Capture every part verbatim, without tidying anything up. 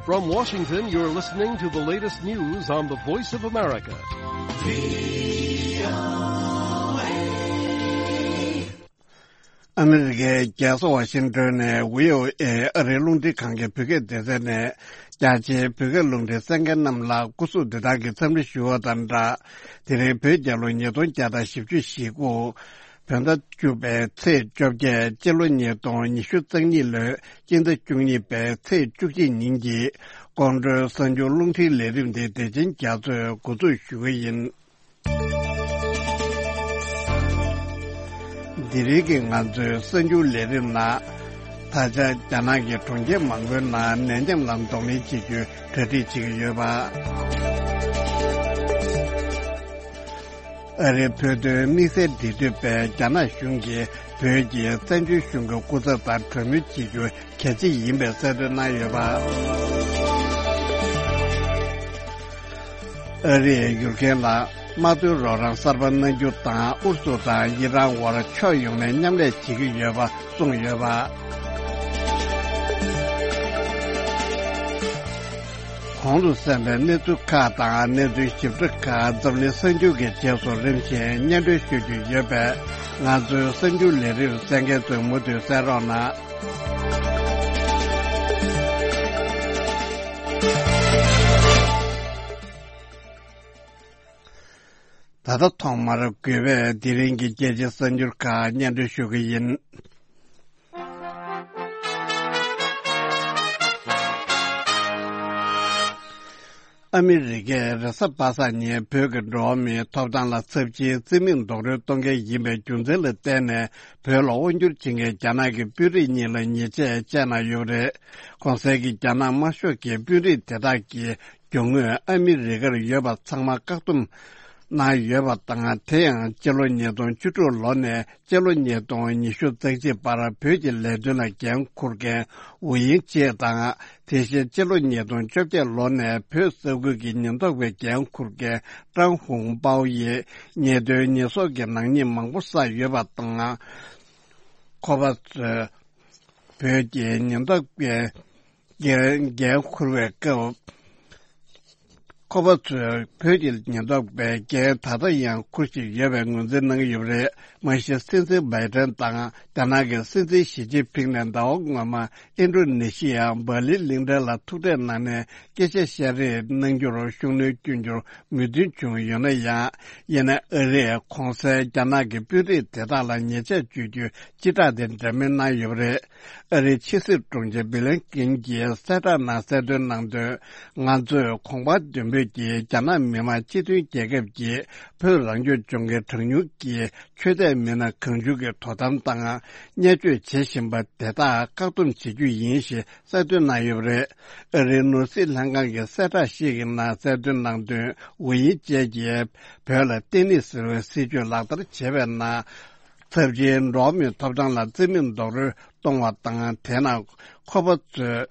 From Washington, you're listening to the latest news on the Voice of America. ཨ་མི་རི་ཀའི་རྒྱལ་ས་ཝ་ཤིང་ཏོན་ནས་བྷི་ཨོ་ཨེ་ཨ་རིའི་རླུང་འཕྲིན་ཁང་གི་བོད་སྐད་སྡེ་ཚན་ནས། རྒྱ་ཆེའི་བོད་སྐད་རླུང་འཕྲིན་གསན་མཁན་རྣམས་ལ་སྐུ་གཟུགས་བདེ་ཐང་གི་འཚམས་འདྲི་ཞུ་བ་དང་སྦྲགས། དེ་རིང་བོད་རྒྱལ་ལོ་ཉིས་སྟོང་བརྒྱ་དང་བཞི་བཅུ་ཞེ་དགུ། བོད་ཟླ་བཅུ་པའི་ཚེས་བཅོ་བརྒྱད། སྤྱི་ལོ་ཉིས་སྟོང་ཉི་ཤུ་རྩ་གཉིས་ལོའི་སྤྱི་ཟླ་བཅུ་གཉིས་པའི་ཚེས་བཅུ་གཅིག་ཉིན་གྱི་ཀོང་སྤྲུལ་གསར་འགྱུར་རླུང་འཕྲིན་ལས་རིམ་འདི་བདེ་ཆེན་རྒྱ་མཚོས་འགོ་འཛུགས་ཞུ་གི་ཡིན། འདི་རིང་གི་ང་ཚོའི་གསར་འགྱུར་ལས་རིམ་ནང་། ད་ཆ་རྒྱ་ནག་གི་གྲོང་ཁྱེར་མང་པོའི་ནང་ནད་ཡམས་ལ་གདོང་ལེན་བྱེད་རྒྱུའི་གྲ་སྒྲིག་བྱེད་ཀྱི་ཡོད་པ། ཨ་རིའི་བོད་དོན་དམིགས་བསལ་འབྲེལ་མཐུད་པས་རྒྱ་ནག་གཞུང་གིས་བོད་ཀྱི་བཙན་བྱོལ་གཞུང་གི་སྐུ་ཚབ་དང་གྲོས་མོལ་བྱེད་རྒྱུ་གལ་ཆེ་ཡིན་པའི་གསལ་སྟོན་གནང་ཡོད་པ། ཨ་རིས་ཡུལ་མཁན་ལ་དམག་དོན་རོགས་རམ་གསར་པ་གནང་རྒྱུ་དང་། ཨུ་རུ་སུ་དང་ཨི་རན་དབར་ཕྱོགས་ཡོངས་ནས་མཉམ་ལས་བྱེད་ཀྱི་ཡོད་པ་གསུངས་ཡོད་པ། གོང་དུ་གསན་པའི་གནས་ཚུལ་ཁག་དང་། གནས་ཚུལ་ཞིབ་ཕྲ་ཁག་འཛམ་གླིང་གསར་འགྱུར་གྱི་རྗེས་སུ་རིམ་བཞིན་སྙན་སྒྲོན་ཞུ་རྒྱུ་ཡོད་པས། ང་ཚོའི་གསར་འགྱུར་ལས་རིམ་གསན་མཁན་ཚོས་མུ་མཐུད་གསན་རོགས་གནང་། ད་ལྟ་ཐོག་མར་དགོས་པའི་དེ་རིང་གི་རྒྱལ་སྤྱིའི་གསར་འགྱུར་ཁག་སྙན་སྒྲོན་ཞུ་གི་ཡིན། ཨ་མི་རི་ཀས་རེས་གཟའ་པ་སངས་ཉིན་བོད་ཀྱི་འགྲོ་བ་མིའི་ཐོབ་ཐང་ལ་ཚབས་ཆེའི་བརྩི་མེད་རྡོག་རོལ་གཏོང་མཁན་ཡིན་པའི་རྒྱུ་མཚན་ལ་བརྟེན་ནས། བོད་ལ་དབང་བསྒྱུར་བྱེད་མཁན་རྒྱ་ནག་གི་དཔོན་རིགས་གཉིས་ལ་ཉེས་ཆད་བཅད་གནང་ཡོད་པ་རེད། གོང་གསལ་གྱི་རྒྱ་ནག་དམར་ཤོག་གི་དཔོན་རིགས་དེ་དག་གིས་རྒྱུ་དངོས་ཨ་མི་རི་ཀར་ཡོད་པ་ཚང་མ་བཀག་སྡོམ་གནང་ཡོད་པ་དང་། དེ་ཡང་སྤྱི་ལོ་ཉིས་སྟོང་བཅུ་དྲུག་ལོ་ནས་སྤྱི་ལོ་ཉིས་སྟོང་ཉི་ཤུ་རྩ་གཅིག་བར་བོད་ཀྱི་ལས་དོན་ལ་འགན་འཁུར་མཁན་ཝུ་དབྱིང་ཅེ་དང་། དེ་བཞིན་སྤྱི་ལོ་ཉིས་སྟོང་བཅོ་བརྒྱད་ལོ་ནས་བོད་ས་ཁུལ་གྱི་ཉེན་རྟོག་པའི་འགན་འཁུར་མཁན་ཀྲང་ཧུང་པའོ་ཡིས་ཉེས་དོན་ཉེས་གསོག་གི་ནག་ཉེས་མང་པོ་བསགས་ཡོད་པ་དང་། ཁོ་པ་ཚོས་བོད་ཀྱི་ཉེན་རྟོག་པའི་འགན་འགན་འཁུར་བའི་སྐབས། ཁོ་པ་ཚོས་བོད་ཀྱི་ཉེན་རྟོག་པའི་འགན་ད་ལྟ་ཡང་འཁུར་བཞིན་ཡོད་པའི་ངོས་འཛིན་གནང་གི་ཡོད་པ་རེད། མ་གཞི་སྲིད་འཛིན་བྷའི་ཏན་དང་རྒྱ་ནག་གི་སྲིད་འཛིན་ཞི་ཅིན་ཕིང་ནས་ཟླ་བ་སྔོན་མ་ཨིན་ཌོ་ནེ་ཤི་ཡ་འབར་ལིན་གླིང་ཕྲན་ལ་ཐུག་འཕྲད་གནང་ནས་སྐད་ཆ་བཤད་རེས་གནང་རྒྱུར་ཤུགས་སྣོན་བསྐྱོན་རྒྱུར་མོས་མཐུན་བྱུང་ཡོད་ན་ཡང་། ཡིན་ན་ཨ་རིས་གོང་གསལ་རྒྱ་ནག་གི་དཔོན་རིགས་དེ་དག་ལ་ཉེས་ཆད་གཅོད་རྒྱུའི་སྤྱི་བསྒྲགས་དེ་འདྲ་མིན་གནང་ཡོད་པ་རེད། ཨ་རིའི་ཕྱི་སྲིད་དྲུང་ཆེ་བྷི་ལན་ཀིན་གྱིས་གསལ་བསྒྲགས་ནང་གསལ་སྟོན་གནང་དོན། ང་ཚོས་གོང་འཕེལ་མདུན་སྤོས་ཀྱིས་རྒྱ་ནག་མི་དམངས་སྤྱི་མཐུན་རྒྱལ་ཁབ་ཀྱི་བོད་རང་སྐྱོང་ལྗོངས་ཀྱི་གྲངས་ཉུང་གི་ཆོས་དད་མི་སྣ་གང་བྱུང་གི་དོ་དམ་དང་བརྙས་བཅོས་བྱེད་བཞིན་པ་དེ་དག་བཀག་སྡོམ་བྱེད་རྒྱུ་ཡིན་ཞེས་གསལ་སྟོན་གནང་ཡོད་པ་རེད། ཨ་རིའི་ནོར་སྲིད་ལྷན་ཁང་གི་གསལ་བསྒྲགས་ཤིག་གི་ནང་གསལ་སྟོན་གནང་དོན། ཝུ་དབྱིང་ཅེ་གིས་བོད་ལ་བརྟན་ལྷིང་ཟེར་བའི་སྲིད་ཇུས་ལག་བསྟར་བྱས་པའི་ནང་། ཚབས་ཆེའི་འགྲོ་བ་མིའི་ཐོབ་ཐང་ལ་བརྩི་མེད་རྡོག་རོལ་གཏོང་བ་དང་། དེ་ནང་ཁོ་པ་ཚོས་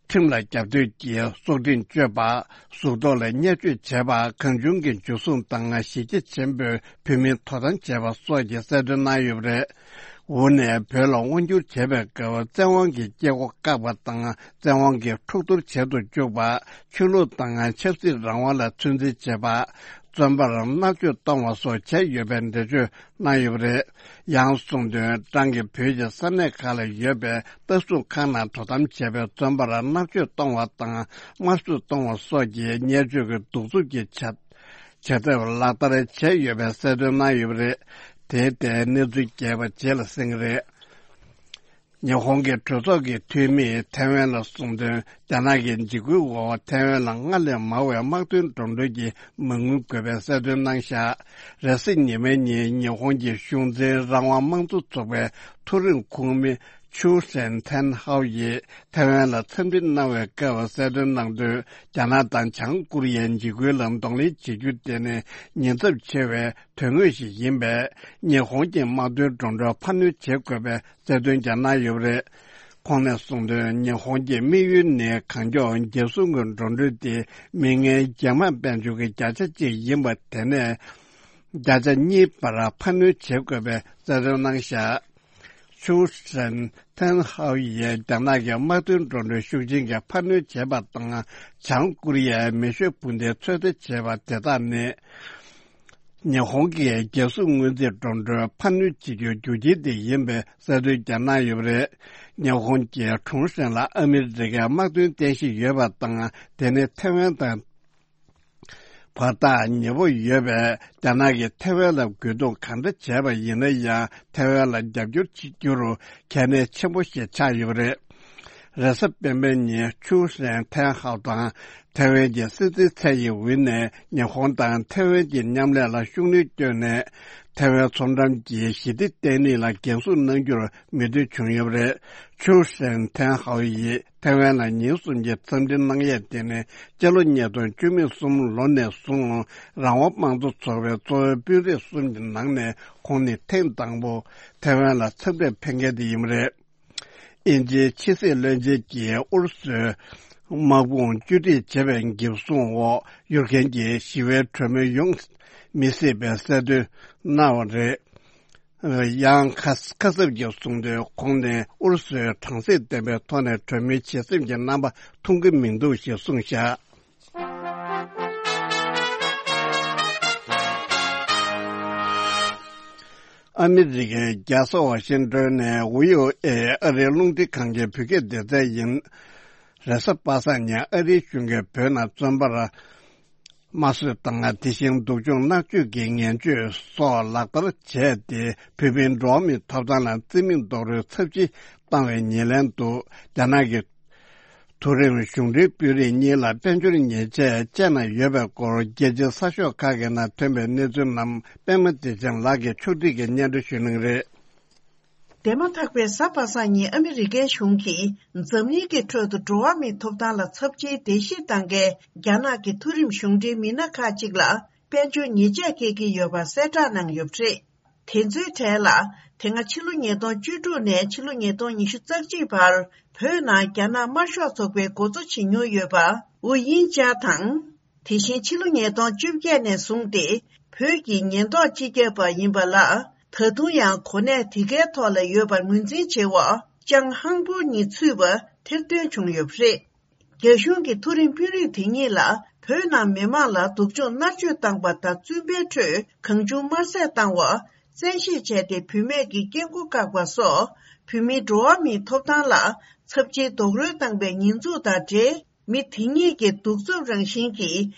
ཁྲིམས་ལ་རྒྱབ་གཏོད་ཀྱིས་སྲོག་ཁྲིམས་གཅོད་པ། གཟུགས་ཐོག་ལ་བརྙས་བཅོས་བྱས་པ། གང་བྱུང་གི་འཇུ་བཟུང་དང་གཞི་རྒྱ་ཆེན་པོས་བོད་མིའི་དོ་དམ་བྱས་པ་སོགས་ཀྱི་གསལ་སྟོན་གནང་ཡོད་པ་རེད། ཝུ་ནས་བོད་ལ་དབང་བསྒྱུར་བྱས་པའི་སྐབས་བཙན་དབང་གི་སྐྱེ་སྒོ་བཀག་པ་དང་། བཙན་དབང་གི་འཁྲུག་གཏོར་བྱེད་དུ་བཅུག་པ། ཆོས་ལུགས་དང་ཆབ་སྲིད་རང་དབང་ལ་ཚོད་འཛིན་བྱེད་པ། བཙོན་པར་མནར་གཅོད་གཏོང་བ་སོགས་བྱས་ཡོད་པའི་འགྲེལ་བརྗོད་གནང་ཡོད་པ་རེད། ཡང་གསུངས་དོན། ཀྲང་གིས་བོད་ཀྱི་ས་གནས་ཁག་ལ་ཡོད་པའི་ལྟ་སྲུང་ཁང་ནང་དོ་དམ་བྱས་པའི་བཙོན་པར་མནར་གཅོད་གཏོང་བ་དང་དམར་གསོད་གཏོང་བ་སོགས་ཀྱི་བརྙས་བཅོས་ཀྱི་གདུག་རྩུབ་ཀྱི་བྱ་བྱ་ཐབས་ལག་བསྟར་བྱས་ཡོད་པའི་གསལ་སྟོན་གནང་ཡོད་པ་རེད། དེའི་ཐད་གནས་ཚུལ་རྒྱས་པ་རྗེས་ལ་གསན་གྱི་རེད། ཉི་ཧོང་གི་གྲོས་ཚོགས་ཀྱི་འཐུས་མིས་ཐའེ་ཝན་ལ་གསུངས་དོན། རྒྱ་ནག་གི་འཇིགས་སྐུལ་འོག་ཐའེ་ཝན་ལ་སྔར་ལས་མང་བའི་དམག་དོན་འགྲོ་གྲོན་གྱི་མ་དངུལ་དགོས་པའི་གསལ་སྟོན་གནང་བཞག་རེས་གཟའ་ཉི་མའི་ཉིན་ཉི་ཧོང་གི་གཞུང་འཛིན་རང་དབང་དམངས་གཙོ་ཚོགས་པའི་མཐོ་རིམ་ཁོངས་མི་ཆུའུ་ཧྲེན་ཐན་ཧའོ་ཡིས་ཐའེ་ཝན་ལ་འཚམས་འདྲི་གནང་བའི་སྐབས་གསལ་སྟོན་གནང་དོན། རྒྱ་ནག་དང་བྱང་ཀོ་རི་ཡའི་འཇིགས་སྐུལ་ལ་གདོང་ལེན་བྱེད་རྒྱུ་དེ་ནི་ཉེན་ཚབས་ཆེ་བའི་དོན་དངོས་ཤིག་ཡིན་པས། ཉི་ཧོང་གི་དམག་དོན་འགྲོ་གྲོན་འཕར་སྣོན་བྱེད་དགོས་པའི་གསལ་སྟོན་ཀྱང་གནང་ཡོད་པ་རེད། ཁོང་ནས་གསུངས་དོན། ཉི་ཧོང་གི་དམིགས་ཡུལ་ནི་གང་མགྱོགས་རྒྱལ་སྲུང་གི་འགྲོ་གྲོན་དེ་མི་ངན་རྒྱ་དམག་དཔལ་འབྱོར་གྱི་བརྒྱ་ཆ་གཅིག་ཡིན་པ་དེ་ནས་བརྒྱ་ཆ་གཉིས་བར་འཕར་སྣོན་བྱེད་དགོས་པའི་གསལ་སྟོན་གནང་བཞག་ཆུའུ་ཧྲེན་ཐན་ཧའོ་ཡིས་རྒྱ་ནག་གི་དམག་དོན་འགྲོ་གྲོན་ཤུགས་ཆེན་གྱིས་འཕར་སྣོན་བྱས་པ་དང་། བྱང་ཀོ་རི་ཡའི་མེ་ཤོད་འཕུར་མདེལ་ཚོད་ལྟ་བྱས་པ་དེ་དག་ནི། ཉི་ཧོང་གི་རྒྱལ་སྲུང་སྔོན་རྩིས་འགྲོ་གྲོན་འཕར་སྣོན་བྱེད་རྒྱུའི་རྒྱུ་རྐྱེན་དེ་ཡིན་པའི་གསལ་སྟོན་ཀྱང་གནང་ཡོད་པ་རེད། ཉི་ཧོང་གིས་ཁྲུང་ཧྲེང་ལ་ཨ་མི་རི་ཀའི་དམག་དོན་རྟེན་གཞི་ཡོད་པ་དང་། དེ་ནི་ཐེ་ཝན་དང་བར་ཐག་ཉེ་པོ་ཡོད་པས། རྒྱ་ནག་གིས་ཐེ་ཝན་ལ་རྒོལ་རྡུང་གང་འདྲ་བྱས་པ་ཡིན་ན་ཡང་། ཐེ་ཝན་ལ་རྒྱབ་སྐྱོར་བྱེད་རྒྱུར་གལ་གནད་ཆེན་པོ་ཞིག་ཆགས་ཡོད་པ་རེད། རེས་གཟའ་སྤེན་པའི་ཉིན་ཆུའུ་ཧྲེན་ཐན་ཧའོ་དང་ཐེ་ཝན་གྱི་སྲིད་འཛིན་ཚའེ་ཡིན་ཝུན་ནས་ཉི་ཧོང་དང་ཐེ་ཝན་གྱི་མཉམ་ལས་ལ་ཤུགས་སྣོན་བསྐྱོན་ནས། ཐེ་ཝན་མཚོ་འགྲམ་གྱི་ཞི་བདེ་བརྟན་ལྷིང་ལ་འགན་སྲུང་གནང་རྒྱུར་མོས་མཐུན་བྱུང་ཡོད་པ་རེད། ཆུའུ་ཧྲེན་ཐན་ཧའོ་ཡིས་ཐེ་ཝན་ལ་ཉིན་གསུམ་གྱི་འཚམས་འདྲི་གནང་ཡས་དེ་ནི་སྤྱི་ལོ་ཉིས་སྟོང་བཅུ་གསུམ་ལོ་ནས་བཟུང་རང་དབང་དམངས་གཙོ་ཚོགས་པའི་གཙོ་བོའི་དཔོན་རིགས་གསུམ་གྱི་ནང་ནས་ཁོང་ནི་ཐེངས་དང་པོ་ཐེ་ཝན་ལ་འཚམས་འདྲིར་ཕེབས་མཁན་དེ་ཡིན་པ་རེད། དབྱིན་ཇིའི་ཕྱི་སྲིད་བློན་ཆེན་གྱིས་ཨུ་རུ་སུའི་དམག་དཔུང་བཅོས་སྒྲིག་བྱེད་པའི་འགེབས་སྲུང་འོག་ཡུལ་ཁན་གྱི་ཞི་བའི་གྲོས་མོལ་ཡོང་མི་སྲིད་པའི་གསལ་སྟོན་གནང་བ་རེད། ཡང་ཁ་ཁ་སབ་ཀྱིས་གསུངས་དོན། ཁོང་ནས་ཨུ་རུ་སུའི་དྲང་སེམས་ལྡན་པའི་ཐོག་ནས་གྲོས་མོལ་བྱེད་སེམས་ཀྱི་རྣམ་པ་མཐོང་གི་མི་འདུག་ཞེས་གསུངས་བཞག་ཨ་མི་རི་ཀའི་རྒྱལ་ས་ཝ་ཤིང་ཏོན་ནས་ཝི་ཨོ་ཨེ་ཨ་རིའི་རླུང་འཕྲིན་ཁང་གི་བོད་སྐད་སྡེ་ཚན་ཡིན། རེས་གཟའ་པ་སངས་ཉིན་ཨ་རིའི་གཞུང་གིས་བོད་ནང་བཙོན་པར་དམར་གསོད་དང་། དེ་བཞིན་སྡུག་སྦྱོང་མནར་གཅོད་ཀྱི་ངན་སྤྱོད་སོགས་ལག་བསྟར་བྱས་ཏེ། བོད་མིའི་འགྲོ་བ་མིའི་ཐོབ་ཐང་ལ་བརྩི་མེད་རྡོག་རོལ་ཚབས་ཆེ་བཏང་བའི་ཉེར་ལེན་དུ། རྒྱ་ནག་གི་མཐོ་རིམ་གཞུང་འབྲེལ་དཔོན་རིགས་གཉིས་ལ་དཔལ་འབྱོར་ཉེས་ཆད་བཅད་གནང་ཡོད་པའི་སྐོར། རྒྱལ་སྤྱིའི་གསར་ཤོག་ཁག་གི་ནང་ཐོན་པའི་གནས་ཚུལ་རྣམས་པད་མ་བདེ་ཆེན་ལགས་ཀྱིས་ཕྱོགས་སྒྲིག་གིས་སྙན་སྒྲོན་ཞུ་གནང་གི་རེད། འདས་མ་ཐག་པའི་གཟའ་པ་སངས་ཉིན་ཨ་མི་རི་ཀའི་གཞུང་གིས་འཛམ་གླིང་གི་ཁྲོད་དུ་འགྲོ་བ་མིའི་ཐོབ་ཐང་ལ་ཚབས་ཆེའི་བརྡལ་བཤིག་བཏང་མཁན་རྒྱ་ནག་གི་མཐོ་རིམ་གཞུང་འབྲེལ་མི་སྣ་ཁག་ཅིག་ལ་དཔལ་འབྱོར་ཉེས་ཆད་འཁེལ་གྱི་ཡོད་པ་གསལ་བསྒྲགས་གནང་ཡོད་པ་རེད། དེ་ཚོའི་གྲས་ལ། དེ་སྔ་ཕྱི་ལོ་ཉིས་སྟོང་བཅུ་དྲུག་ནས་ཕྱི་ལོ་ཉིས་སྟོང་ཉི་ཤུ་རྩ་གཅིག་བར་བོད་ནང་རྒྱ་ནག་དམར་ཤོག་ཚོགས་པའི་འགོ་གཙོ་བྱེད་མྱོང་ཡོད་པ་ཝུ་དབྱིན་ཅཱ་དང་། དེ་བཞིན་ཕྱི་ལོ་ཉིས་སྟོང་བཅོ་བརྒྱད་ནས་བཟུང་སྟེ་བོད་ཀྱི་ཉེན་རྟོག་སྤྱི་ཁྱབ་པ་ཡིན་པ་ལ། ད་དུང་ཡང་གོ་གནས་དེ་གའི་ཐོག་ལ་ཡོད་པར་ངོས་འཛིན་བྱེད་འོག་ཅང་ཧང་པོ་གཉིས་ཚུད་པ་ཐེར་འདོན་བྱུང་ཡོད་པ་རེད། རྒྱ་གཞུང་གི་མཐོ་རིམ་དཔོན་རིགས་དེ་གཉིས་ལ་བོད་ནང་མི་མང་ལ་སྡུག་སྦྱོང་མནར་གཅོད་བཏང་པ་དང་། བཙུན་པའི་ཁྲོད་གང་བྱུང་དམར་བསད་བཏང་བ། བཙན་ཤེད་བྱས་ཏེ་བུད་མེད་ཀྱི་སྐྱེ་སྒོ་བཀག་པ་སོགས་བོད་མིའི་འགྲོ་བ་མིའི་ཐོབ་ཐང་ལ་ཚབས་ཆེའི་རྡོག་རོལ་བཏང་པའི་ཉེས་འཛུགས་དང་འབྲེལ། མི་དེ་གཉིས་ཀྱི་གདུག་རྩུབ་རང་བཞིན་གྱི་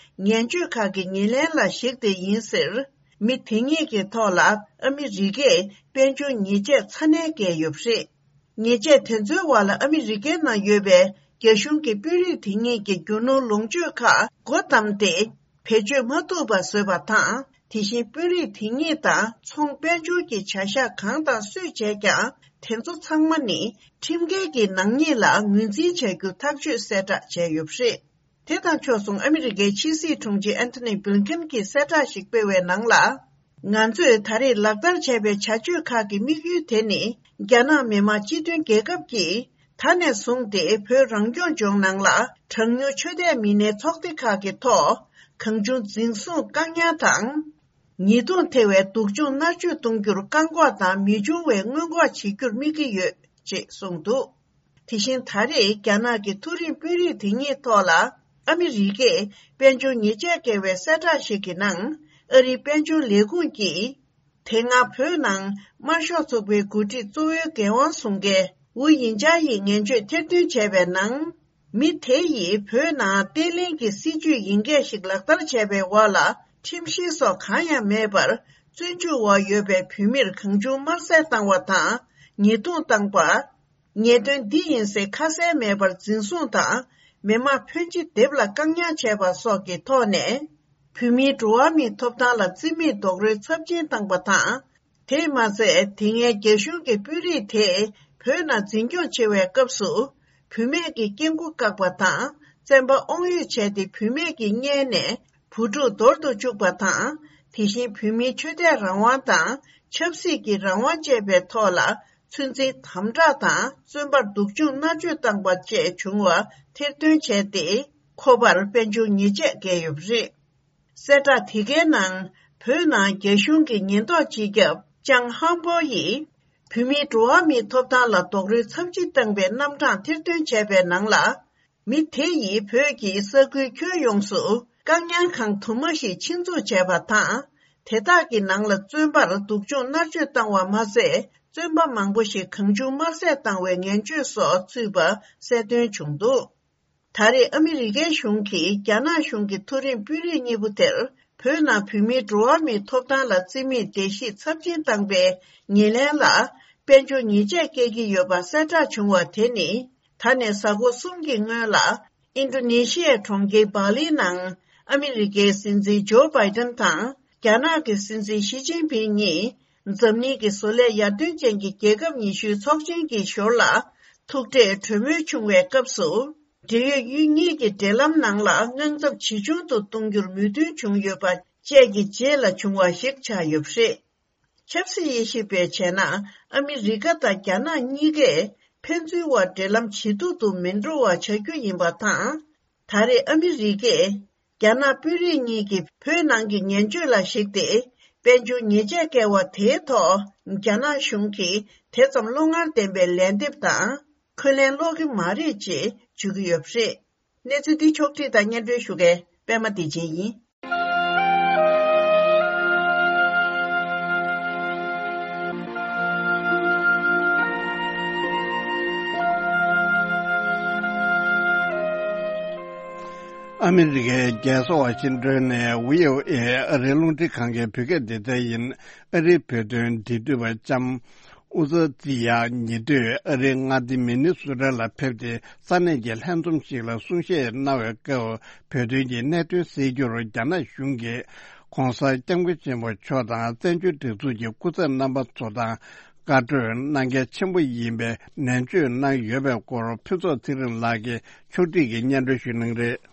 ངན་སྤྱོད་ཁག་གི་ཉེར་ལེན་ལ་གཞིགས་ཏེ་ཡིན་ཟེར། མི་དེ་གཉིས་ཀྱི་ཐོག་ལ་ཨ་མི་རི་ཀས་དཔལ་འབྱོར་ཉེས་ཆད་ཚ་ནན་བཀལ་ཡོད་པ་རེད། ཉེས་ཆད་དེ་ཚོའི་འོག་ལ་ཨ་མི་རི་ཀའི་ནང་ཡོད་པའི་རྒྱ་གཞུང་གི་དཔོན་རིགས་དེ་གཉིས་ཀྱི་རྒྱུ་ནོར་ལོངས་སྤྱོད་ཁག་སྒོ་བསྡམས་ཏེ། བེད་སྤྱོད་མ་ཐུབ་པ་བཟོས་པ་དང་། དེ་བཞིན་དཔོན་རིགས་དེ་གཉིས་དང་ཚོང་དཔལ་འབྱོར་གྱི་བྱ་གཞག་གང་དང་སུས་བྱས་ཀྱང་། དེ་ཚོ་ཚང་མ་ནི་ཁྲིམས་འགལ་གྱི་ནག་ཉེས་ལ་ངོས་འཛིན་བྱ་རྒྱུ་ཐག་གཅོད་གསལ་བསྒྲགས་བྱས་ཡོད་པ་རེད། དེ་དང་ཕྱོགས་མཚུངས། ཨ་མི་རི་ཀའི་ཕྱི་སྲིད་དྲུང་ཆེ་ཨན་ཐོ་ནི་བྷི་ལིན་ཀེན་གྱིས་གསལ་བསྒྲགས་ཤིག་སྤེལ་བའི་ནང་ལ། ང་ཚོས་ད་རེས་ལག་བསྟར་བྱས་པའི་བྱ་སྤྱོད་ཁག་གི་དམིགས་ཡུལ་དེ་ནི། རྒྱ་ནག་མི་དམངས་སྤྱི་མཐུན་རྒྱལ་ཁབ་ཀྱིས་ད་ནས་བཟུང་སྟེ་བོད་རང་སྐྱོང་ལྗོངས་ནང་ལ་གྲངས་ཉུང་ཆོས་དད་མི་སྣའི་ཚོགས་སྡེ་ཁག་གི་ཐོག་གང་བྱུང་འཛིན་བཟུང་བཀག་ཉར་དང་། ཉེས་རྡུང་ཐེབས་པའི་སྡུག་སྦྱོང་མནར་གཅོད་གཏོང་རྒྱུར་བཀག་འགོག་དང་མི་འབྱུང་བའི་སྔོན་འགོག་བྱེད་རྒྱུར་དམིགས་ཀྱི་ཡོད་ཅེས་གསུངས་འདུག་དེ་བཞིན་ད་རེས་རྒྱ་ནག་གི་མཐོ་རིམ་དཔོན་རིགས་དེ་གཉིས་ཐོག་ལ་ཨ་མི་རི་ཀས་དཔལ་འབྱོར་ཉེས་ཆད་བཀལ་བའི་གསལ་བསྒྲགས་ཤིག་གི་ནང་། ཨ་རིའི་དཔལ་འབྱོར་ལས་ཁུངས་ཀྱིས། དེ་སྔ་བོད་ནང་དམར་ཤོག་ཚོགས་པའི་འགོ་ཁྲིད་གཙོ་བོའི་འགན་དབང་བཟུང་མཁན་ཝུ་དབྱིན་ཅཱ་ཡིས་ངན་བྱུས་ཐེར་འདོན་བྱས་པའི་ནང་། མི་དེ་ཡིས་བོད་ནང་བརྟན་ལྷིང་གི་སྲིད་བྱུས་ཡིན་སྐད་ཞིག་ལག་བསྟར་བྱས་པའི་འོག་ལ་ཁྲིམས་བཤེར་སོགས་གང་ཡང་མེད་པར། བཙོན་འཇུག་འོག་ཡོད་པའི་བོད་མིར་གང་བྱུང་དམར་གསོད་བཏང་བ་དང་། ཉེས་རྡུང་བཏང་པ། ཉེས་དོན་འདི་ཡིན་ཟེར་ཁ་གསལ་མེད་པར་འཛིན་བཟུང་དང་། མི་དམངས་ཕོན་ཆེ་སྡེབ་ལ་བཀག་ཉར་བྱས་པ་སོགས་ཀྱི་ཐོག་ནས། བོད་མིའི་འགྲོ་བ་མིའི་ཐོབ་ཐང་ལ་བརྩི་མེད་རྡོག་རོལ་ཚབས་ཆེན་བཏང་པ་དང་། དེས་མ་ཚད། དེ་སྔའི་རྒྱ་གཞུང་གི་དཔོན་རིགས་དེས་བོད་ནང་འཛིན་སྐྱོང་བྱེད་པའི་སྐབས་སུ། བུད་མེད་ཀྱི་སྐྱེ་སྒོ་བཀག་པ་དང་། བཙན་པ་དབང་ཡོད་བྱས་ཏེ་བུད་མེད་ཀྱི་མངལ་ནས་བུ་ཕྲུག་འདོར་དུ་བཅུག་པ་དང་། དེ་བཞིན་བོད་མིའི་ཆོས་དད་རང་དབང་དང་ཆབ་སྲིད་ཀྱི་རང་དབང་བཅས་པའི་ཐོག་ལ་ཚོད་འཛིན་དམ་དྲག་དང་། བཙོན་པར་སྡུག་སྦྱོང་མནར་གཅོད་བཏང་པ་བཅས་བྱུང་བ་ཐེར་འདོན་བྱས་ཏེ། ཁོ་པར་དཔལ་འབྱོར་ཉེས་ཆད་བཀལ་ཡོད་པ་རེད། གསལ་བསྒྲགས་དེ་གའི་ནང་། བོད་ནང་རྒྱ་གཞུང་གི་ཉེན་རྟོག་སྤྱི་ཁྱབ་ཅང་ཧང་པོ་ཡིས། བོད་མིའི་འགྲོ་བ་མིའི་ཐོབ་ཐང་ལ་རྡོག་རོལ་ཚབས་ཆེ་བཏང་པའི་རྣམ་གྲངས་ཐེར་འདོན་བྱས་པའི་ནང་ལ། མི་དེ་ཡིས་བོད་ཀྱི་ས་ཁུལ་ཁྱོན་ཡོངས་སུ་བཀག་ཉར་ཁང་དུ་མ་ཞིག་ཆེད་འཛུགས་བྱས་པ་དང་། དེ་དག་གི་ནང་ལ་བཙོན་པར་སྡུག་སྦྱོང་མནར་གཅོད་བཏང་བ་མ་ཟད། བཙོན་པ་མང་པོ་ཞིག་གང་བྱུང་དམར་བསད་བཏང་བའི་ངན་སྤྱོད་སོགས་ཚུད་པ་གསལ་སྟོན་བྱུང་འདུག་ད་རེས་ཨ་མི་རི་ཀའི་གཞུང་གིས་རྒྱ་ནག་གཞུང་གི་མཐོ་རིམ་དཔོན་རིགས་གཉིས་པོ་དེར་བོད་ནང་བོད་མིའི་འགྲོ་བ་མིའི་ཐོབ་ཐང་ལ་བརྩི་མེད་བརྡལ་བཤིག་ཚབས་ཆེན་བཏང་པའི་ཉེར་ལེན་ལ་དཔལ་འབྱོར་ཉེས་ཆད་བཀལ་གྱི་ཡོད་པ་གསལ་བསྒྲགས་བྱུང་བ་དེ་ནི། ད་ནས་གཟའ་འཁོར་གསུམ་གྱི་སྔོན་ལ། ཨིན་ཌོ་ནེ་ཤི་ཡའི་གྲོང་ཁྱེར་སྦ་ལིའི་ནང་ཨ་མི་རི་ཀའི་སྲིད་འཛིན་ཇོ་བྷའི་ཏན་དང་རྒྱ་ནག་གི་སྲིད་འཛིན་ཞི་ཅིན་ཕིང་གཉིས། འཛམ་གླིང་གི་བཟོ་ལས་ཡར་ཐོན་ཅན་གྱི་རྒྱལ་ཁབ་ཉི་ཤུའི་ཚོགས་ཆེན་གྱི་ཞོར་ལ་ཐུག་འཕྲད་གྲོས་མོལ་བྱུང་བའི་སྐབས་སུ། འབྲེལ་ཡོད་ཡུལ་གཉིས་ཀྱི་འབྲེལ་ལམ་ནང་ལ་དངངས་འཚབ་ཇེ་ཆུང་དུ་གཏོང་རྒྱུར་མོས་མཐུན་བྱུང་ཡོད་པ་བཅས་ཀྱི་རྗེས་ལ་བྱུང་བ་ཞིག་ཆགས་ཡོད་པ་རེད། ཆབ་སྲིད་དབྱེ་ཞིབ་པས་བྱས་ན། ཨ་མི་རི་ཀ་དང་རྒྱ་ནག་གཉིས་ཀས་ཕན་ཚུན་དབར་འབྲེལ་ལམ་ཇེ་སྡུག་ཏུ་མི་འགྲོ་བ་བྱ་རྒྱུ་ཡིན་པ་དང་། ད་རེས་ཨ་མི་རི་ཀས་རྒྱ་ནག་དཔོན་རིགས་གཉིས་ཀྱིས་བོད་ནང་གི་ངན་སྤྱོད་ལ་གཞིགས་ཏེ། དཔལ་འབྱོར་ཉེས་ཆད་བཀལ་བ་དེའི་ཐོག་རྒྱ་ནག་གཞུང་གིས་དེ་ཙམ་བློ་ངར་ལྡན་པའི་ལན་འདེབས་དང་འཁོན་ལན་སློག་གི་མ་རེད་ཅེས་བརྗོད་ཀྱི་ཡོད་པ་རེད། གནས་ཚུལ་འདི་ཕྱོགས་བསྒྲིགས་དང་སྙན་སྒྲོན་ཞུ་མཁན་པད་མ་བདེ་ཆེན་ཡིན། ཨ་མི་རི་ཀའི་རྒྱལ་ས་ཝ་ཤིང་ཏོན་ནས་བྷི་ཨོ་ཨེ་ཨ་རིའི་རླུང་འཕྲིན་ཁང་གི་བོད་སྐད་སྡེ་ཚན་ཡིན། ཨ་རིའི་བོད་དོན་འབྲེལ་མཐུད་པ་ལྕམ་ཨུ་ཛ་ཛི་ཡ་ཉེ་དུས་ཨ་རིའི་མངའ་སྡེ་མི་ནི་སོ་ཊ་ལ་ཕེབས་ཏེ། ས་གནས་ཀྱི་ལྷན་འཛོམས་ཤིག་ལ་གསུང་བཤད་གནང་བའི་སྐབས། བོད་དོན་གྱི་གནད་དོན་སེལ་རྒྱུར་རྒྱ་ནག་གཞུང་གིས་༧གོང་ས་༧སྐྱབས་མགོན་ཆེན་པོ་མཆོག་དང་བཙན་བྱོལ་སྒྲིག་འཛུགས་ཀྱི་སྐུ་ཚབ་རྣམ་པ་ཚོ་དང་བཀའ་གྲོས་གནང་གལ་ཆེན་པོ་ཡིན་པའི་ནན་བརྗོད་གནང་ཡོད་པའི་སྐོར། ཕུན་ཚོགས་ཚེ་རིང་ལགས་ཀྱིས་ཕྱོགས་སྒྲིག་གིས་སྙན་སྒྲོན་ཞུ་གནང་གི་རེད།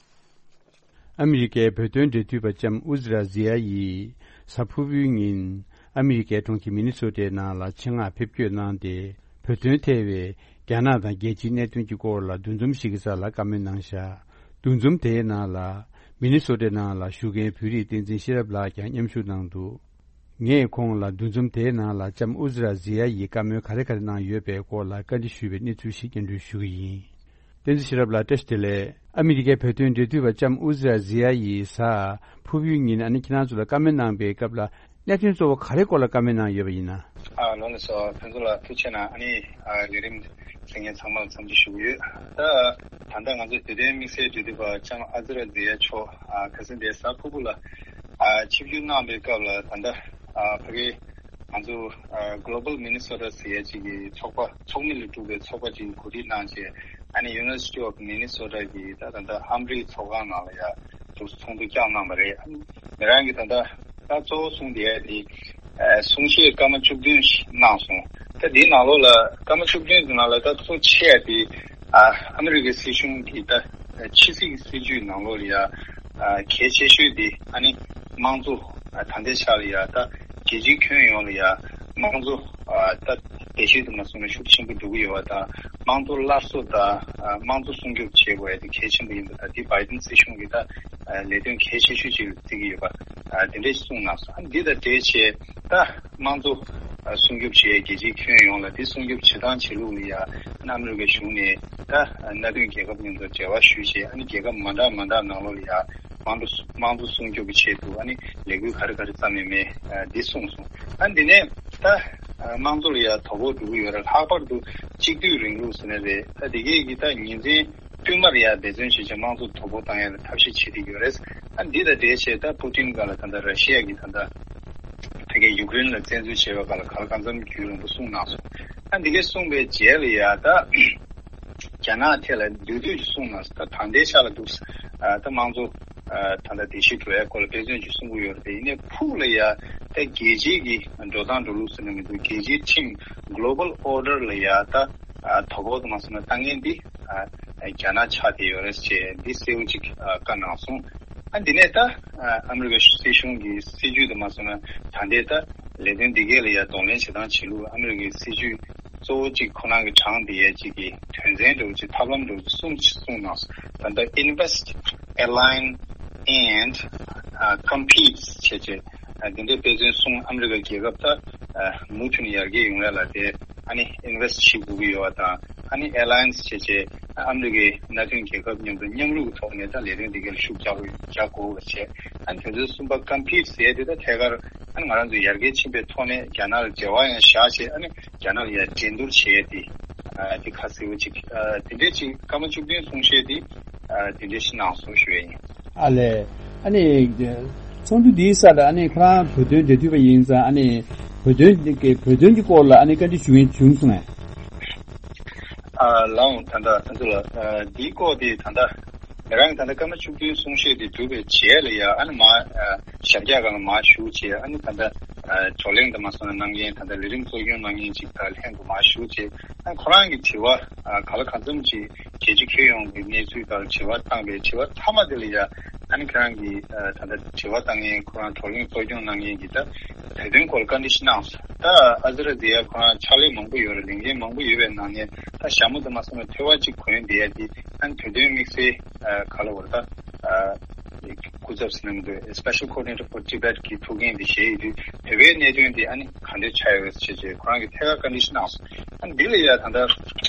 ཨ་མི་རི་ཀའི་བོད་དོན་འབྲེལ་མཐུད་པ་ལྕམ་ཨུ་ཛི་ར་ཛི་ཡ་ཡིས་གཟའ་ཕུར་བུའི་ཉིན་ཨ་མི་རི་ཀའི་གྲོང་ཁྱེར་མི་ནི་སོ་ཊའི་ནང་ལ་ཆེད་མངགས་ཕེབས་སྐྱོད་གནང་སྟེ། བོད་དོན་ཐད་པའི་རྒྱ་ནག་དང་རྒྱལ་སྤྱིའི་གནད་དོན་གྱི་སྐོར་ལ་འདུ་འཛོམས་ཤིག་གི་ས་ལ་བཀའ་མོལ་གནང་བཞག་འདུ་འཛོམས་དེའི་ནང་ལ་མི་ནི་སོ་ཊའི་ནང་ལ་བཞུགས་མཁན་བོད་རིགས་བསྟན་འཛིན་ཤེས་རབ་ལགས་ཀྱང་མཉམ་ཞུགས་གནང་འདུག་ངས་ཁོང་ལ་འདུ་འཛོམས་དེའི་ནང་ལ་ལྕམ་ཨུ་ཛི་ར་ཛི་ཡ་ཡིས་བཀའ་མོལ་ག་རེ་ག་རེ་གནང་ཡོད་པའི་སྐོར་ལ་བཀའ་འདྲི་ཞུས་པའི་གནས་ཚུལ་ཞིག་སྙན་སྒྲོན་ཞུ་གི་ཡིན། བསྟན་འཛིན་ཤེས་རབ་ལགས་བཀྲ་ཤིས་བདེ་ལེགས། ཨ་མི་རི་ཀའི་བོད་དོན་འབྲེལ་མཐུད་པ་ལྕམ་ཨུ་ཛི་ར་ཛི་ཡ་ཡིས་གཟའ་ཕུར་བུའི་ཉིན་ཨ་ནི་ཁྱེད་རང་ཚོ་ལ་བཀའ་མོལ་གནང་པའི་སྐབས་ལ་གནད་དོན་གཙོ་བོ་ག་རེ་སྐོར་ལ་བཀའ་མོལ་གནང་ཡོད་པ་ཡིན་ན། ཨ་ལགས་སོ། ཕུན་ཚོགས་ལགས་ཐུགས་རྗེ་གནང་། ཨ་ནི་ཨ་ལས་རིམ་གཟིགས་མཁན་ཚང་མར་འཚམས་འདྲི་ཞུ་གི་ཡོད། ད་ད་ལྟ་ང་ཚོ་བོད་དོན་དམིགས་བསལ་འབྲེལ་མཐུད་པ་ལྕམ་ཨུ་ཛི་ར་ཛི་ཡ་མཆོག་ཨ་ཁ་སང་དེ་གཟའ་ཕུར་བུ་ལ་ཨ་ཆིབས་བསྒྱུར་གནང་པའི་སྐབས་ལ། ད་ལྟ་ཨ་ཕ་གི་ང་ཚོ་ཨ་Global Minnesota ཟེར་ཡ་གཅིག་གི་ཚོགས་པ་ཚོགས་མི་ལས་གྲུབ་པའི་ཚོགས་པ་གཅིག་གིས་གོ་སྒྲིག་གནང་བྱས། ཨ་ནི་University of Minnesota གི་ད་ད་ལྟ་ཧམ་ཕྲིའི་ཚོགས་ཁང་ནང་ལ་ཡ་ཚོགས་ཚོགས་འདུ་བསྐྱངས་གནང་བ་རེད། ཨ་ནི་ང་རང་གིས་ད་ལྟ་ད་གཙོ་བོ་གསུང་བསྡད་ཡ་དེ་ཨ་གསུང་བཤད་སྐར་མ་བཅུ་བདུན་ཞིག་གནང་སོང་། ད་དེའི་ནང་ལོགས་ལ་སྐར་མ་བཅུ་བདུན་གྱི་ནང་ལ་ད་གཙོ་ཆེ་ཡ་དེ་ཨ་ཨ་མི་རི་ཀའི་སྲིད་གཞུང་གི་ད་ཕྱི་སྲིད་ཀྱི་སྲིད་ཇུས་ནང་ལོགས་ལ་ཡ་ཨ་གལ་ཆེ་ཤོས་དེ་ཨ་ནི་དམངས་གཙོ། ཨ་ད་ལྟའི་ཆ་ལ་ཡ་ད་རྒྱལ་སྤྱིའི་ཁྱོན་ཡོངས་ལ་ཡ་དམངས་གཙོ་ཨ་ད་བེད་སྤྱོད་དུ་མ་སོང་ན་ཤུགས་ཆེན་པོ་འགྲོ་གི་ཡོད་པ་དང་། དམངས་གཙོ་སླར་གསོ་དང་ཨ་དམངས་གཙོ་སྲུང་སྐྱོབ་བྱེད་དགོས་ཡ་དེ་གལ་ཆེན་པོ་ཡིན་པ་དང་། དེ་བྷའི་ཏིན་སྲིད་གཞུང་གི་ད་ཨ་ལས་དོན་གལ་ཆེ་ཤོས་ཅིག་ལ་བརྩི་གི་ཡོད་པ། ཨ་དེ་འདྲས་གསུངས་གནང་སོང་། ཨ་འདི་དང་འབྲེལ་བྱས་ད་དམངས་གཙོ་ཨ་སྲུང་སྐྱོབ་བྱེད་ཡ་རྒྱལ་སྤྱིའི་ཁྱོན་ཡོངས་ལ་དེ་སྲུང་སྐྱོབ་བྱེད་སྟངས་བྱེད་ལུགས་ལ་ཡ་ཨ་ནི་ཨ་མི་རི་ཀའི་གཞུང་ནས་ད་ཨ་མནའ་མཐུན་རྒྱལ་ཁབ་མཉམ་དུ་འབྲེལ་བ་ཞུས་བྱས། ཨ་ནི་རྒྱལ་ཁབ་མ་འདྲ་མ་འདྲ་ནང་ལོགས་ལ་ཡ་དམངས་གཙོ་དམངས་གཙོ་སྲུང་སྐྱོབ་ཀྱི་ཆེད་དུ་ཨ་ནི་ལས་འགུལ་ག་རེ་ག་རེ་བརྩམས་ཡོད་མེད་ཨ་འདི་གསུངས་སོང་། ཨ་འདི་ནས་ད་ཨ་དམངས་གཙོ་ལ་ཡ་དོ་ཕོག་འགྲོ་གི་ཡོད་རེད། ལྷག་པར་དུ་གཅིག་སྡུད་རིང་ལུགས་ཟེར་ནི་རེད། ད་དེ་གས་ཀྱི་ད་ཉིན་མཚན་བསྟུད་མར་ཡ་འབད་བརྩོན་བྱེད་བྱས་དམངས་གཙོ་དོ་ཕོག་བཏང་ཡ་ལ་ཐབས་ཤེས་བྱེད་བསྡད་ཀྱི་ཡོད་རེད། ཨ་འདི་དང་འབྲེལ་བྱས་ད་པུ་ཏིན་སྒང་ལ་ད་ལྟ་ར་ཤི་ཡ་གི་ད་ལྟ་ཕ་གིའི་ཡུཀ་རེན་ལ་བཙན་འཛུལ་བྱས་པའི་སྒང་ལ་ག་ལ་གང་འཚམ་རྒྱུན་རིང་པོ་གསུངས་གནང་སོང་། ཨ་འདི་གས་གསུངས་པའི་རྗེས་ལ་ཡ་ད་རྒྱ་ནག་ཐད་ལ་མདུད་མདུད་ཅིག་གསུངས་གནང་སོང་། ད་ད་ལྟའི་ཆ་ལ་འདུག་ཨ་ད་དམངས་གཙོ་ཨ་ད་ལྟ་བརྡལ་བཤིག་འགྲོ་ཡ་སྐོར་ལ་འབད་བརྩོན་ཅིག་གསུང་གི་ཡོད་རེད། དེ་ཡིན་ནའི་ཕུགས་ལ་ཡ་ད་རྒྱལ་སྤྱིའི་གི་འགྲོ་སྟངས་འགྲོ་ལུགས་ཟེར་ན་མི་འདུག་རྒྱལ་སྤྱིའི་ཁྲིམས་Global Order ལ་ཡ་ད་ཨ་དོ་ཕོག་དུ་མ་སོང་ན་ལྟ་མཁན་འདི་ཨ་རྒྱ་ནག་ཆགས་བསྡད་ཡོད་རེད་ཅེས་འདི་གསལ་བོ་ཅིག་ཨ་བཀའ་གནང་སོང་། ཨ་འདི་ནས་ད་ཨ་ཨ་མི་རི་ཀ་སྲིད་གཞུང་གི་སྲིད་ཇུས་དུ་མ་སོང་ན་ད་ལྟའི་ད་ལས་དོན་འདི་གས་ལ་ཡ་གདོང་ལེན་བྱེད་སྟངས་བྱེད་ལུགས། ཨ་མི་རི་ཀའི་སྲིད་ཇུས་གཙོ་བོ་གཅིག་ཁོ་རང་གི་དྲངས་བསྡད་ཡས་གཅིག་གི་དོན་ཚན་འདྲ་བོ་གཅིག་ཐབས་ལམ་འདྲ་བོ་གཅིག་གསུངས་གསུངས་གནང་སོང་། ད་ལྟ་invest, align and ཨ་competes བྱས་བྱས་ཨ་འདི་འདྲའི་དཔེ་མཚོན་གསུངས། ཨ་མི་རི་ཀ་རྒྱལ་ཁབ་ད་ཨ་མུ་མཐུད་ནས་ཡར་རྒྱས་ཡོང་ཡ་ལ་དེ་ ཨ་ནི་ཨིན་ཝེ་སི་ཊི་བྱེད་དགོས་ཀྱི་ཡོད་པ་དང་། ཨ་ནི་ཨེ་ལ་ཡན་སི་བྱས་བྱས་ཨ་མི་རི་ཀའི་མནའ་མཐུན་རྒྱལ་ཁབ་མཉམ་དུ་མཉམ་རུབ་ཀྱི་ཐོག་ནས་ད་ལས་དོན་འདི་གར་ཤུགས་རྒྱག་དགོས་རྒྱག་དགོས་པ་བྱས། ཨ་ནི་དེ་ཚོའི་གསུམ་པ་ཀམ་པིཊ་ཟེར་ཡས་དེ་ད་ཐད་ཀར་ཨ་ནི་ང་རང་ཚོ་ཡར་རྒྱས་ཕྱིན་པའི་ཐོག་ནས་རྒྱ་ནག་ལ་འབྲེལ་བ་ཡང་བཞག་བྱས། ཨ་ནི་རྒྱ་ནག་ལ་ཡང་འགྲན་བསྡུར་བྱེད་ཡས་དེ་ཨ་དེ་ཁ་གསལ་པོ་ཅིག་ཨ་དེ་འདྲས་ཅིག་ཀརྨ་བཅུ་བདུན་གསུང་བཤད་དེ་ཨ་དེ་འདྲས་ཤིག་གནང་སོང་ཞུ་ཡས་ཡིན། ཨ་ལས། ཨ་ནི། ཚོགས་འདུ་འདིའི་སར་ཨ་ནི་ཁོ་རང་བོད་དོན་འབྲེལ་མཐུད་པ་ཡིན་ཙང་། ཨ་ནི་བོད་དོན་གྱི་བོད་དོན་གྱི་སྐོར་ལ་ཨ་ནི་བཀའ་འདྲི་ཞུ་མཁན་བྱུང་སོང་ངས། ཨ་ལའང་ད་ལྟ་ང་ཚོ་ལ་ཨ་འདིའི་སྐོར་དེ་ད་ལྟ་ང་རང་གི་ད་ལྟ་ཀརྨ་བཅུ་བདུན་གསུང་བཤད་དེ་གྲུབ་པའི་རྗེས་ལ་ཡ། ཨ་ནི་མ་ཨ་ཞབས་བཀྱག་སྒང་ལ་མར་བཞུགས་བྱས། ཨ་ནི་ད་ལྟ་ཨ་བགྲོ་གླེང་དུ་མ་སོང་ན་གནང་མཁན། ད་ལྟ་ལས་རིམ་གཙོ་སྐྱོང་གནང་མཁན་ཅིག་དང་ལྷན་དུ་མར་བཞུགས་བྱས། ཨ་ཁོ་རང་གི་དྲི་བ་ཨ་ག་ལ་གང་འཚམ་ཅིག་རྒྱལ་སྤྱི་ཁྱོན་ཡོངས་ཀྱི་གནས་ཚུལ་དང་དྲི་བ་བཏང་བའི་དྲི་བ་མཐའ་མ་དེ་ལ་ཡ། ཨ་ནི་ཁོ་རང་གིས་ཨ་ད་ལྟ་དྲི་བ་བཏང་མཁན། ཁོ་རང་བགྲོ་གླེང་གཙོ་སྐྱོང་གནང་མཁན་གྱིས་ད་བོད་དོན་སྐོར་བཀའ་འདྲི་ཞིག་གནང་སོང་། ད་ཨ་ཛི་ར་ཛི་ཡ་ཁོ་རང་ཕྱག་ལས་མང་པོ་ཡོད་རེད། ལས་འགན་མང་པོ་ཡོད་པའི་ནང་ནས་ད་ཞྭ་མོ་དུ་མ་སོང་བའི་ཐོད་པ་གཅིག་གོན་བསྡད་ཡ་དེ། ཨ་ནི་བོད་དོན་དམིགས་བསལ་ཨ་ག་ལ་བར་ད་ཨ་སྐུ་ཚབ་ཟེར་ན་མི་འདུག Special Coordinator for Tibet གི་ཐུགས་འགན་དེ་བཞེས་ཡོད་དུས། བོད་པའི་གནད་དོན་དེ་ཨ་ནི་ག་འདྲས་ཆགས་ཡོད་ཟེར་བྱས་ཁོ་རང་གིས་ཐད་ཀར་བཀའ་འདྲི་ཞིག་གནང་སོང་། ཨ་ནི་འདི་ལ་ཡ་ད་ལྟ་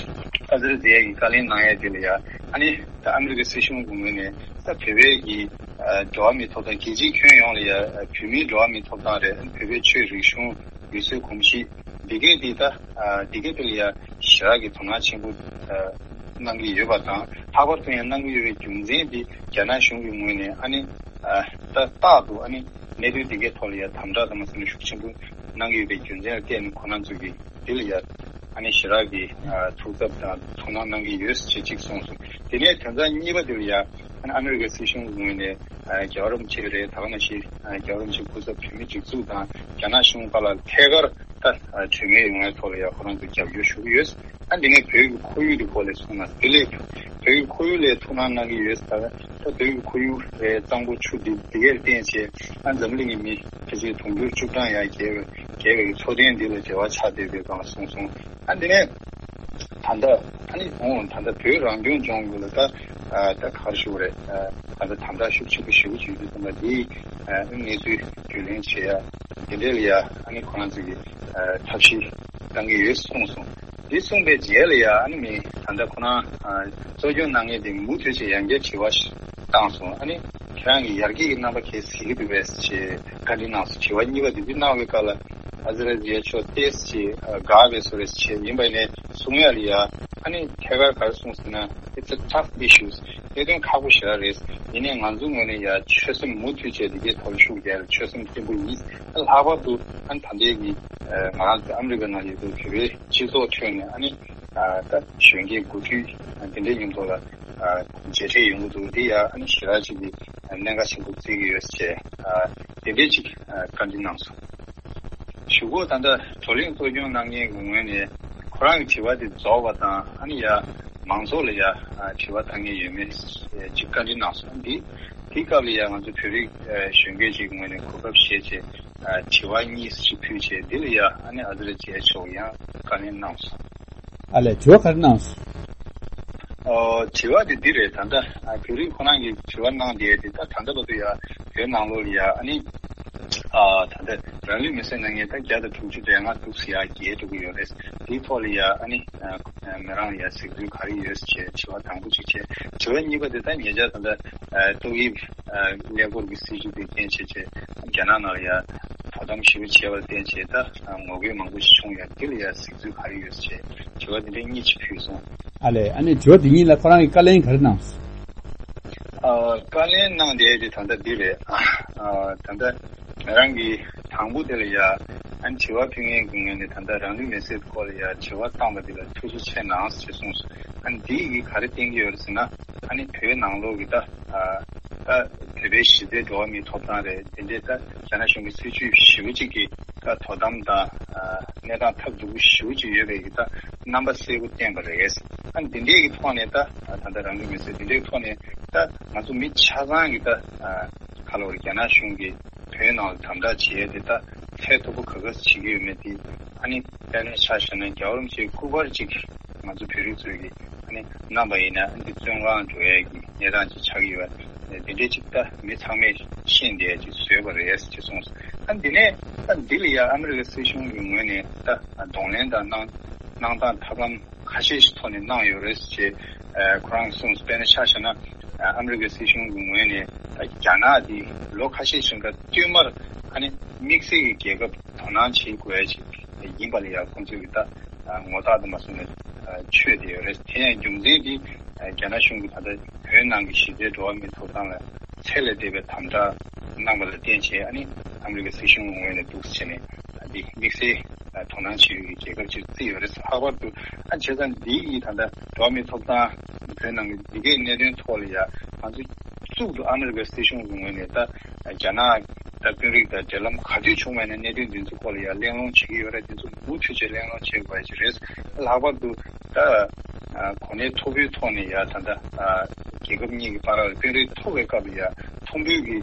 ཨ་ཛི་ར་ཛི་ཡ་གིས་བཀའ་ལན་གནང་ཡ་འདི་ལ་ཡ། ཨ་ནི་ད་ཨ་མི་རི་ཀའི་སྲིད་གཞུང་གི་ངོས་ནས་ད་བོད་པའི་གི་ཨ་འགྲོ་བ་མིའི་ཐོབ་ཐང་། རྒྱལ་སྤྱིའི་ཁྱོན་ཡོངས་ལ་ཡ་ཨ་བོད་མིའི་འགྲོ་བ་མིའི་ཐོབ་ཐང་རེད། ཨ་ནི་བོད་པའི་ཆོས་རིག་གཞུང་། ཡུལ་སྲོལ་གོམས་གཤིས་འདི་གས་འདི་ད་ཨ་འདི་གས་འདི་ལ་ཡ་ཞེ་དྲག་གི་དོ་སྣང་ཆེན་པོ་ཨ་གནང་གི་ཡོད་པ་དང་། ལྷག་པར་དུ་ཡང་གནང་གི་ཡོད་པའི་རྒྱུ་མཚན་འདི་རྒྱ་ནག་གཞུང་གི་ངོས་ནས་ཨ་ནི་ཨ་ད་རྟག་ཏུ་ཨ་ནི་གནད་དོན་འདི་གས་ཐོག་ལ་ཡ་དམ་དྲག་དང་མ་ཟིན་ཤུགས་ཆེན་པོ་གནང་གི་ཡོད་པའི་རྒྱུ་མཚན་ལ་བརྟེན་ནས་ཁོ་རང་ཚོ་གིས་འདི་ལ་ཡ་ཨ་ནི་ཞེ་དྲག་གི་ཨ་ཐུགས་འཚབ་དང་དོ་སྣང་གནང་གི་ཡོད་ཅེས་གཅིག་གསུངས་སོང་། དེ་ནས་དོན་ཚན་གཉིས་པ་འདི་ལ་ཡ། ཨ་ནི་ཨ་མི་རི་ཀའི་སྲིད་གཞུང་གི་ངོས་ནས་ཨ་རྒྱལ་བ་རིན་པོ་ཆེ་རེད། ད་ག་ནང་བཞིན་ཨ་རྒྱལ་བ་རིན་པོ་ཆེའི་སྐུ་ཚབ་བོད་མིའི་སྒྲིག་འཛུགས་དང་རྒྱ་ནག་གཞུང་བར་ལ་ཐད་ཀར་ད་ཨ་གྲོས་མོལ་ཡོང་བའི་ཐོག་ལ་ཡང་ཁོ་རང་ཚོ་རྒྱབ་སྐྱོར་ཞུ་གི་ཡོད། ཨ་འདི་ནས་བོད་ཀྱི་ཁོར་ཡུག་དེ་སྐོར་ལ་གསུངས་ན། དེ་ལས་བོད་ཀྱི་ཁོར་ཡུག་ལ་ཐུགས་སྣང་གནང་གི་ཡོད། ད་ད་བོད་ཀྱི་ཁོར་ཡུག་རེད། གཙང་པོ་ཆུ་འདི་འདི་གས་བརྟེན་བྱས་ཨ་འཛམ་གླིང་གི་མི་ཕལ་ཆེར་དུང་ཕྱུར་བཅུ་གྲངས་ཡར་བརྒལ་བའི་བརྒལ་བའི་འཚོ་རྟེན་འདི་ལ་འབྲེལ་བ་ཆགས་བསྡད་པའི་སྒང་ལ་གསུངས་སོང་། ཨ་འདི་ནས། ད་ལྟ་ཨ་ནི་འོང་ད་ལྟ་བོད་རང་སྐྱོང་ལྗོངས་ཀྱི་ལ་ད་ཨ་ད་ག་རེ་ཞུ་དགོས་རེད། ཨ་ད་ལྟ་དམ་དྲག་ཤུགས་ཆེན་པོ་ཞེ་པོ་ཅིག་ཡོད་དུས་ཙམ་པ་འདིའི་ཨ་གནས་ཚུལ་རྒྱུས་ལོན་བྱེད་ཡ་འདི་འདྲའི་ལ་ཡ་ཨ་ནི་ཁོ་རང་ཚོ་གི་ཨ་ཐབས་ཤེས་གཏང་གི་ཡོད་གསུངས་སོང་། འདི་གསུངས་པའི་རྗེས་ལ་ཡ་ཨ་ནི་མི་ད་ལྟ་ཁོ་རང་ཨ་གཙོ་སྐྱོང་གནང་མཁན་དེ་མུ་མཐུད་བྱས་ཡང་བསྐྱར་དྲི་བ་ཞིག་བཏང་སོང་། ཨ་ནི་ཁྱེད་རང་གི་ཡར་རྒྱས་ཀྱི་རྣམ་པ་གས་གཟིགས་ཀྱི་འདུག་པས་ཞེས་བཀའ་འདྲི་གནང་སོང་། དྲི་བ་གཉིས་པ་དེ་འདི་གནང་བའི་སྐབས་ལ། ཨ་ཛི་ར་ཛི་ཡ་མཆོག་ཏོག་ཙམ་ཅིག་དགའ་བའི་བཟོ་འདྲ་ཞིག་བྱས། ཡིན་པ་ཡིན་ནའི་གསུང་ཡ་ལ་ཡ་ཨ་ནི་ཐད་ཀར་ག་རེ་གསུངས་ཟེར་ན། It's a tough issues. གནད་དོན་ཁག་པོ་ཞེ་དྲག་རེད། ཡིན་ནའི་ང་ཚོའི་ངོས་ནས་ཡ་ཆོད་སེམས་མུ་མཐུད་བྱས་འདི་གའི་ཐོག་ལ་ཤུགས་རྒྱག་ཡ་ལ་ཆོད་སེམས་བརྟན་པོ་ཡིན། ལྷག་པར་དུ་ཨ་ནི་ད་ལྟའི་གི་ང་རང་ཚོ་ཨ་མི་རི་ཀ་ནང་ཡོད་པའི་བོད་པའི་སྤྱི་ཚོགས་ཁྲོད་ནས་ཨ་ནི་ད་གཞོན་སྐྱེས་འགོ་ཁྲིད་འདི་འདྲའི་མཉམ་དུ་ལ་མཇལ་འཕྲད་ཡོང་གི་འདུག་འདི་ཡ་ཨ་ནི་ཞེ་དྲག་ཅིག་གི་གནད་འགག་ཆེན་པོ་བརྩི་གི་ཡོད་ཅེས་དེ་འདྲའི་ཅིག་བཀའ་འདྲི་གནང་སོང་། གཞུག་གུ་ད་ལྟ་བགྲོ་གླེང་གཙོ་སྐྱོང་གནང་མཁན་གྱི་ངོས་ནས་ཁོ་རང་གི་དྲི་བ་དེ་རྫོགས་པ་དང་། ཨ་ནི་ཡ་མང་ཚོགས་ལ་ཡ་དྲི་བ་བཏང་མཁན་ཡོད་མེད་ཅིག་བཀའ་འདྲི་གནང་སོང་། འདི་དེའི་སྐབས་ལ་ཡ་ང་ཚོ་བོད་རིགས་གཞོན་སྐྱེས་ཅིག་ངོས་ནས་གོ་སྐབས་བཞེས་བྱས་དྲི་བ་གཉིས་ཤིག་ཕུལ་བྱས། འདི་ལ་ཡ་ཨ་ནི་ཨ་ཛི་ར་ཛི་ཡ་མཆོག་ཡང་བཀའ་ལན་གནང་སོང་། ཨ་ལས། དྲི་བ་ག་རེ་གནང་སོང་། ཨོ། དྲི་བ་དེ་འདི་རེད། ད་ལྟ་ཨ་བོད་རིགས་ཁོ་རང་གིས་དྲི་བ་གནང་བསྡད་དེ། ད་ད་ལྟ་བར་དུ་ཡ་བོད་ནང་ལོགས་ལ་ཡ་ཨ་ནི་ཨ་ད་ལྟ་རང་ལུས་མེར་སྲེག་གནང་མཁན་ད་བརྒྱ་དང་དྲུག་ཅུ་རེ་ལྔ་འདུག་ཟེར་ཡ་བརྒལ་འགྲོ་གི་ཡོད་རེད། དེའི་ཐོག་ལ་ཡ་ཨ་ནི་ཨ་མི་རང་ལ་ཡ་གཟིགས་ཚུལ་ག་རེ་ཡོད་ཟེར་བྱས་དྲི་བ་དང་པོ་གཅིག་བྱས། དྲི་བ་གཉིས་པ་དེ་ད་ཉེ་ཆར་ད་ལྟ་ཨ་ཏོག་དབྱིབས་ཨ་ཀླད་ཀོར་གྱི་སྲིད་བྱུས་དེ་རྐྱེན་བྱས་བྱས་རྒྱ་ནག་ནང་ལ་ཡ་དོ་དམ་ཞེ་པོ་བྱས་པར་བརྟེན་བྱས་ད་ངོ་རྒོལ་མང་པོ་ཞིག་བྱུང་ཡ། འདི་ལ་ཡ་གཟིགས་ཚུལ་ག་རེ་ཡོད་ཟེར་བྱས་དྲི་བ་འདི་འདྲའི་གཉིས་ཤིག་ཕུལ་སོང་། ཨ་ལས། ཨ་ནི་དྲི་བ་འདི་གཉིས་ལ་ཁོ་རང་གིས་བཀའ་ལན་ག་རེ་གནང་སོང་། ཨ་བཀའ་ལན་གནང་བསྡད་དེ་ད་ལྟ་འདི་རེད། ཨ་ད་ལྟ་ང་རང་གིས་དང་པོ་དེ་ལ་ཡ་ཨ་ནི་དྲི་བ་ཕུལ་མཁན་གྱི་ངོས་ནས་ད་ལྟ་རང་ལུས་མེར་སྲེག་སྐོར་ལ་ཡ་དྲི་བ་བཏང་བ་འདི་ལ་ཐུགས་རྗེ་ཆེ་གནང་ཞེས་གསུངས་སོང་། ཨ་ནི་འདིས་ག་རེ་བསྟན་གྱི་ཡོད་རེད་ཟེར་ན། ཨ་ནི་བོད་ནང་ལོགས་ཀྱི་ད་ཨ་ད་བོད་པའི་གཞི་རྩའི་འགྲོ་བ་མིའི་ཐོབ་ཐང་རེད། དེ་འདྲའི་ད་རྒྱ་ནག་གཞུང་གི་སྲིད་བྱུས་ཞེ་པོ་ཅིག་གི་ད་དོ་དམ་དང་ཨ་གནས་སྟངས་ཐབས་སྡུག་པོ་ཞེ་པོ་ཅིག་ཡོད་པའི་གི་ད་རྣམ་པ་གསལ་པོ་བསྟན་པ་རེད། ཨ་ནི་འདི་འདྲའི་གི་ཐོག་ནས་ད་ད་ལྟ་རང་ལུས་མེར་སྲེག་འདི་འདྲའི་ཐོག་ནས་ད་ང་ཚོ་མི་ཆ་ཚང་གི་ད་ཨ་ག་ལ་བར་རྒྱ་ནག་གཞུང་གིས་བོད་ནང་ལ་དམ་དྲག་བྱེད་ཡས་དེ་ད་ཚད་མཐོ་པོ་ག་ག་ཟེ་བྱེད་ཀྱི་ཡོད་མེད་དེ། ཨ་ནི་དཔེར་ན་ཆ་བཞག་ན་རྒྱལ་བ་རིན་པོ་ཆེའི་སྐུ་པར་ཅིག་ང་ཚོ་བོད་རིགས་ཚོས་ཀྱིས་ཨ་ནི་བསྣམས་པ་ཡིན་ན་ཨ་ནི་བཙོན་ཁང་འགྲོ་ཡས་ཀྱི་གནས་སྟངས་ཅིག་ཆགས་ཀྱི་ཡོད་པ། དེ་འདྲའི་ཅིག་ད་མི་ཚང་མས་ཤེས་བསྡད་ཡས་ཅིག་བཟོས་པ་རེད་ཅེས་གསུངས་སོང་། ཨ་འདི་ནས་ད་འདི་ལ་ཡ་ཨ་མི་རི་ཀའི་སྲིད་གཞུང་གི་ངོས་ནས་ད་གདོང་ལེན་དང་གནང་ གནང་སྟངས་ཐབས་ལམ་ཁ་ཤས་ཤིག་ཐོག་ནས་གནང་ཡོད་རེད་ཅེས་ཁོ་རང་གསུངས། དཔེར་ན་ཆ་བཞག་ན་ཨ་མི་རི་ཀའི་སྲིད་གཞུང་གི་ངོས་ནས་རྒྱ་ནག་འདི་ལོ་ཁ་ཤས་ཤིག་རིང་ག་བསྟུད་མར་ཨ་ནི་དམིགས་བསལ་གྱི་རྒྱལ་ཁབ་དོ་སྣང་བྱེད་དགོས་ཡ་ཅིག་ཡིན་པ་ལ་ཡང་ཁོང་ཚོས་ཀྱི་ད་ངོ་རྟགས་དུ་མ་སོང་ནས་ཆོད་བསྡད་ཡོད་རེད། དེ་ཡང་རྒྱུ་མཚན་འདི་རྒྱ་ནག་གཞུང་གིས་ད་ལྟ་བོད་ནང་གི་ཞི་བདེ་འགྲོ་བ་མིའི་ཐོབ་ཐང་ལ་ཚད་ལས་འདས་པའི་དམ་དྲག་གནང་བ་ལ་བརྟེན་བྱས་ཨ་ནི་ཨ་མི་རི་ཀའི་སྲིད་གཞུང་ངོས་ནས་འདུག་སེ་བྱས་ནས་འདི་དམིགས་བསལ་དོ་སྣང་བྱེད་ཡུལ་གྱི་རྒྱལ་ཁབ་ཅིག་བརྩིས་ཡོད་རེད། ལྷག་པར་དུ་ཨ་བྱས་ཙང་འདི་ཡིས་ད་ལྟ་འགྲོ་བ་མིའི་ཐོབ་ཐང་བོད་ནང་གི་འདི་གའི་གནད་དོན་ཐོག་ལ་ཡ་ང་ཚོ་གཙུག་ཏུ་ཨ་མི་རི་ཀའི་སྲིད་གཞུང་གི་ངོས་ནས་ད་རྒྱ་ནག་ད་དཔོན་རིགས་དང་འབྲེལ་ལམ་ག་དུས་བྱུང་བ་ཡིན་ན་གནད་དོན་འདི་ཚོ་སྐོར་ལ་ཡ་གླེང་སློང་བྱེད་ཀྱི་ཡོད་རེད། འདི་ཚོ་མུ་མཐུད་བྱས་གླེང་སློང་བྱེད་དགོས་ཀྱི་རེད། ལྷག་པར་དུ་ད་གོ་གནས་མཐོ་པོའི་ཐོག་ནས་ཡ་ད་ལྟ་རྒྱལ་ཁབ་གཉིས་ཀྱི་བར་ལ་དཔོན་རིགས་ཐུག་པའི་སྐབས་ལ་ཡ་ཐུག་འཕྲད་ཀྱི་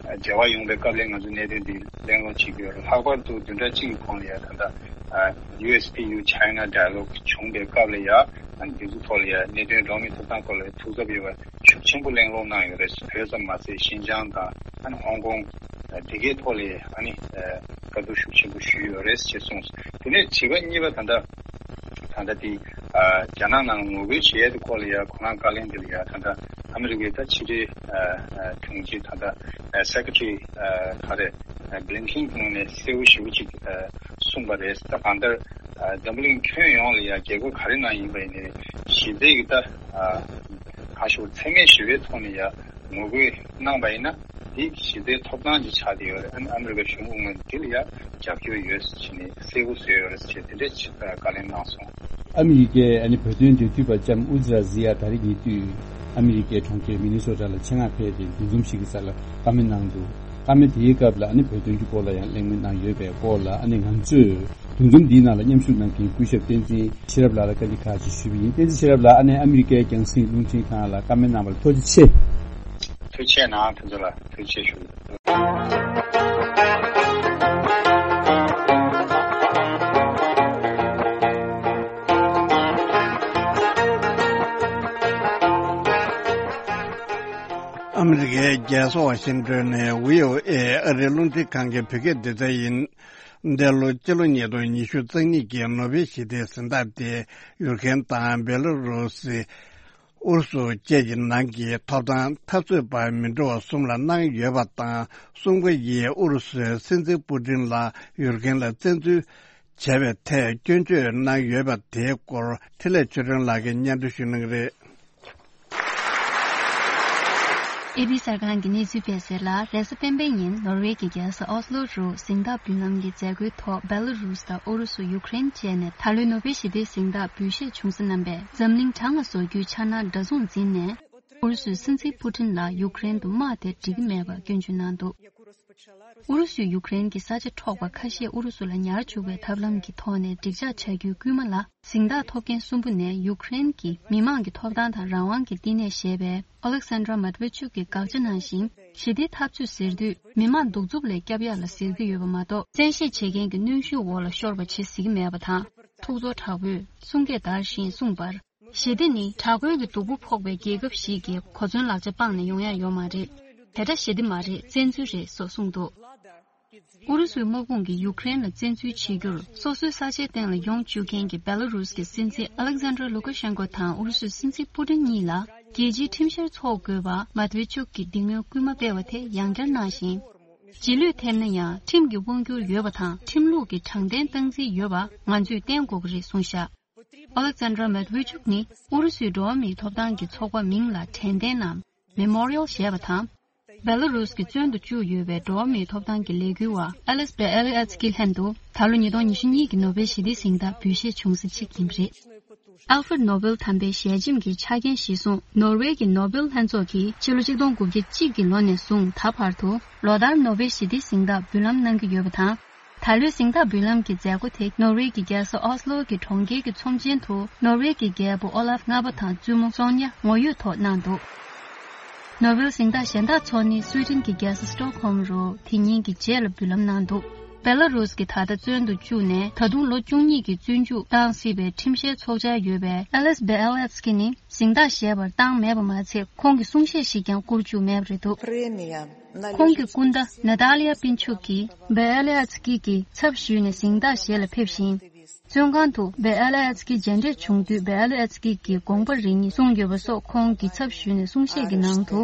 འབྲེལ་བ་ཡོང་པའི་སྐབས་ལ་ང་ཚོ་གནད་དོན་འདི་གླེང་སློང་བྱེད་ཀྱི་ཡོད་རེད། ལྷག་པར་དུ་བདུན་ཕྲག་གཅིག་གི་གོང་ལ་ཡ་ད་ལྟ་ཨ་ཡུ་ཨེས་པི་ཡུ་ཆའི་ན་ཌའི་ལོག་བྱུང་པའི་སྐབས་ལ་ཡ་ཨ་ནི་འདི་ཚོ་ཐོག་ལ་ཡ་གནད་དོན་འགྲོ་བ་མིའི་ཐོབ་ཐང་སྐོར་ལ་ཐུགས་འཚབ་ཡོད་པ་ཤུགས་ཆེན་པོ་གླེང་སློང་གནང་ཡོད་རེད། བོད་ཙམ་མ་ཟད་ཤིན་ཅང་དང་ཨ་ནི་ཧོང་ཀོང་དེ་གའི་ཐོག་ལ་ཨ་ནི་བཀའ་བསྡུར་ཤུགས་ཆེན་པོ་ཞུས་ཡོད་རེད་ཅེས་གསུངས། དེ་ནས་དྲི་བ་གཉིས་པ་ད་ལྟ་ད་ལྟ་དེ་རྒྱ་ནག་ནང་ངོ་རྒོལ་བྱེད་ཡས་དེ་སྐོར་ལ་ཡ་ཁོ་རང་བཀའ་ལན་དེ་ལ་ཡ་ད་ལྟ་ཨ་མི་རི་ཀའི་ད་ཕྱི་དྲིལ་དྲུང་ཆེ་ད་ལྟ་སེ་ཀེ་ཊི་རི་ག་རེ་བྷི་ལིན་ཁིན་གྱི་ངོས་ནས་གསལ་བོ་ཞེ་པོ་ཅིག་གསུངས་པ་རེད། ད་གང་ལྟར་འཛམ་བུ་གླིང་ཁྱོན་ཡོངས་ལ་ཡ་རྒྱལ་ཁབ་ག་རེ་ནང་ཡིན་པ་ཡིན་ནའི་ཞི་བདེ་གི་ད་གང་ཞུ་འཚེ་མེད་ཞི་བའི་ཐོག་ནས་ཡ་ངོ་རྒོལ་གནང་པ་ཡིན་ན་འདི་ཞི་བདེའི་ཐོབ་ཐང་ཅིག་ཆགས་བསྡད་ཡོད་རེད། ཨ་ནི་ཨ་མི་རི་ཀ་གཞུང་གི་ངོས་ནས་འདི་ལ་ཡ་རྒྱབ་སྐྱོར་ཡོད་ཟེར་ནས་གསལ་པོ་བཟོས་ཡོད་རེད་ཟེར་དེ་འདྲའི་ཆེད་བཀའ་ལན་གནང་སོང་། ཨ་མི་རི་ཀའི་ཨ་ནི་བོད་དོན་འབྲེལ་མཐུད་པ་ལྕམ་ཨུ་ཛི་ར་ཛི་ཡ་ད་རེས་ཉེ་དུས་ཨ་མི་རི་ཀའི་གྲོང་ཁྱེར་མི་ནི་སོ་ཊ་ལ་ཆེད་མངགས་ཕེབས་ཏེ་འདུ་འཛོམས་ཤིག་གི་སར་ལ་བཀའ་མོལ་གནང་འདུག་བཀའ་མོལ་དེའི་སྐབས་ལ་ཨ་ནི་བོད་དོན་གྱི་སྐོར་ལ་ཡང་གླེང་མོལ་གནང་ཡོད་པའི་སྐོར་ལ་ཨ་ནི་ང་ཚོས་འདུ་འཛོམས་འདིའི་ནང་ལ་མཉམ་ཞུགས་གནང་མཁན་སྐུ་ཞབས་བསྟན་འཛིན་ཤེས་རབ་ལགས་ལ་བཀའ་འདྲི་ཁག་ཅིག་ཞུས་པ་ཡིན། བསྟན་འཛིན་ཤེས་རབ་ལགས་ཨ་ནི་ཨ་མི་རི་ཀའི་རྒྱང་སྲིང་རླུང་འཕྲིན་ཁང་ལ་བཀའ་མོལ་གནང་བར་ཐུགས་རྗེ་ཆེ། ཐུགས་རྗེ་གནང་། ཁྱེད་ཚོ་ལ་ཐུགས་རྗེ་ཆེ་ཞུ། ཨ་མི་རི་ཀའི་རྒྱལ་ས་ཝ་ཤིང་ཏོན་ནས་བྷི་ཨོ་ཨེ་ཨ་རིའི་རླུང་འཕྲིན་ཁང་གི་བོད་སྐད་སྡེ་ཚན་ཡིན། འདས་ལོ་སྤྱི་ལོ་ཉིས་སྟོང་ཉི་ཤུ་རྩ་གཉིས་ཀྱི་ནོ་བེལ་ཞི་བདེའི་གཟེངས་རྟགས་དེ་ཡུཀ་རེན་དང་བེ་ལ་རུ་སི། ཨུ་རུ་སུ་བཅས་ཀྱི་ནང་གི་ཐོབ་ཐང་འཐབ་རྩོད་པ་མི་འདྲ་བ་གསུམ་ལ་གནང་ཡོད་པ་དང་། གསུམ་ཀ་ཡིས་ཨུ་རུ་སུའི་སྲིད་འཛིན་པུ་ཏིན་ལ་ཡུཀ་རེན་ལ་བཙན་འཛུལ་བྱས་པའི་ཐད་སྐྱོན་བརྗོད་གནང་ཡོད་པ་དེའི་སྐོར་འཕྲིན་ལས་ཆོས་སྒྲོན་ལགས་ཀྱིས་སྙན་སྒྲོན་ཞུ་གནང་གི་རེད། ཨེ་བྷི་གསར་ཁང་གི་གནས་ཚུལ་སྤེལ་གསལ་ལ། རེས་གཟའ་སྤེན་པའི་ཉིན་ནོར་ཝེ་གི་རྒྱལ་ས་ཨོ་སི་ལོ་རུ་གཟེངས་རྟགས་འབུལ་ལམ་གྱི་མཛད་སྒོའི་ཐོག་བེ་ལ་རུ་སི་དང་ཨུ་རུ་སུ། ཡུཀ་རེན་བཅས་ནས་ད་ལོའི་ནོ་བེལ་ཞི་བདེའི་གཟེངས་རྟགས་འབུལ་བཞེས་བྱུང་ས་རྣམ་པས་འཛམ་གླིང་གྲངས་ལ་བཟོ་རྒྱུའི་འཆར་སྣང་འདྲ་མཚུངས་འཛིན་ནས། ཨུ་རུ་སུའི་སྲིད་འཛིན་པུ་ཏིན་ལ་ཡུཀ་རེན་དུ་དམག་དེ་འགྲིག་གི་མེད་པར་སྐྱོན་བརྗོད་གནང་འདུག་ཨུ་རུ་སུས་ཡུཀ་རེན་གྱི་ས་ཆ་འཕྲོག་པ་ཁ་ཤས་ཨུ་རུ་སུ་ལ་ཉར་བཅུག་པའི་ཐབས་ལམ་གྱི་ཐོག་ནས་འགྲིག་འཇགས་བྱ་རྒྱུའི་སྐུལ་མ་ལ། གཟེངས་རྟགས་ཐོབ་མཁན་གསུམ་པོ་ནས་ཡུཀ་རེན་གྱི་མི་མང་གི་ཐོབ་ཐང་དང་རང་དབང་གི་བསྟི་གནས་ཞེས་པའི་ཨོ་ལེག་སན་དྲ་མེད་ཝེ་ཆུག་གི་དགག་བྱ་ནང་བཞིན། ཞི་བདེའི་འཐབ་རྩོད་ཟེར་དུས་མི་མང་གདུག་རྩུབ་ལས་སྐྱོབ་ཡག་ལ་ཟེར་གྱི་ཡོད་པ་མ་གཏོགས། བཙན་ཤེད་བྱེད་མཁན་གྱི་གནོན་ཤུགས་འོག་ལ་ཤོར་བ་བྱེད་ཟེར་གྱི་མེད་པ་དང་། ཐུགས་ཚོར་དྲག་པོས་གསུང་སྐད་དར་ཞིང་གསུངས་པར། ཞི་བདེ་ནི་དྲག་རྒོལ་གྱི་སྡུག་པོ་ཕོག་པའི་རྒྱལ་ཁབ་ཞིག་གི་གོ་མཚོན་ལག་ཆ་སྤངས་ནས་ཡོང་ཡག་ཡོད་མ་རེད། དེ་འདྲ་ཞི་བདེ་མ་རེད། བཙན་འཛུལ་རེད་སོགས་གསུངས་འདུག་ཨུ་རུ་སུའི་དམག་དཔུང་གིས་ཡུཀ་རེན་ལ་བཙན་འཛུལ་བྱེད་རྒྱུར། སོ་སོའི་ས་ཆའི་སྟེང་ལ་ཡོང་བཅུག་མཁན་གྱི་བེ་ལ་རུས་ཀྱི་སྲིད་འཛིན་ཨ་ལེག་ཟན་དྲ་ལུ་ཀ་ཤན་ཀོ་དང་ཨུ་རུ་སུའི་སྲིད་འཛིན་པུ་ཏིན་གཉིས་ལ། རྒྱལ་སྤྱིའི་ཁྲིམས་བཤེར་འཚོགས་དགོས་པ་མེད་ཝེ་ཆུག་གིས་འདི་སྔོན་སྐུལ་མ་སྤེལ་བ་དེ་ཡང་བསྐྱར་གནང་ཞིང་། རྗེས་ལུས་ཐེབས་ན་ཡང་ཁྲིམས་ཀྱི་དབང་སྒྱུར་ཡོད་པ་དང་། ཁྲིམས་ལུགས་ཀྱི་དྲང་བདེན་སྟངས་འཛིན་ཡོད་པ་ང་ཚོས་བསྟན་དགོས་ཀྱི་རེད་གསུངས་བཞག་ཨོ་ལེག་ཛན་དྲ་མེད་ཝེ་ཆུག་ནི་ཨུ་རུ་སུའི་འགྲོ་བ་མིའི་ཐོབ་ཐང་གི་ཚོགས་པ་མིང་ལ་དྲན་རྟེན་ནམ་མེ་མོ་རི་ཡལ་ཞེས་པ་དང་། བེ་ལ་རུས་ཀྱི་བཙོན་དུ་བཅུག་ཡོད་པའི་འགྲོ་བ་མིའི་ཐོབ་ཐང་གི་ལས་འགུལ་བ་ཨེ་ལིས་བེ་ཨེ་ལི་ཨེ་ཚི་ཀྱི་ལྷན་དུ་ད་ལོ་ཉིས་སྟོང་ཉི་ཤུ་གཉིས་ཀྱི་ནོ་བེལ་ཞི་བདེའི་གཟེངས་རྟགས་འབུལ་བཞེས་བྱུང་ས་གཅིག་ཡིན་པ་རེད། ཨལ་ཧྥྲེད་ནོ་བེལ་དམ་པའི་ཞལ་ཆེམས་ཀྱི་ཆ་རྐྱེན་གཞིར་བཟུང་ནོར་ཝེ་གི་ནོ་བེལ་ལྷན་ཚོགས་ཀྱིས་ཕྱི་ལོ་ཆིག་སྟོང་དགུ་བརྒྱ་གཅིག་གི་ལོ་ནས་བཟུང་ད་བར་དུ་ལོ་ལྟར་ནོ་བེལ་ཞི་བདེའི་གཟེངས་རྟགས་འབུལ་ལམ་གནང་གི་ཡོད་པ་དང་། ད་ལོའི་གཟེངས་རྟགས་འབུལ་ལམ་གྱི་མཛད་སྒོ་དེ་ནོར་ཝེ་གི་རྒྱལ་ས་ཨོ་སི་ལོ་གི་གྲོང་ཁྱེར་གྱི་ཚོམས་ཆེན་དུ་ནོར་ཝེ་གི་རྒྱལ་པོ་ཨོ་ལཱབ་ལྔ་པ་དང་བཙུན་མོ་སོན་ཉ་ངོ་ཡོད་ཐོག་གནང་འདུག་ནོ་བེལ་གཟེངས་རྟགས་གཞན་དག་འཚོགས་ནི་སུའེ་ཏེན་གྱི་རྒྱལ་ས་སི་ཊོག་ཧོམ་རུ་དེ་ཉིན་གྱི་རྗེས་ལ་འབུལ་ལམ་གནང་འདུག་བེ་ལ་རུས་ཀྱིས་ད་ལྟ་བཙོན་དུ་བཅུག་ནས་ད་དུང་ལོ་བཅུ་གཉིས་ཀྱི་བཙོན་འཇུག་བཏང་སྲིད་པའི་ཁྲིམས་བཤེར་ཚོགས་འཆར་ཡོད་པའི་ཨེ་ལེས་བེ་ཨེ་ལེ་ཨེ་ཚི་ཀི་ནི་གཟེངས་རྟགས་བཞེས་པར་བཏང་མེད་པ་མ་ཚད་ཁོང་གིས་གསུང་བཤད་ཞིག་ཀྱང་བསྐུར་བཅུག་མེད་པ་རེད་འདུག། ཁོང་གི་སྐུ་ཟླ་ནཱ་ཏཱ་ལི་ཡ་པིན་ཆུག་གིས་བེ་ཨེ་ལེ་ཨེ་ཚི་ཀི་གི་ཚབ་ཞུས་ནས་གཟེངས་རྟགས་བཞེས་ལ་ཕེབས་ཤིང་། བཙོན་ཁང་དུ་བེ་ཨེ་ལེ་ཨེ་ཚི་ཀི་མཇལ་འཕྲད་བྱུང་དུས་བེ་ཨེ་ལེ་ཨེ་ཚི་ཀི་གི་དགོངས་པ་རེ་གཉིས་གསུངས་ཡོད་པ་སོགས་ཁོང་གི་ཚབ་ཞུས་ནས་གསུང་བཤད་ཀྱི་ནང་དུ།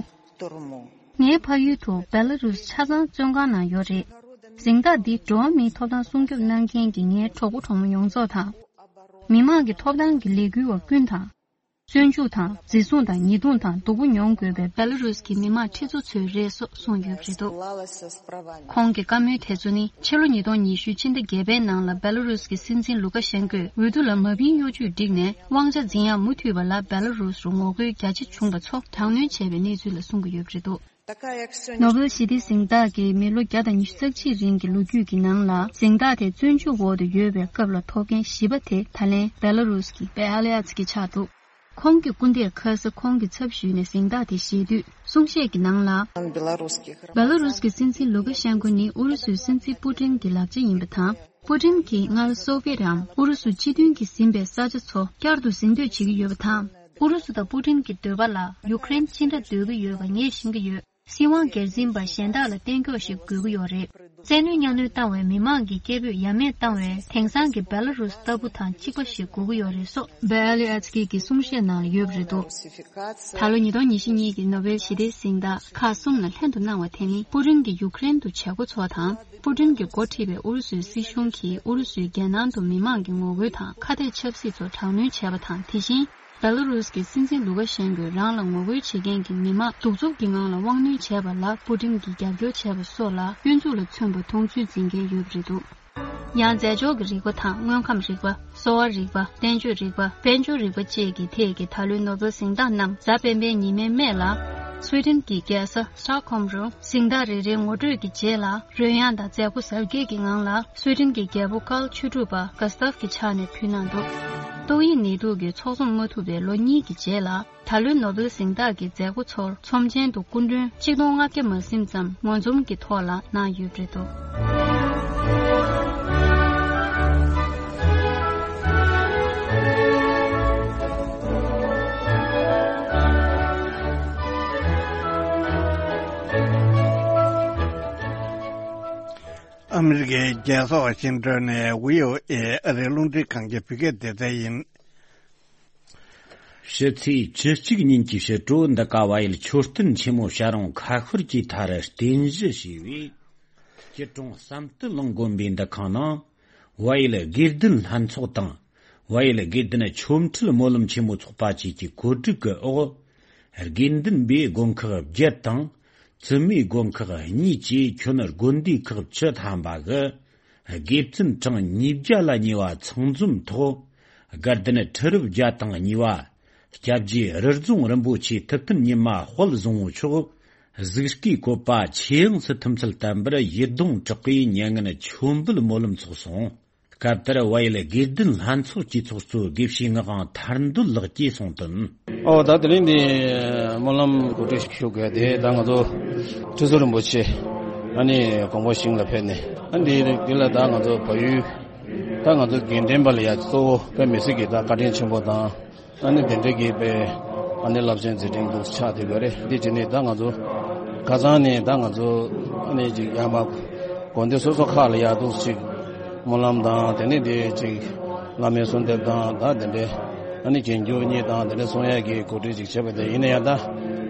ངའི་ཕ་ཡུལ་དུ་བེ་ལ་རུས་ཆ་ཚང་བཙོན་ཁང་ནང་ཡོད་རེད། གཟེངས་རྟགས་འདི་འགྲོ་བ་མིའི་ཐོབ་ཐང་སྲུང་སྐྱོབ་གནང་མཁན་གྱི་ངའི་གྲོགས་པོ་གྲོགས་མོ་ཡོངས་རྫོགས་དང་། མི་མང་གི་ཐོབ་ཐང་གི་ལས་འགུལ་བ་ཀུན་དང་། བཙོན་འཇུག་དང་འཛིན་བཟུང་དང་ཉེས་རྡུང་དང་སྡུག་པོ་མྱོང་དགོས་པའི་བེ་ལ་རུས་ཀྱི་མི་མང་ཁྲི་ཚོ་ཚོས་རེད་སོགས་གསུངས་ཡོད་པ་རེད་འདུག། ཁོང་གི་བཀའ་མོལ་དེ་ཚོ་ནི་ཕྱི་ལོ་ཉིས་སྟོང་ཉི་ཤུ་ཕྱི་ཟླ་བརྒྱད་པའི་ནང་ལ་བེ་ལ་རུས་ཀྱི་སྲིད་འཛིན་ལུ་ཀ་ཤན་ཀོས་འོས་བསྡུ་ལ་མ་ཕིན་གཡོ་ཇུས་བསྒྲིགས་ནས་དབང་ཆ་འཛིན་ཡག་མུ་མཐུད་པ་ལ་བེ་ལ་རུས་རུ་ངོ་རྒོལ་རྒྱ་ཆེ་བྱུང་བ་ཚོ་དྲག་གནོན་བྱས་པའི་གནས་ཚུལ་ལ་གསུང་གི་ཡོད་པ་རེད་འདུག། ནོ་བེལ་ཞི་བདེའི་གཟེངས་རྟགས་ཀྱིས་མི་ལོ་བརྒྱ་དང་ཉི་ཤུ་རྩ་གཅིག་རིང་གི་ལོ་རྒྱུས་ཀྱི་ནང་ལ་གཟེངས་རྟགས་དེ་བཙོན་འཇུག་འོག་ཏུ་ཡོད་པའི་སྐབས་ལ་ཐོབ་མཁན་བཞི་པ་དེ་ད་ལན་བེ་ལ་རུས་ཀྱི་བེ་ཨ་ལེ་ཨ་ཚི་ཀི་ཆགས་འདུག། ཁོང་གི་སྐུ་ཟླས་ཁ་ས་ཁོང་གི་ཚབ་ཞུས་ནས་གཟེངས་རྟགས་དེ་བཞེས་དུས་གསུང་བཤད་ཀྱི་ནང་ལ། བེ་ལ་རུས་ཀྱི་སྲིད་འཛིན་ལུ་ཀ་ཤན་ཀོ་ནི་ཨུ་རུ་སུའི་སྲིད་འཛིན་པུ་ཏིན་གྱི་ལག་ཆ་ཡིན་པ་དང་། པུ་ཏིན་གྱིས་སྔར་སོ་བྷི་ཡེ་ཏམ་ཨུ་རུ་སུ་སྤྱི་མཐུན་གྱིས་ཟིན་པའི་ས་ཆ་ཚོ་བསྐྱར་དུ་ཟིན་འདོད་བྱེད་ཀྱི་ཡོད་པ་དང་། ཨུ་རུ་སུ་དང་པུ་ཏིན་གྱི་འདོད་པ་ལ་ཡུ་ཀེ་རེན་ཅི་འདྲ་འདོད་ཀྱི་ཡོད་པ་ངས་ཤེས་ཀྱི་ཡོད། སྲིད་དབང་སྒེར་འཛིན་པ་གཞན་དག་ལ་གཏན་འཁྱོག་ཞིག་དགོས་ཀྱི་ཡོད་རེད། བཙན་གནོན་མཉམ་གནོན་བཏང་བའི་མི་མང་གི་སྐད་འབོད་ཡ་མེད་བཏང་བའི་དེང་སང་གི་བེ་ལ་རུས་ལྟ་བུ་དང་གཅིག་པ་ཞིག་དགོས་ཀྱི་ཡོད་རེད་སོགས་བེ་ཨ་ལི་ཨ་ཚི་ཀི་གི་གསུང་བཤད་ནང་ལ་ཡོད་པ་རེད་འདུག། ད་ལོ་ཉིས་སྟོང་ཉི་ཤུ་གཉིས་ཀྱི་ནོ་བེལ་ཞི་བདེའི་གཟེངས་རྟགས་ཁག་གསུམ་ལ་ལྷན་དུ་གནང་བ་དེ་ནི་པུ་ཏིན་གྱིས་ཡུ་ཀེ་རེན་དུ་བྱེད་སྒོ་ཚོགས་དང་། པུ་ཏིན་གྱིས་འགོ་ཁྲིད་པའི་ཨུ་རུ་སུའི་སྲིད་གཞུང་གིས་ཨུ་རུ་སུའི་རྒྱལ་ནང་དུ་མི་མང་གི་ངོ་རྒོལ་དང་ཁ་གཏད་ཆབ་སྲིད་ཚོ་དྲག་གནོན་བྱས་པ་དང་། དེ་བཞིན། བེ་ལ་རུས་ཀྱི་སྲིད་འཛིན་ལུ་ཀ་ཤན་ཀོས་རང་ལ་ངོ་རྒོལ་བྱེད་མཁན་གྱི་མི་མང་གདུག་རྩུབ་ཀྱི་ངང་ལ་དབང་གནོན་བྱས་པ་ལ་པུ་ཏིན་གྱིས་རྒྱབ་སྐྱོར་བྱས་པ་སོགས་ལ་གཡོ་འཛུགས་ལ་མཚོན་པ་མཐོང་ཚུལ་འཛིན་མཁན་ཡོད་པ་རེད་འདུག། ཡང་རྫས་སྦྱོར་གྱི་རིག་པ་དང་དངོས་ཁམས་རིག་པ། གསོ་བ་རིག་པ། བསྟན་བཅོས་རིག་པ། དཔལ་འབྱོར་རིག་པ་བཅས་ཀྱི་ཐད་ཀྱི་ད་ལོའི་ནོ་བེལ་གཟེངས་རྟགས་རྣམས་གཟའ་སྤེན་པའི་ཉི་མའི་སྨད་ལ་སུའེ་ཏེན་གྱི་རྒྱལ་ས་སི་ཊོག་ཧོམ་རུ་གཟེངས་རྟགས་རེ་རེའི་ངོ་སྤྲོད་ཀྱི་རྗེས་ལ་རོལ་དབྱངས་དང་མཛད་སྒོ་གཟབ་རྒྱས་ཀྱི་ངང་ལ་སུའེ་ཏེན་གྱི་རྒྱལ་པོ་ཀཱལ་ཆོས་དྲུག་པ་ག་སི་ཏཱབ་ཀྱི་ཕྱག་ནས་ཕུལ་གནང་འདུག། ཏོག་དབྱིབས་ནད་དུག་གིས་ཚོགས་འཛོམས་མ་ཐུབ་པའི་ལོ་གཉིས་ཀྱི་རྗེས་ལ། ད་ལོའི་ནོ་བེལ་གཟེངས་རྟགས་ཀྱི་མཛད་སྒོ་ཚོར་ཚོམས་ཆེན་དུ་སྐུ་མགྲོན་གཅིག་སྟོང་ལྔ་བརྒྱ་མ་ཟིན་ཙམ་ངོ་འཛོམས་ཀྱི་ཐོག་ལ་གནང་ཡོད་པ་རེད་འདུག། ཨ་མི་རི་ཀའི་རྒྱལ་ས་ཝ་ཤིང་ཏོན་ནས་བྷི་ཨོ་ཨེ་ཨ་རིའི་རླུང་འཕྲིན་ཁང་གི་བོད་སྐད་སྡེ་ཚན་ཡིན། ཕྱི་ཚེས་བཅུ་གཅིག་ཉིན་གྱི་ཕྱི་དྲོ་འདི་ག་བལ་ཡུལ་མཆོད་རྟེན་ཆེན་མོ་བྱ་རུང་ཁ་ཤོར་གྱི་མཐའ་རུ་རྟེན་གཞི་བྱས་པའི་སྐྱིད་གྲོང་བསམ་གཏན་གླིང་དགོན་པའི་འདུ་ཁང་ནང་། བལ་ཡུལ་དགེ་ལྡན་ལྷན་ཚོགས་དང་། བལ་ཡུལ་དགེ་ལྡན་ཆོ་འཕྲུལ་སྨོན་ལམ་ཆེན་མོ་ཚོགས་པ་བཅས་ཀྱི་གོ་སྒྲིག་གི་འོག་དགེ་འདུན་པའི་དགོན་ཁག་བརྒྱད་དང་། བཙུན་མའི་དགོན་ཁག་གཉིས་བཅས་ཁྱོན་དགོན་སྡེ་ཁག་བཅུ་ཐམ་པ་གི་དགེ་བཙུན་གྲངས་ཉིས་བརྒྱ་ལ་ཉེ་བ་ཚང་འཛོམས་ཐོག་དགའ་ལྡན་ཁྲི་རབས་བརྒྱ་དང་གཉིས་པ་སྐྱབས་རྗེ་རི་རྫོང་རིན་པོ་ཆེ་ཐུབ་བསྟན་ཉི་མ་དཔལ་བཟང་པོ་མཆོག་གཟུགས་སྐུའི་བཀོད་པ་ཆེ་ཡངས་སུ་ཐིམ་ཚུལ་བསྟན་པར་ཡིད་གདུང་དྲག་པོས་མྱ་ངན་མཆོད་འབུལ་སྨོན་ལམ་ཚོགས་སོང་། སྐབས་དེར་བལ་ཡུལ་དགེ་ལྡན་ལྷན་ཚོགས་ཀྱི་ཚོགས་གཙོ་དགེ་བཤེས་ངག་དབང་ཐར་འདོད་ལགས་ཀྱིས་གསུངས་དོན། ཨོ་ད་དེ་རིང་འདི་སྨོན་ལམ་གོ་སྒྲིག་ཞུ་དགོས་དེ་ད་ང་ཚོ་ཁྲི་ཟུར་རིན་པོ་ཆེ་ཨ་ནི་དགོངས་པ་ཞིང་ལ་ཕེབས་ནས་ཨ་འདི་འདི་ལ་ད་ང་ཚོ་བལ་ཡུལ་ད་ང་ཚོ་དགེ་ལྡན་པ་ལ་ཡ་གཙོ་བོ་དཔེ་མི་སྲིད་ཀྱི་ད་བཀའ་དྲིན་ཆེན་པོ་དང་། ཨ་ནི་དེ་འདྲའི་གི་དཔེ་ཨ་ནི་རླབས་ཆེན་མཛད་འཕྲིན་འདུག་ཆགས་བསྡད་ཡོད་རེད། འདི་བྱས་ནས་ད་ང་ཚོ་ཁ་སང་ནས་ད་ང་ཚོ་ཨ་ནི་ཅིག་ཡར་མར་དགོན་སྡེ་སོ་སོ་ཁག་ལ་ཡར་འདུག་ཅིག་སྨོན་ལམ་དང་དེ་ནས་དེ་ཅིག་བླ་མའི་གསོལ་འདེབས་དང་ད་དེ་འདྲའི་ཨ་ནི་རྒྱན་རྒྱུ་གཉིས་དང་དེ་འདྲ་གསུང་ཡག་གི་གོ་སྒྲིག་ཅིག་བྱས་པ་དེ་ཡིན་ན་ཡང་ད་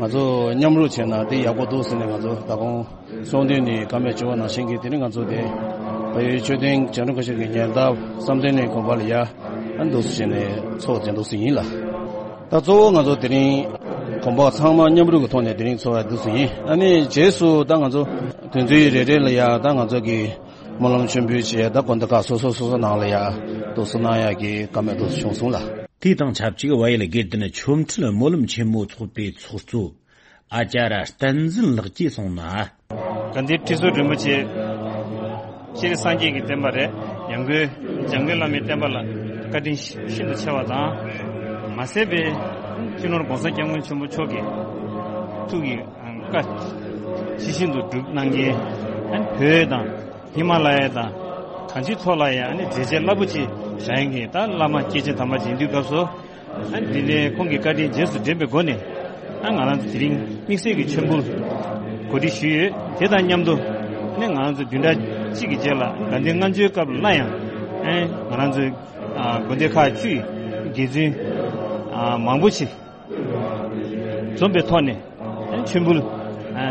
ང་ཚོ་མཉམ་རུབ་བྱས་ན་དེ་ཡག་པོ་འདུག་ཟེར་ནས་ང་ཚོ་ད་དགོང་། གསུང་འདོན་ནི་བཀའ་མོལ་བྱས་པ་ནང་བཞིན་གྱི་དེ་རིང་ང་ཚོ་དེ་བལ་ཡུལ་མཆོད་རྟེན་བྱ་རུང་ཁ་ཤོར་གྱི་ཉེ་འདབས་བསམ་གཏན་གླིང་དགོན་པ་ལ་ཡ་ཨ་འདུག་སེ་བྱས་ནས་ཚོགས་དེ་འདུག་སེ་ཡིན་ལ། ད་གཙོ་བོ་ང་ཚོ་དེ་རིང་དགོན་པ་ཚང་མ་མཉམ་རུབ་ཀྱི་ཐོག་ནས་དེ་རིང་ཚོགས་ཡ་འདུག་སེ་ཡིན། ཨ་ནི་རྗེས་སུ་ད་ང་ཚོ་དོན་ཚན་རེ་རེ་ལ་ཡ་ད་ང་ཚོ་གི་སྨོན་ལམ་མཆོད་འབུལ་བྱས་ད་དགོན་སྡེ་ཁག་སོ་སོ་སོ་སོ་ནང་ལ་ཡ་འདུག་སེ་གནང་ཡ་གི་བཀའ་མོལ་འདུག་སེ་བྱུང་སོང་ལ། དེ་དང་ཆབས་ཅིག་བལ་ཡུལ་དགེ་ལྡན་ཆོ་འཕྲུལ་སྨོན་ལམ་ཆེན་མོ་ཚོགས་པའི་ཚོགས་གཙོ། ཨ་ཅཱརྱ་བསྟན་འཛིན་ལགས་ཀྱིས་གསུངས་ན། དགའ་ལྡན་ཁྲི་ཟུར་རིན་པོ་ཆེ་སྤྱིར་སངས་རྒྱས་ཀྱི་བསྟན་པ་རེད། ཡང་སྒོས་འཇམ་མགོན་བླ་མའི་བསྟན་པ་ལ་བཀའ་དྲིན་ཤིན་ཏུ་ཆེ་བ་དང་། མ་ཟད་པའི་སྤྱི་ནོར་༸གོང་ས་༸སྐྱབས་མགོན་ཆེན་པོ་མཆོག་གི་ཐུགས་ཀྱི་བཀའ་ཇི་བཞིན་དུ་སྒྲུབ་གནང་མཁན་བོད་དང་ ཧི་མ་ལ་ཡ་དང་གང་ཅིའི་ཐོག་ལ་ཡང་ཨ་ནི་མཛད་རྗེས་རླབས་པོ་ཆེ་བཞག་མཁན་གྱི་ད་བླ་མ་སྐྱེས་ཆེན་དམ་པ་ཅིག་ཡིན་དུས་སྐབས་སུ། ཨ་ནི་འདི་ནས་ཁོང་གི་བཀའ་དྲིན་རྗེས་སུ་དྲན་པའི་སྒོ་ནས། ཨ་ང་རང་ཚོ་དེ་རིང་དམིགས་བསལ་གྱི་མཆོད་འབུལ་གོ་སྒྲིག་ཞུས་ཡོད། དེ་དང་མཉམ་དུ་ཨ་ནི་ང་རང་ཚོ་བདུན་ཕྲག་གཅིག་གི་རྗེས་ལ་དགའ་ལྡན་ལྔ་མཆོད་སྐབས་ལ་ཡང་ཨ་ནི་ང་རང་ཚོའི་ཨ་དགོན་སྡེ་ཁག་བཅུའི་དགེ་བཙུན་ཨ་མང་པོ་ཞིག་འཛོམས་པའི་ཐོག་ནས་མཆོད་འབུལ་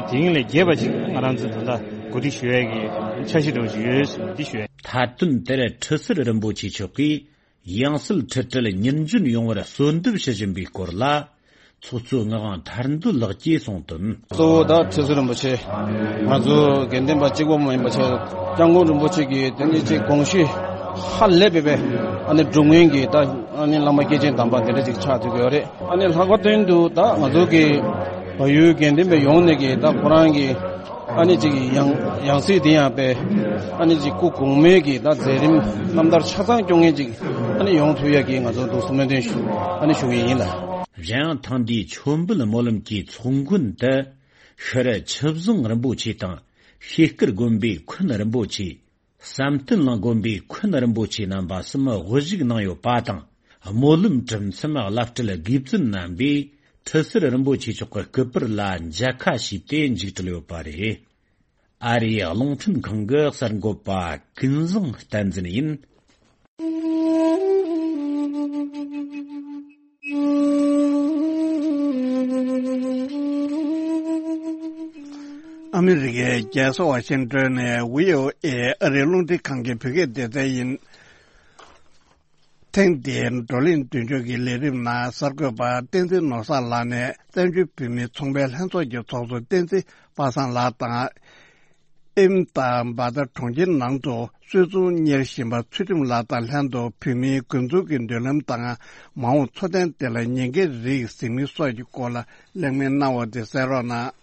དེ་རིང་ལས་རྒྱས་པ་ཞིག་ང་རང་ཚོས་ད་ལྟ་གོ་སྒྲིག་ཞུ་ཡས་ཀྱི་འཆར་གཞི་འདྲ་བོ་ཞིག་ཡོད་འདི་ཞུ་ཡས། མཐའ་དོན་དེར་ཁྲི་ཟུར་རིན་པོ་ཆེ་མཆོག་གིས་ཡང་སྲིད་ཁྲི་ཁྲི་ལ་ཉིན་རྒྱུན་ཡོང་བར་གསོལ་འདེབས་ཞུ་བཞིན་པའི་སྐོར་ལ། ཚོགས་གཙོ་ངག་དབང་ཐར་འདོད་ལགས་ཀྱིས་གསུངས་དོན། གཙོ་བོ་ད་ཁྲི་ཟུར་རིན་པོ་ཆེ། ང་ཚོ་དགེ་ལྡན་པ་གཅིག་པོ་མ་ཡིན་པ་བྱས། སྐྱབས་མགོན་རིན་པོ་ཆེ་གིས་དེ་ནི་ཅིག་དགོངས་གཞི་ཧ་ལས་པའི་པའི་ཨ་ནི་སྒྲུབ་མཁན་གྱི་ད་ཨ་ནི་བླ་མ་སྐྱེས་ཆེན་དམ་པ་དེ་འདྲ་ཅིག་ཆགས་ཐུབ་ཀྱི་ཡོད་རེད། ཨ་ནི་ལྷག་པར་དུ་ད་ང་ཚོ་གི་བལ་ཡུལ་དགེ་ལྡན་པའི་ཡོངས་ནས་ཀྱི་ད་ཁོ་རང་གི་ཨ་ནི་ཅིག་ཡང་ཡང་སྲིད་དེ་ཡང་པའི་ཨ་ནི་ཅིག་སྐུ་གོང་མའི་གི་ད་མཛད་རིམ་རྣམ་ཐར་ཆ་ཚང་སྐྱོང་མཁན་ཅིག་ཨ་ནི་ཡོང་ཐུབ་ཡ་གི་ང་ཚོ་འདུག་སེ་སྨོན་འདུན་ཞུ་ཨ་ནི་ཞུ་གི་ཡིན་ལ། གཞན་ཡང་ཐེངས་འདིའི་མཆོད་འབུལ་སྨོན་ལམ་གྱི་ཚོགས་མགོན་དུ་ཤྲཱི་ཆུ་བཟང་རིན་པོ་ཆེ་དང་ཤེལ་དཀར་དགོན་པའི་མཁན་རིན་པོ་ཆེ། བསམ་གཏན་གླིང་དགོན་པའི་མཁན་རིན་པོ་ཆེ་རྣམ་པ་གསུམ་དབུ་བཞུགས་གནང་ཡོད་པ་དང་། སྨོན་ལམ་གྲུབ་མཚམས་བླ་སྤྲུལ་དགེ་བཙུན་རྣམ་པས་ཁྲི་ཟུར་རིན་པོ་ཆེ་མཆོག་གི་སྐུ་པར་ལ་མཇལ་ཁ་ཞུས་ཏེ་མཇུག་གྲིལ་ཡོད་པ་རེད། ཨ་རིའི་རླུང་འཕྲིན་ཁང་གི་གསར་འགོད་པ་ཀུན་བཟང་བསྟན་འཛིན་ཡིན། ཨ་མི་རི་ཀའི་རྒྱལ་ས་ཝ་ཤིང་ཏོན་ནས་བྷི་ཨོ་ཨེ་ཨ་རིའི་རླུང་འཕྲིན་ཁང་གི་བོད་སྐད་སྡེ་ཚན་ཡིན། ཐེངས་འདིའི་བགྲོ་གླེང་མདུན་ལྕོག་གི་ལས་རིམ་ནང་གསར་འགོད་པ་བསྟན་འཛིན་ནོར་བཟང་ལགས་ནས་བཙན་བྱོལ་བོད་མིའི་ཚོང་པའི་ལྷན་ཚོགས་ཀྱི་ཚོགས་གཙོ་བསྟན་འཛིན་པ་སངས་ལགས་དང་། ཨིམ་དང་འབའ་ད་གྲོང་ཁྱེར་ནང་དུ་སུད་ཚོང་གཉེར་བཞིན་པ་ཚུལ་ཁྲིམས་ལགས་དང་ལྷན་དུ་བོད་མིའི་འགོ་འཛུགས་ཀྱི་མདུན་ལམ་དང་མ་འོངས་འཚོ་རྟེན་དེ་ལ་ཉེན་ཁའི་རིགས་གཟིགས་མིན་སོགས་ཀྱི་སྐོར་ལ་གླེང་མོལ་གནང་བ་དེ་གསན་རོགས་གནང་།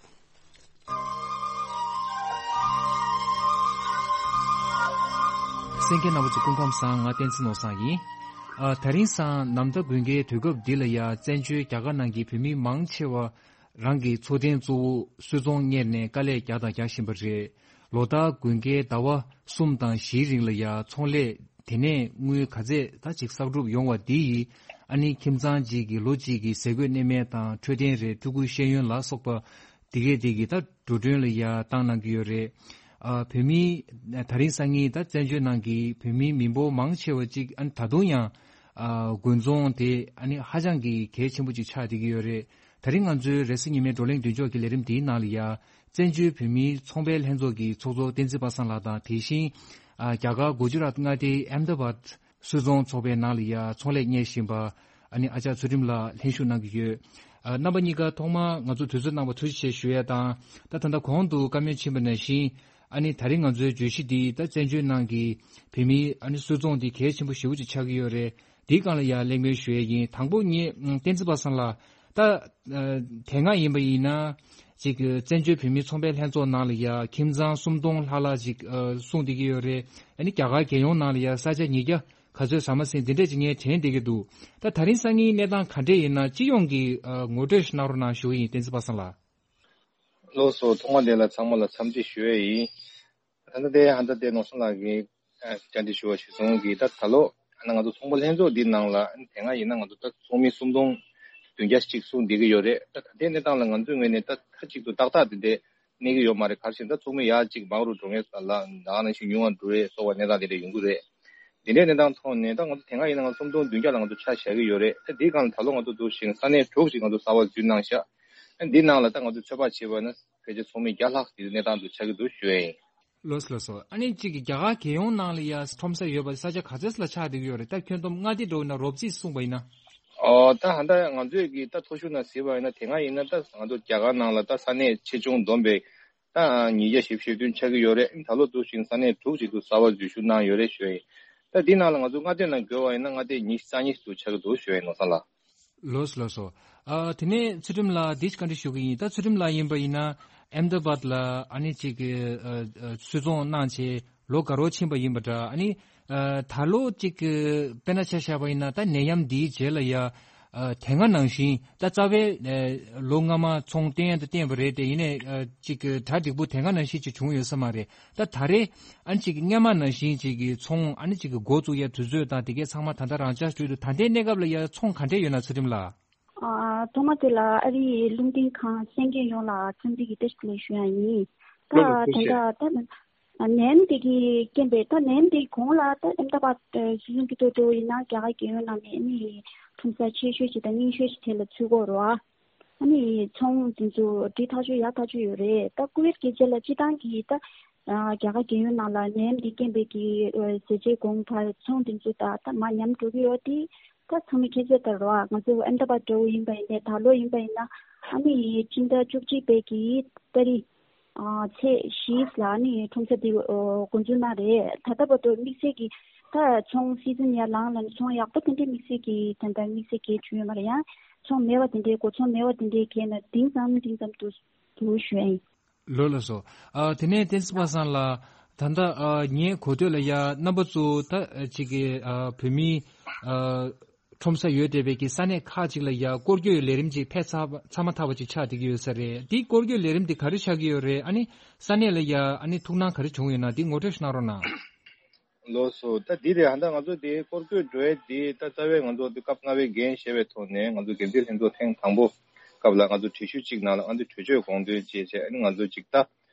གསན་མཁན་རྣམ་པ་ཚོ་སྐུ་ཁམས་བཟང་། ང་བསྟན་འཛིན་ནོར་བཟང་ཡིན། ཨ། དེ་རིང་སང་གནམ་ཟླ་དགུན་ཁའི་དུས་སྐབས་འདི་ལ་ཡ་བཙན་བྱོལ་རྒྱ་གར་ནང་གི་བོད་མི་མང་ཆེ་བ་རང་གི་འཚོ་རྟེན་གཙོ་བོ་སུད་ཚོང་གཉེར་ནས་དཀའ་ལས་རྒྱག་དང་རྒྱག་བཞིན་པ་རེད། ལོ་ལྟར་དགུན་ཁའི་ཟླ་བ་གསུམ་དང་བཞིའི་རིང་ལ་ཡ་ཚོང་ལས་དེ་ནས་དངུལ་ག་ཚད་ད་ཅིག་བསགས་གྲུབ་ཡོང་བ་འདི་ཡིས་ཨ་ནི་ཁྱིམ་ཚང་གཅིག་གི་ལོ་གཅིག་གི་ཟས་གོས་གནས་མལ་དང་འཕྲོད་བསྟེན་རེད། ཕྲུ་གུའི་ཤེས་ཡོན་ལ་སོགས་པ་དེ་གས་དེ་གི་ད་འགྲོ་གྲོན་ལ་ཡ་བཏང་གནང་གི་ཡོད་རེད། ཨ། བོད་མི་ད་རིང་སང་ཉིན་ད་བཙན་བྱོལ་ནང་གི་བོད་མི་མི་འབོར་མང་ཆེ་བ་གཅིག་ཨ་ནི་ད་དུང་ཡང་ཨ་དགུན་ཚོང་དེ་ཨ་ནི་ཧ་ཅང་གི་གལ་ཆེན་པོ་ཅིག་ཆགས་བསྡད་ཀྱི་ཡོད་རེད། དེ་རིང་ང་ཚོའི་རེས་གཟའ་ཉི་མའི་བགྲོ་གླེང་མདུན་ལྕོག་གི་ལས་རིམ་འདིའི་ནང་ལ་ཡ་བཙན་བྱོལ་བོད་མིའི་ཚོང་པའི་ལྷན་ཚོགས་ཀྱི་ཚོགས་གཙོ་བསྟན་འཛིན་པ་སངས་ལགས་དང་། དེ་བཞིན་ཨ་རྒྱ་གར་གུ་ཇི་རཱཏ་མངའ་སྡེའི་ཨེམ་དཱ་བཱད་སུད་ཚོང་ཚོགས་པའི་ནང་ལ་ཡ་ཚོང་ལས་གཉེར་བཞིན་པ་ཨ་ནི་ཨ་ཅག་ཚུལ་ཁྲིམས་ལགས་ལྷན་ཞུགས་གནང་གི་ཡོད། ཨ། རྣམ་པ་གཉིས་ཀ་ཐོག་མར་ང་ཚོ་དུས་ཚོད་གནང་བར་ཐུགས་རྗེ་ཆེ་ཞུ་ཡས་དང་། ད་ད་ལྟ་གོང་དུ་བཀའ་མོལ་ཕྱིན་པ་ནང་བཞིན་ཨ་ནི་ད་རིང་ང་ཚོའི་བརྗོད་གཞི་འདི་ད་བཙན་བྱོལ་ནང་གི་བོད་མིའི་ཨ་ནི་སུད་ཚོང་འདི་གལ་ཆེན་པོ་ཞེ་པོ་ཅིག་ཆགས་ཀྱི་ཡོད་རེད། འདིའི་སྒང་ལ་ཡ་གླེང་མོལ་ཞུ་ཡས་ཡིན། དང་པོ་ངས་བསྟན་འཛིན་པ་སངས་ལགས། ད་ཨ་དེ་སྔ་ཡིན་པ་ཡིན་ན་ཅིག་བཙན་བྱོལ་བོད་མིའི་ཚོང་པའི་ལྷན་ཚོགས་ནང་ལ་ཡ་ཁྱིམ་ཚང་སུམ་སྟོང་ལྷག་ལྷག་ཅིག་ཨ་སྲུང་བསྡད་ཀྱི་ཡོད་རེད། ཨ་ནི་རྒྱ་གར་རྒྱལ་ཡོངས་ནང་ལ་ཡ་ས་ཆ་ཉིས་བརྒྱ་ག་ཚོད་ཟ་མ་ཟིན་འདི་འདྲས་ཅིག་ངས་དྲན་བསྡད་ཀྱི་འདུག་ད་ད་རིང་སང་ཉིན་གནས་སྟངས་ག་འདྲས་ཡིན་ན་སྤྱི་ཡོངས་ཀྱི་ཨ་ངོ་སྤྲོད་ཞིག་གནང་རོགས་གནང་ཞུ་གི་ཡིན། བསྟན་འཛིན་པ་སངས་ལགས། ལགས་སོ། ཐོག་མ་དེ་ལ་ཚང་མ་ལ་འཚམས་འདྲི་ཞུ་ཡས་ཡིན། ད་ལྟ་དེ་ཧན་ད་དེ་ནོར་བཟང་ལགས་ཀྱིས་ཨ་བཅར་འདྲི་ཞུ་བ་གཞིར་བཟུང་གིས་ད་ད་ལོ་ཨ་ནི་ང་ཚོ་ཚོང་པ་ལྷན་ཚོགས་འདི་ནང་ལ་ཨ་ནི་དེ་སྔ་ཡིན་ན་ང་ཚོ་ད་ཚོགས་མི་སུམ་སྟོང་བདུན་བརྒྱ་ཅིག་སྲུང་བསྡད་ཀྱི་ཡོད་རེད། ད་ད་ལྟའི་གནས་སྟངས་ལ་ང་ཚོའི་ངོས་ནས་ད་མཐའ་གཅིག་ཏུ་ཏག་ཏག་དེ་འདྲས་གནས་ཀྱི་ཡོད་མ་རེད། ག་རེ་ཟེར་ན་ད་ཚོགས་མི་ཡར་གཅིག་མང་རུ་འགྲོ་མཁན་ལ་ད་ག་ནང་བཞིན་ཉུང་བ་འགྲོ་རེད་སོགས་པ་གནས་སྟངས་དེ་འདྲ་ཡོང་གི་རེད། དེ་འདྲའི་གནས་སྟངས་ཐོག་ནས་ད་ང་ཚོ་དེ་སྔ་ཡིན་ན་ང་ཚོ་སུམ་སྟོང་བདུན་བརྒྱ་ལ་ང་ཚོ་ཆ་བཞག་གི་ཡོད་རེད། ད་འདིའི་སྒང་ལ་ད་ལོ་ང་ཚོ་འདུག་ཞིང་ས་གནས་དྲུག་ཅིག་ང་ཚོ་གསར་པ་འཛུལ་གནང་ཤག་འདིའི་ནང་ལ་ད་ང་ཚོ་ཚོད་དཔག་བྱས་པ་ན་ཕལ་ཆེར་ཚོགས་མི་བརྒྱ་ལྷག་དེ་གནས་སྟངས་དུ་ཆགས་ཀྱི་འདུག་ཞུ་ཡ་ཡིན། ལགས་སོ་ལགས་སོ། ཨ་ནི་གཅིག་གི་རྒྱ་གར་རྒྱལ་ཡོངས་ནང་ལ་ཡ་ཁྲོམ་ས་ཡོད་པ་ས་ཆ་ག་ཚོད་ལ་ཆགས་བསྡད་ཀྱི་ཡོད་རེད། ད་ཁྱོན་བསྡོམས་མངའ་སྡེ་འདྲ་བོ་ན་རོབ་རྩིས་གསུངས་པ་ཡིན་ན། ཨོ་ད་ཧ་ད་ང་ཚོས་ཀྱི་ད་མཐོ་ཤོས་ན་གཟིགས་པ་ཡིན་ན་དེ་སྔ་ཡིན་ན་ད་ང་ཚོ་རྒྱ་གར་ནང་ལ་ད་ས་གནས་ཆེ་ཆུང་བསྡོམས་པས་ད་ཉིས་བརྒྱ་བཞི་བཅུ་ཞེ་བདུན་ཆགས་ཀྱི་ཡོད་རེད། ད་ལོ་འདུག་ཞིང་ས་གནས་དྲུག་ཅིག་ཏུ་གསར་པ་འཛུལ་ཞུགས་གནང་ཡོད་རེད་ཞུ་ཡ་ཡིན། ད་འདི་ནང་ལ་ང་ཚོ་མངའ་སྡེ་ནང་བགོས་པ་ཡིན་ན་མངའ་སྡེ་ཉི་ཤུ་རྩ་གཉིས་སུ་ཆགས་ཀྱི་འདུག་ཞུ་ཡ་ཡིན་ནོར་བཟང་ལགས། ལགས་སོ་ལགས་སོ། ཨ་དེ་ནས་ཚུལ་ཁྲིམས་ལགས་འདི་བཀའ་འདྲི་ཞུ་གི་ཡིན། ད་ཚུལ་ཁྲིམས་ལགས་ཡིན་པ་ཡིན་ན་ཨེམ་དཱ་བཱད་ལ་ཨ་ནི་གཅིག་གི་ཨ་ཨ་སུད་ཚོང་གནང་བྱས་ལོ་འགའ་རོགས་ཕྱིན་པ་ཡིན་པ་འདྲ། ཨ་ནི་ཨ་ད་ལོ་གཅིག་གི་དཔེར་ན་ཆ་བཞག་པ་ཡིན་ན་ད་ནད་ཡམས་འདིའི་རྗེས་ལ་ཡ་ ཨ། དེ་སྔ་ནང་བཞིན་ད་རྩ་བའི་ཨ་ལོ་སྔ་མ་ཚོང་བཏོན་ཡ་དང་བཏོན་པ་རེད་དེ། ཡིན་ནའི་ཨ་ཅིག་གི་གྲ་འགྲིག་པོ་དེ་སྔ་ནང་བཞིན་ཅིག་བྱུང་ཡོད་ས་མ་རེད། ད་ད་རེས་ཨ་ནི་ཅིག་སྔ་མ་ནང་བཞིན་ཅིག་གི་ཚོང་ཨ་ནི་ཅིག་གི་འགོ་བཙུགས་ཡ་དུས་ཚོད་དང་དེ་གའི་ཚང་མ་ད་ལྟ་རང་འཇགས་བྱུང་འདུག། ད་ལྟའི་གནས་སྐབས་ལ་ཡ་ཚོང་ག་འདྲས་ཡོད་ན། ཚུལ་ཁྲིམས་ལགས། ཨ། ཐོག་མ་དེ་ལ་ཨ་རིའི་རླུང་འཕྲིན་ཁང་གསན་མཁན་ཡོངས་ལ་འཚམས་འདྲི་གི་བཀྲ་ཤིས་བདེ་ལེགས་ཞུ་ཡ་ཡིན། ད་ལགས་ལགས། ཐུགས་རྗེ་ཆེ། ད་ལྟ་ད་ནད་ཡམས་དེ་གི་རྐྱེན་པས། ད་ནད་ཡམས་དེ་གོང་ལ་ད་ཨེམ་ད་བ་སྲིད་གཞུང་གི་ཐོག་ཏུ་ཡིན་ན་རྒྱ་གར་རྒྱལ་ཡོངས་ནང་ནས་ཨ་ནི་ཁྲོམ་ས་ཆེ་ཤོས་ཤིག་དང་རྙིང་ཤོས་ཤིག་དེ་ལ་ཚུད་ཀྱི་ཡོད་རེད་བ། ཨ་ནི་ཚོང་དེ་ཚོ་འགྲིག་ཐག་ཆོད་ཡག་ཐག་ཆོད་ཡོད་རེད། ད་ཀུ་ཝེད་རྒྱལ་སྤྱི་ལ་སྤྱི་བཏང་གི་ད་ཨ་རྒྱ་གར་རྒྱལ་ཡོངས་ནང་ལ་ནད་ཡམས་དེ་རྐྱེན་པས་ཀྱི་ཨ་ཟས་བཅད་གོང་འཕར། ཚོང་དེ་ཚོ་ད་ད་མར་ཉམས་འགྲོ་གི་ཡོད་དེ། ད་ཚང་མས་མཁྱེན་གསལ་ལྟར་རོ། ང་ཚོ་ཨེམ་ད་བ་འདྲ་བོ་ཡིན་པ་ཡིན་ནའི། ད་ལོ་ཡིན་པ་ཡིན་ན་ཨ་ནི་སྤྱི་ཟླ་བཅུ་གཅིག་པའི་གི་ཏ་རིག་ཨ་ཚེས་བཞི་ལ་ཨ་ནི་ཁྲོམ་ས་དེ་འགོ་འཛུགས་གནང་རེད། ད་ལྟ་བར་དུ་དམིགས་བསལ་གྱི་ད་ཚོང་སི་ཛན་ཡར་ལངས་ལ་ནི་ཚོང་ཡག་པོ་དེ་འདྲའི་དམིགས་བསལ་གྱི་ད་ལྟ་དམིགས་བསལ་གྱི་བྱུང་ཡོད་མ་རེད། ཡང་ཚོང་མེད་པ་དེ་འདྲའི་སྒོ་ཚོང་མེད་པ་དེ་འདྲའི་གས་ན་འབྲིང་ཙམ་འབྲིང་ཙམ་དུ་འདུག་ཞུ་ཡ་ཡིན། ལགས་ལགས་སོ། ཨ། དེ་ནས་བསྟན་འཛིན་པ་སངས་ལགས། ད་ལྟ་ཨ་ངའི་གོ་ཐོས་ལ་ཡ་རྣམ་པ་ཚོ་ད་ཨ་ཅིག་གི་ཨ་བོད་མིའི་ཨ་ཁྲོམ་ས་ཡོད་བསྡད་པའི་གི་ས་གནས་ཁག་ཅིག་ལ་ཡ་སྐོར་སྐྱོད་ལས་རིམ་ཅིག་ཕེབས་ཚར་ཚར་མ་ཐག་པ་ཅིག་ཆགས་བསྡད་ཀྱི་ཡོད་ས་རེད། དེའི་སྐོར་སྐྱོད་ལས་རིམ་དེ་ག་རེ་ཆགས་ཀྱི་ཡོད་རེད། ཨ་ནི་ས་གནས་ལ་ཡ་ཨ་ནི་ཐུགས་སྣང་ག་རེ་བྱུང་ཡོད་ན་དེ་ངོ་སྤྲོད་ཞིག་གནང་རོགས་གནང་། ལགས་སོ། ད་འདི་རེད། ཧ་ད་ང་ཚོ་དེ་སྐོར་སྐྱོད་འགྲོ་ཡས་དེ་ད་རྩ་བའི་ང་ཚོ་དེ་སྐབས་ལྔ་པའི་འགན་བཞེས་པའི་ཐོག་ནས་ང་ཚོ་འགན་འཛིན་ལྷན་ཚོགས་ཐེངས་དང་པོ་སྐབས་ལ་ང་ཚོ་གྲོས་གཞི་གཅིག་ནང་ལ་ང་ཚོ་གྲོས་ཆོད་དགོངས་དོན་བཅས་བྱས། ཨ་ནི་ང་ཚོ་གཅིག་ད་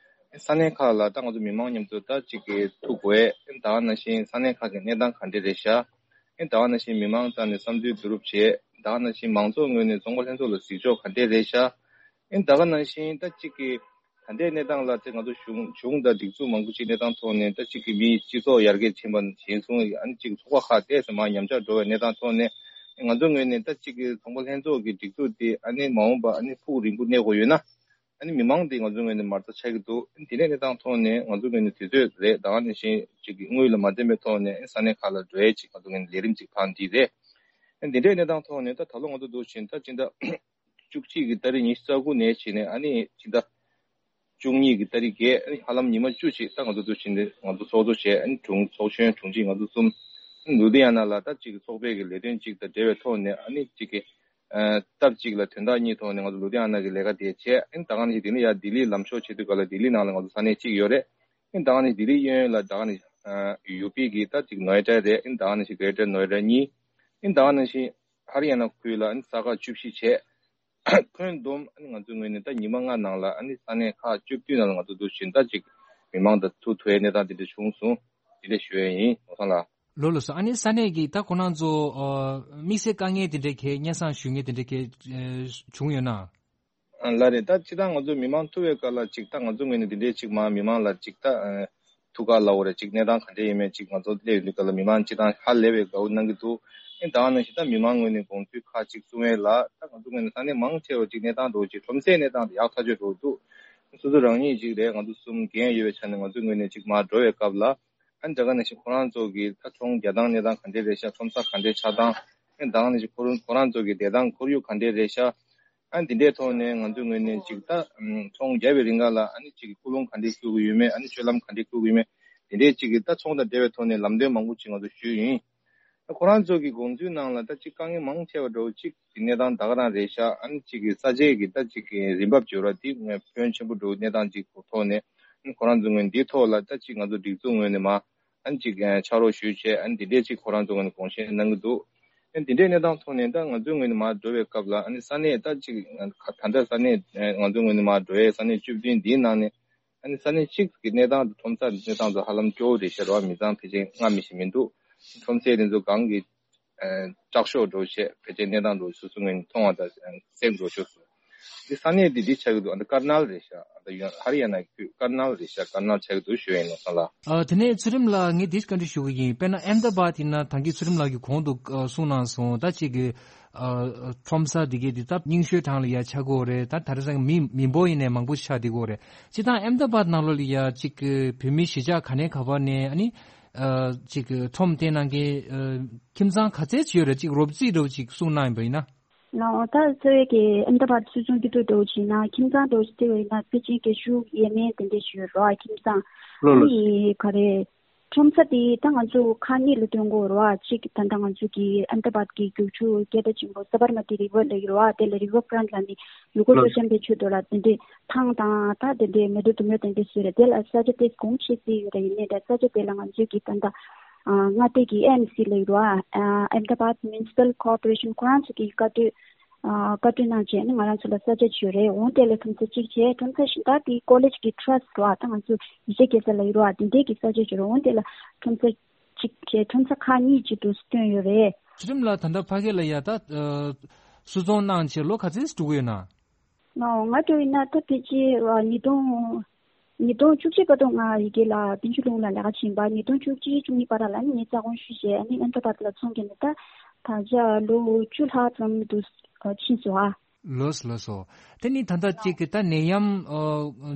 ས་གནས་ཁག་ལ་ད་ང་ཚོ་མི་མང་མཉམ་དུ་ད་གཅིག་གི་ཐུག་དགོས། ཨ་ནི་ད་ག་ནང་བཞིན་ས་གནས་ཁག་གི་གནས་སྟངས་ག་འདྲས་རེད་ཤག། ཨ་ནི་ད་ག་ནང་བཞིན་མི་མང་རྩ་ནས་བསམ་ཚུལ་བསྡུ་རུབ་བྱས། ད་ག་ནང་བཞིན་མང་ཚོགས་ངོས་ནས་ཚོང་པ་ལྷན་ཚོགས་ལ་གཟིགས་ཕྱོགས་ག་འདྲས་རེད་ཤག། ཨ་ནི་ད་ག་ནང་བཞིན་ད་གཅིག་གི་ད་ལྟའི་གནས་སྟངས་ལ་ཚེ་ང་ཚོ་གཞུང་གཞུང་དང་སྒྲིག་འཛུགས་མང་པོ་ཅིག་གནས་སྟངས་ཐོག་ནས་ད་གཅིག་གི་མིའི་སྤྱི་ཚོགས་ཡར་རྒྱས་ཕྱིན་པ་ནས་བཟུང་། ཨ་ནི་གཅིག་ཚོགས་པ་ཁག་ཏོག་ཙམ་མར་ཉམས་ཆག་འགྲོ་བའི་གནས་སྟངས་ཐོག་ནས། ང་ཚོ་ངོས་ནས་ད་གཅིག་གི་ཚོང་པ་ལྷན་ཚོགས་ཀྱི་སྒྲིག་འཛུགས་དེ་ཨ་ནི་མ་འོངས་པ་ཨ་ནི་ཕུགས་རིང་པོ་གནས་དགོས་ཡོད་ན། ཨ་ནི་མི་མང་དེ་ང་ཚོ་ངོས་ནས་མ་རྩ་ཆགས་ཀྱི་འདུག། ཨ་ནི་དེ་འདྲའི་གནས་སྟངས་ཐོག་ནས་ང་ཚོ་ངོས་ནས་དུས་ཚོད་རེད། ད་ག་ནང་བཞིན་གཅིག་གི་དངུལ་ལ་མ་བརྟེན་པའི་ཐོག་ནས་ས་གནས་ཁག་ལ་འགྲོ་ཡས་ཅིག་ང་ཚོ་ངོས་ནས་ལས་རིམ་ཅིག་ཕར་འདི་རེད། ཨ་ནི་དེ་འདྲའི་གནས་སྟངས་ཐོག་ནས་ད་ད་ལོ་ང་ཚོ་འདུག་བཞིན་ད་སྤྱི་ཟླ་བཅུ་གཅིག་གི་ཏ་རིག་ཉི་ཤུ་རྩ་དགུ་ནས་བྱས་ནས་ཨ་ནི་སྤྱི་ཟླ་བཅུ་གཉིས་ཀྱི་ཏ་རིག་བརྒྱད། ཨ་ནི་ཧ་ལམ་ཉི་མ་བཅུ་ཅིག་ད་ང་ཚོ་འདུག་བཞིན་དེ་ང་ཚོ་ཚོགས་གཙོ་བྱས། ཨ་ནི་དྲུང་ཚོགས་གཞོན་དྲུང་ཆེ་ང་ཚོ་གསུམ། ཨ་ནི་ལུ་དྷི་ཡ་ན་ལ་ད་གཅིག་གི་ཚོགས་པའི་གི་ལས་དོན་གཅིག་དང་འབྲེལ་བའི་ཐོག་ནས། ཨ་ནི་གཅིག་གི་ཨ་སྟབས་གཅིག་ལ་དོན་དག་གཉིས་ཐོག་ནས་ང་ཚོ་ལུ་དྷི་ཡ་ན་གི་ལས་ཀ་དེ་བྱས། ཨ་ནི་ད་ག་ནང་བཞིན་ལྡི་ལི་ཡར་ལྡི་ལི་ལམ་ཕྱོགས་བྱེད་དུས་སྐབས་ལ་ལྡི་ལི་ནང་ལ་ང་ཚོ་ས་གནས་གཅིག་ཡོད་རེད། ཨ་ནི་ད་ག་ནང་བཞིན་ལྡི་ལི་གཡས་གཡོན་ལ་ད་ག་ནང་བཞིན་ཡུ་པི་གི་ད་གཅིག་ནོ་ཨེ་ཌ་རེད། ཨ་ནི་ད་ག་ནང་བཞིན་གྷེ་ཊར་ནོ་ཨེ་ཌ་གཉིས། ཨ་ནི་ད་ག་ནང་བཞིན་ཧ་རི་ཡ་ན་ཁུལ་ལ་ཨ་ནི་ས་ཁག་བཅུ་བཞི་བྱས། ཁྱོན་བསྡོམས་ཨ་ནི་ང་ཚོའི་ངོས་ནས་ད་ཉི་མ་ལྔ་ནང་ལ་ཨ་ནི་ས་གནས་ཁག་བཅུ་བདུན་ནང་ལ་ང་ཚོ་འདུག་བཞིན་ད་ཅིག་མི་མང་དང་ཐུག་ཐུབ་པའི་གནས་སྟངས་དེ་འདྲ་བྱུང་སོང་། དེ་འདྲ་ཞུ་ཡས་ཡིན། ནོར་བཟང་ལགས། ལགས་ལགས་སོ། ཨ་ནི་ས་གནས་ཀྱི་ད་ཁོ་རང་ཚོ་ཨ་དམིགས་བསལ་དཀའ་ངལ་དེ་འདྲ་གས་སྙན་སེང་ཞུ་མཁན་དེ་འདྲ་གས་ཨ་བྱུང་ཡོད་ན། ཨ་ལགས་རེད། ད་སྤྱིར་བཏང་ང་ཚོ་མི་མང་ཐུག་པའི་སྐབས་ལ་ཅིག་ད་ང་ཚོ་ངོས་ནས་དེ་འདྲའི་ཅིག་མ་མི་མང་ལ་ཅིག་ད་ཨ་ཐུག་ག་ལབ་དགོས་རེད། ཅིག་གནས་སྟངས་ག་འདྲ་ཡིན་མིན་ཅིག་ང་ཚོ་སླེབས་ཡོང་དུས་སྐབས་ལ་མི་མང་སྤྱིར་བཏང་ཧ་ལས་པའི་དགའ་བོ་གནང་གི་འདུག། ཨ་ནི་ད་ག་ནང་བཞིན་ད་མི་མང་ངོས་ནས་དགོངས་ཚུལ་ཁག་ཅིག་གསུང་ཡས་ལ། ད་ང་ཚོ་ངོས་ནས་ས་གནས་མང་ཆེ་བ་ཅིག་གནས་སྟངས་འདྲ་བོ་ཅིག་ཁྲོམ་སའི་གནས་སྟངས་དེ་ཡག་ཐག་ཆོད་འགྲོ་གི་འདུག། སོ་སོ་རང་ཉིད་ཅིག་རེད། ང་ཚོ་གསུམ་འགན་ཡོད་པའི་ཆ་ནས་ང་ཚོའི་ངོས་ནས་ཅིག་མར་འགྲོ་བའི་སྐབས་ལ། ཨ་ནི་ད་ག་ནང་བཞིན་ཁོ་རང་ཚོ་གི་ད་ཚོང་རྒྱག་སྟངས་གནས་སྟངས་ག་འདྲས་རེད་ཤག། ཁྲོམ་ས་ག་འདྲས་ཆགས་སྟངས། ཨ་ནི་ད་ག་ནང་བཞིན་ཁོ་རང་ཁོ་རང་ཚོ་གི་བསྡད་སྟངས་ཁོར་ཡུག་ག་འདྲས་རེད་ཤག། ཨ་ནི་དེ་འདྲའི་ཐོག་ནས་ང་ཚོའི་ངོས་ནས་ཅིག་ད་ཨམ་ཚོང་རྒྱག་པའི་རིང་ག་ལ་ཨ་ནི་ཅིག་ཀུན་སློང་ག་འདྲས་བསྐྱུར་གི་ཡོད་མེད། ཨ་ནི་སྤྱོད་ལམ་ག་འདྲས་བསྐྱུར་གི་ཡོད་མེད། དེ་འདྲའི་ཅིག་གི་ད་ཚོང་དང་འབྲེལ་བའི་ཐོག་ནས་ལམ་སྟོན་མང་པོ་ཅིག་ང་ཚོ་ཞུས་ཡིན། ད་ཁོ་རང་ཚོ་གི་དགོངས་ཚུལ་ནང་ལ་ད་ཅིག་དཀའ་ངལ་མང་ཆེ་བ་འདྲ་བོ་ཅིག་གི་གནས་སྟངས་ད་ག་རང་རེད་ཤག། ཨ་ནི་ཅིག་གི་ས་ཆའི་གི་ད་ཅིག་གི་རིན་འབབ་བྱེད་ར་དེ་ཕོན་ཆེན་པོ་འདྲ་བོ་གནས་སྟངས་ཅིག་གི་ཐོག་ནས། ཨ་ནི་ཁོ་རང་ཚོ་ངོས་ནས་འདིའི་ཐོག་ལ་ད་ཅིག་ང་ཚོ་སྒྲིག་འཛུགས་ངོས་ནས་མ་ཨ་ནི་ཅིག་ཕྱག་རོགས་ཞུས་བྱས། ཨ་ནི་འདི་འདྲས་ཅིག་ཁོ་རང་ཚོ་ངོས་ནས་དགོངས་བཞེས་གནང་གི་འདུག། ཨ་ནི་འདི་འདྲས་གནས་སྟངས་ཐོག་ནས་ད་ང་ཚོའི་ངོས་ནས་མར་འགྲོ་བའི་སྐབས་ལ། ཨ་ནི་ས་གནས་ད་ཅིག་ད་ལྟ་ས་གནས་ང་ཚོའི་ངོས་ནས་མར་འགྲོ་ཡས་ས་གནས་བཅུ་བདུན་འདིའི་ནང་ནས། ཨ་ནི་ས་གནས་གཅིག་གི་གནས་སྟངས་དང་ཁྲོམ་ས་གི་གནས་སྟངས་དང་ཧ་ལམ་སྐྱོ་བོ་རེད་ཤག་རེད་བ། མི་ཚང་ཕལ་ཆེར་སྔར་མི་ཞིག་མི་འདུག། ཁྲོམ་སའི་དེ་ཚོ་གང་གི་ཨ་དྲག་ཤོས་འགྲོ་བྱས། ཕལ་ཆེར་གནས་སྟངས་འགྲོ་སོ་སོ་ངོས་ནས་མཐོང་བ་དང་སེམས་འགྲོ་ཤོར་སོང་། འདི་ས་གནས་འདི་འདི་ཆགས་ཀྱི་འདུག། ཨ་ད་དཀར་ནལ་རེད་ཤག། ཨ་ད་ཡོན་ཧ་རི་ཡ་ན་ཁུལ་དཀར་ནལ་རེད་ཤག། དཀར་ནལ་ཆགས་ཀྱི་འདུག་ཞུ་ཡིན། ནོར་བཟང་ལགས། ཨ་དེ་ནས་ཚུལ་ཁྲིམས་ལགས། ངས་འདི་བཀའ་འདྲི་ཞུ་གི་ཡིན། དཔེར་ན་ཨེམ་ད་བཱད་ཡིན་ན་ད་གིན་ཚུལ་ཁྲིམས་ལགས་ཀྱིས་གོང་དུ་ཨ་གསུངས་གནང་སོང་། ད་ཅིག་གི་ཨ་ཁྲོམ་ས་འདི་གའི་འདི་ད་རྙིང་ཤོས་གྲས་ལ་ཡ་ཆགས་ཀྱི་ཡོད་རེད། ད་ད་རེས་སང་མི་མི་འབོར་ཡིན་ནའི་མང་པོ་ཆགས་བསྡད་ཀྱི་ཡོད་རེད། སྤྱིར་བཏང་ཨེམ་ད་བཱད་ནང་ལོགས་ལ་ཡ་ཅིག་གི་བོད་མི་གཞིས་ཆགས་ག་ནས་ག་བར་ནས་ཨ་ནི་ཨ་ཅིག་གི་ཁྲོམ་སྟོན་གནང་མཁན་ཨ་ཁྱིམ་ཚང་ག་ཚད་ཅིག་ཡོད་རེད། ཅིག་རོབ་རྩིས་འདྲ་བོ་ཅིག་གསུངས་གནང་ཡིན་པ་ཡིན་ན། ལགས། ད་འཚོ་བའི་གི་ཨེམ་ད་བཱད་སུད་ཚོང་སྐྱིད་སྡུག་འདྲ་བོ་ཅིག་ཡིན་ན། ཁྱིམ་ཚང་འདྲ་བོ་ཅིག་བལྟས་པ་ཡིན་ན་ཕལ་ཆེར་རྒན་ཤོས་ཡས་མས་དེ་འདྲས་ཅིག་ཡོད་རེད་བ། ཁྱིམ་ཚང་ལོ་ལོ་ཨ་ནི་ག་རེ། ཁྲོམ་ས་དེ་ད་ང་ཚོ་ཁག་གཉིས་ལ་སྟོན་དགོས་རེད་བ། གཅིག་ད་ལྟ་ང་ཚོ་གི་ཨེམ་ད་བཱད་ཀྱི་རྒྱུག་ཆུ་སྐད་གྲགས་ཆེན་པོ་ས་བར་མ་ཏི་རི་ཝར་ལབ་ཀྱི་རེད་བ། དེ་ལ་རི་ཝར་ཕ་རོན་ཊི་ལབ་ནས་ཡུལ་སྐོར་སྤྲོ་འཆམ་པའི་ཆེད་དུ་ལ་དེ་འདྲའི་ཐང་དང་ད་དེ་འདྲའི་མེ་ཏོག་ལྡུམ་ར་དེ་འདྲ་བཟོས་རེད། དེ་ལ་ས་ཆ་དེ་གོང་ཆེ་སྲིད་ཡོད་རེད། ཡིན་ནའི་ད་ས་ཆ་དེ་ལ་ང་ཚོ་གི་ད་ལྟ་མངའ་སྡེ་གི་ཨེ་ཨེམ་སི་ལབ་ཀྱི་རེད་བ། Ahmedabad Municipal Corporation ཁོ་རང་ཚོ་གི་བཀའ་འཁྲོལ། ཨ་བཀའ་འཁྲོལ་གནང་བྱས་ནས་ང་རང་ཚོ་ལ་ས་ཆ་བྱོས་རེད། འོང་དེ་ལ་ཁྲོམ་ས་གཅིག་བྱས། ཁྲོམ་ས་གཞན་དག་དེ་ཀོ་ལེཇ་གི་ཊ་ར་སི་ཊི་རེད་བ། ད་ང་ཚོ་ཡིག་ཆ་སྐྱེལ་ས་ལབ་ཀྱི་རེད་བ། དེ་འདྲའི་གི་ས་ཆ་བྱོས་རེད། འོང་དེ་ལ་ཁྲོམ་ས་གཅིག་བྱས། ཁྲོམ་ས་ཁག་གཉིས་གཅིག་ཏུ་བཏོན་ཡོད་རེད། ཚུལ་ཁྲིམས་ལགས། ད་ལྟ་ཕ་གི་ལ་ཡ་ད་ཨ་བསུ་ཚོང་གནང་བྱས་ལོ་ག་ཚོད་འགྲོ་གི་ཡོད་ན། ང་ང་འགྲོ་ཡིན་ན་ད་ཕལ་ཆེར་ཨ་ཉིས་སྟོང་ཉིས་སྟོང་བཅུ་གཅིག་བར་དུ་ང་ཡི་གེ་ལ་བསྟན་ཆོས་སློབ་གཉེར་ལ་ལས་ཀ་བྱིན་པ། ཉིས་སྟོང་བཅུ་གཅིག་བཅུ་གཉིས་བར་ལ་ནི་ངས་རྩ་དགོངས་ཞུས་བྱས། ཨ་ནི་ཨེམ་ད་བཱད་ལ་ཚོང་བསྐྱལ་ནས་ད་ད་ཆ་ལོ་བཅུ་ལྷག་ཙམ་དུ་ཕྱིན་སོང་ཨ། ལགས་སོ་ལགས་སོ། དེ་ནི་ད་ལྟ་གཅིག་གི་ད་ནད་ཡམས་ཨ་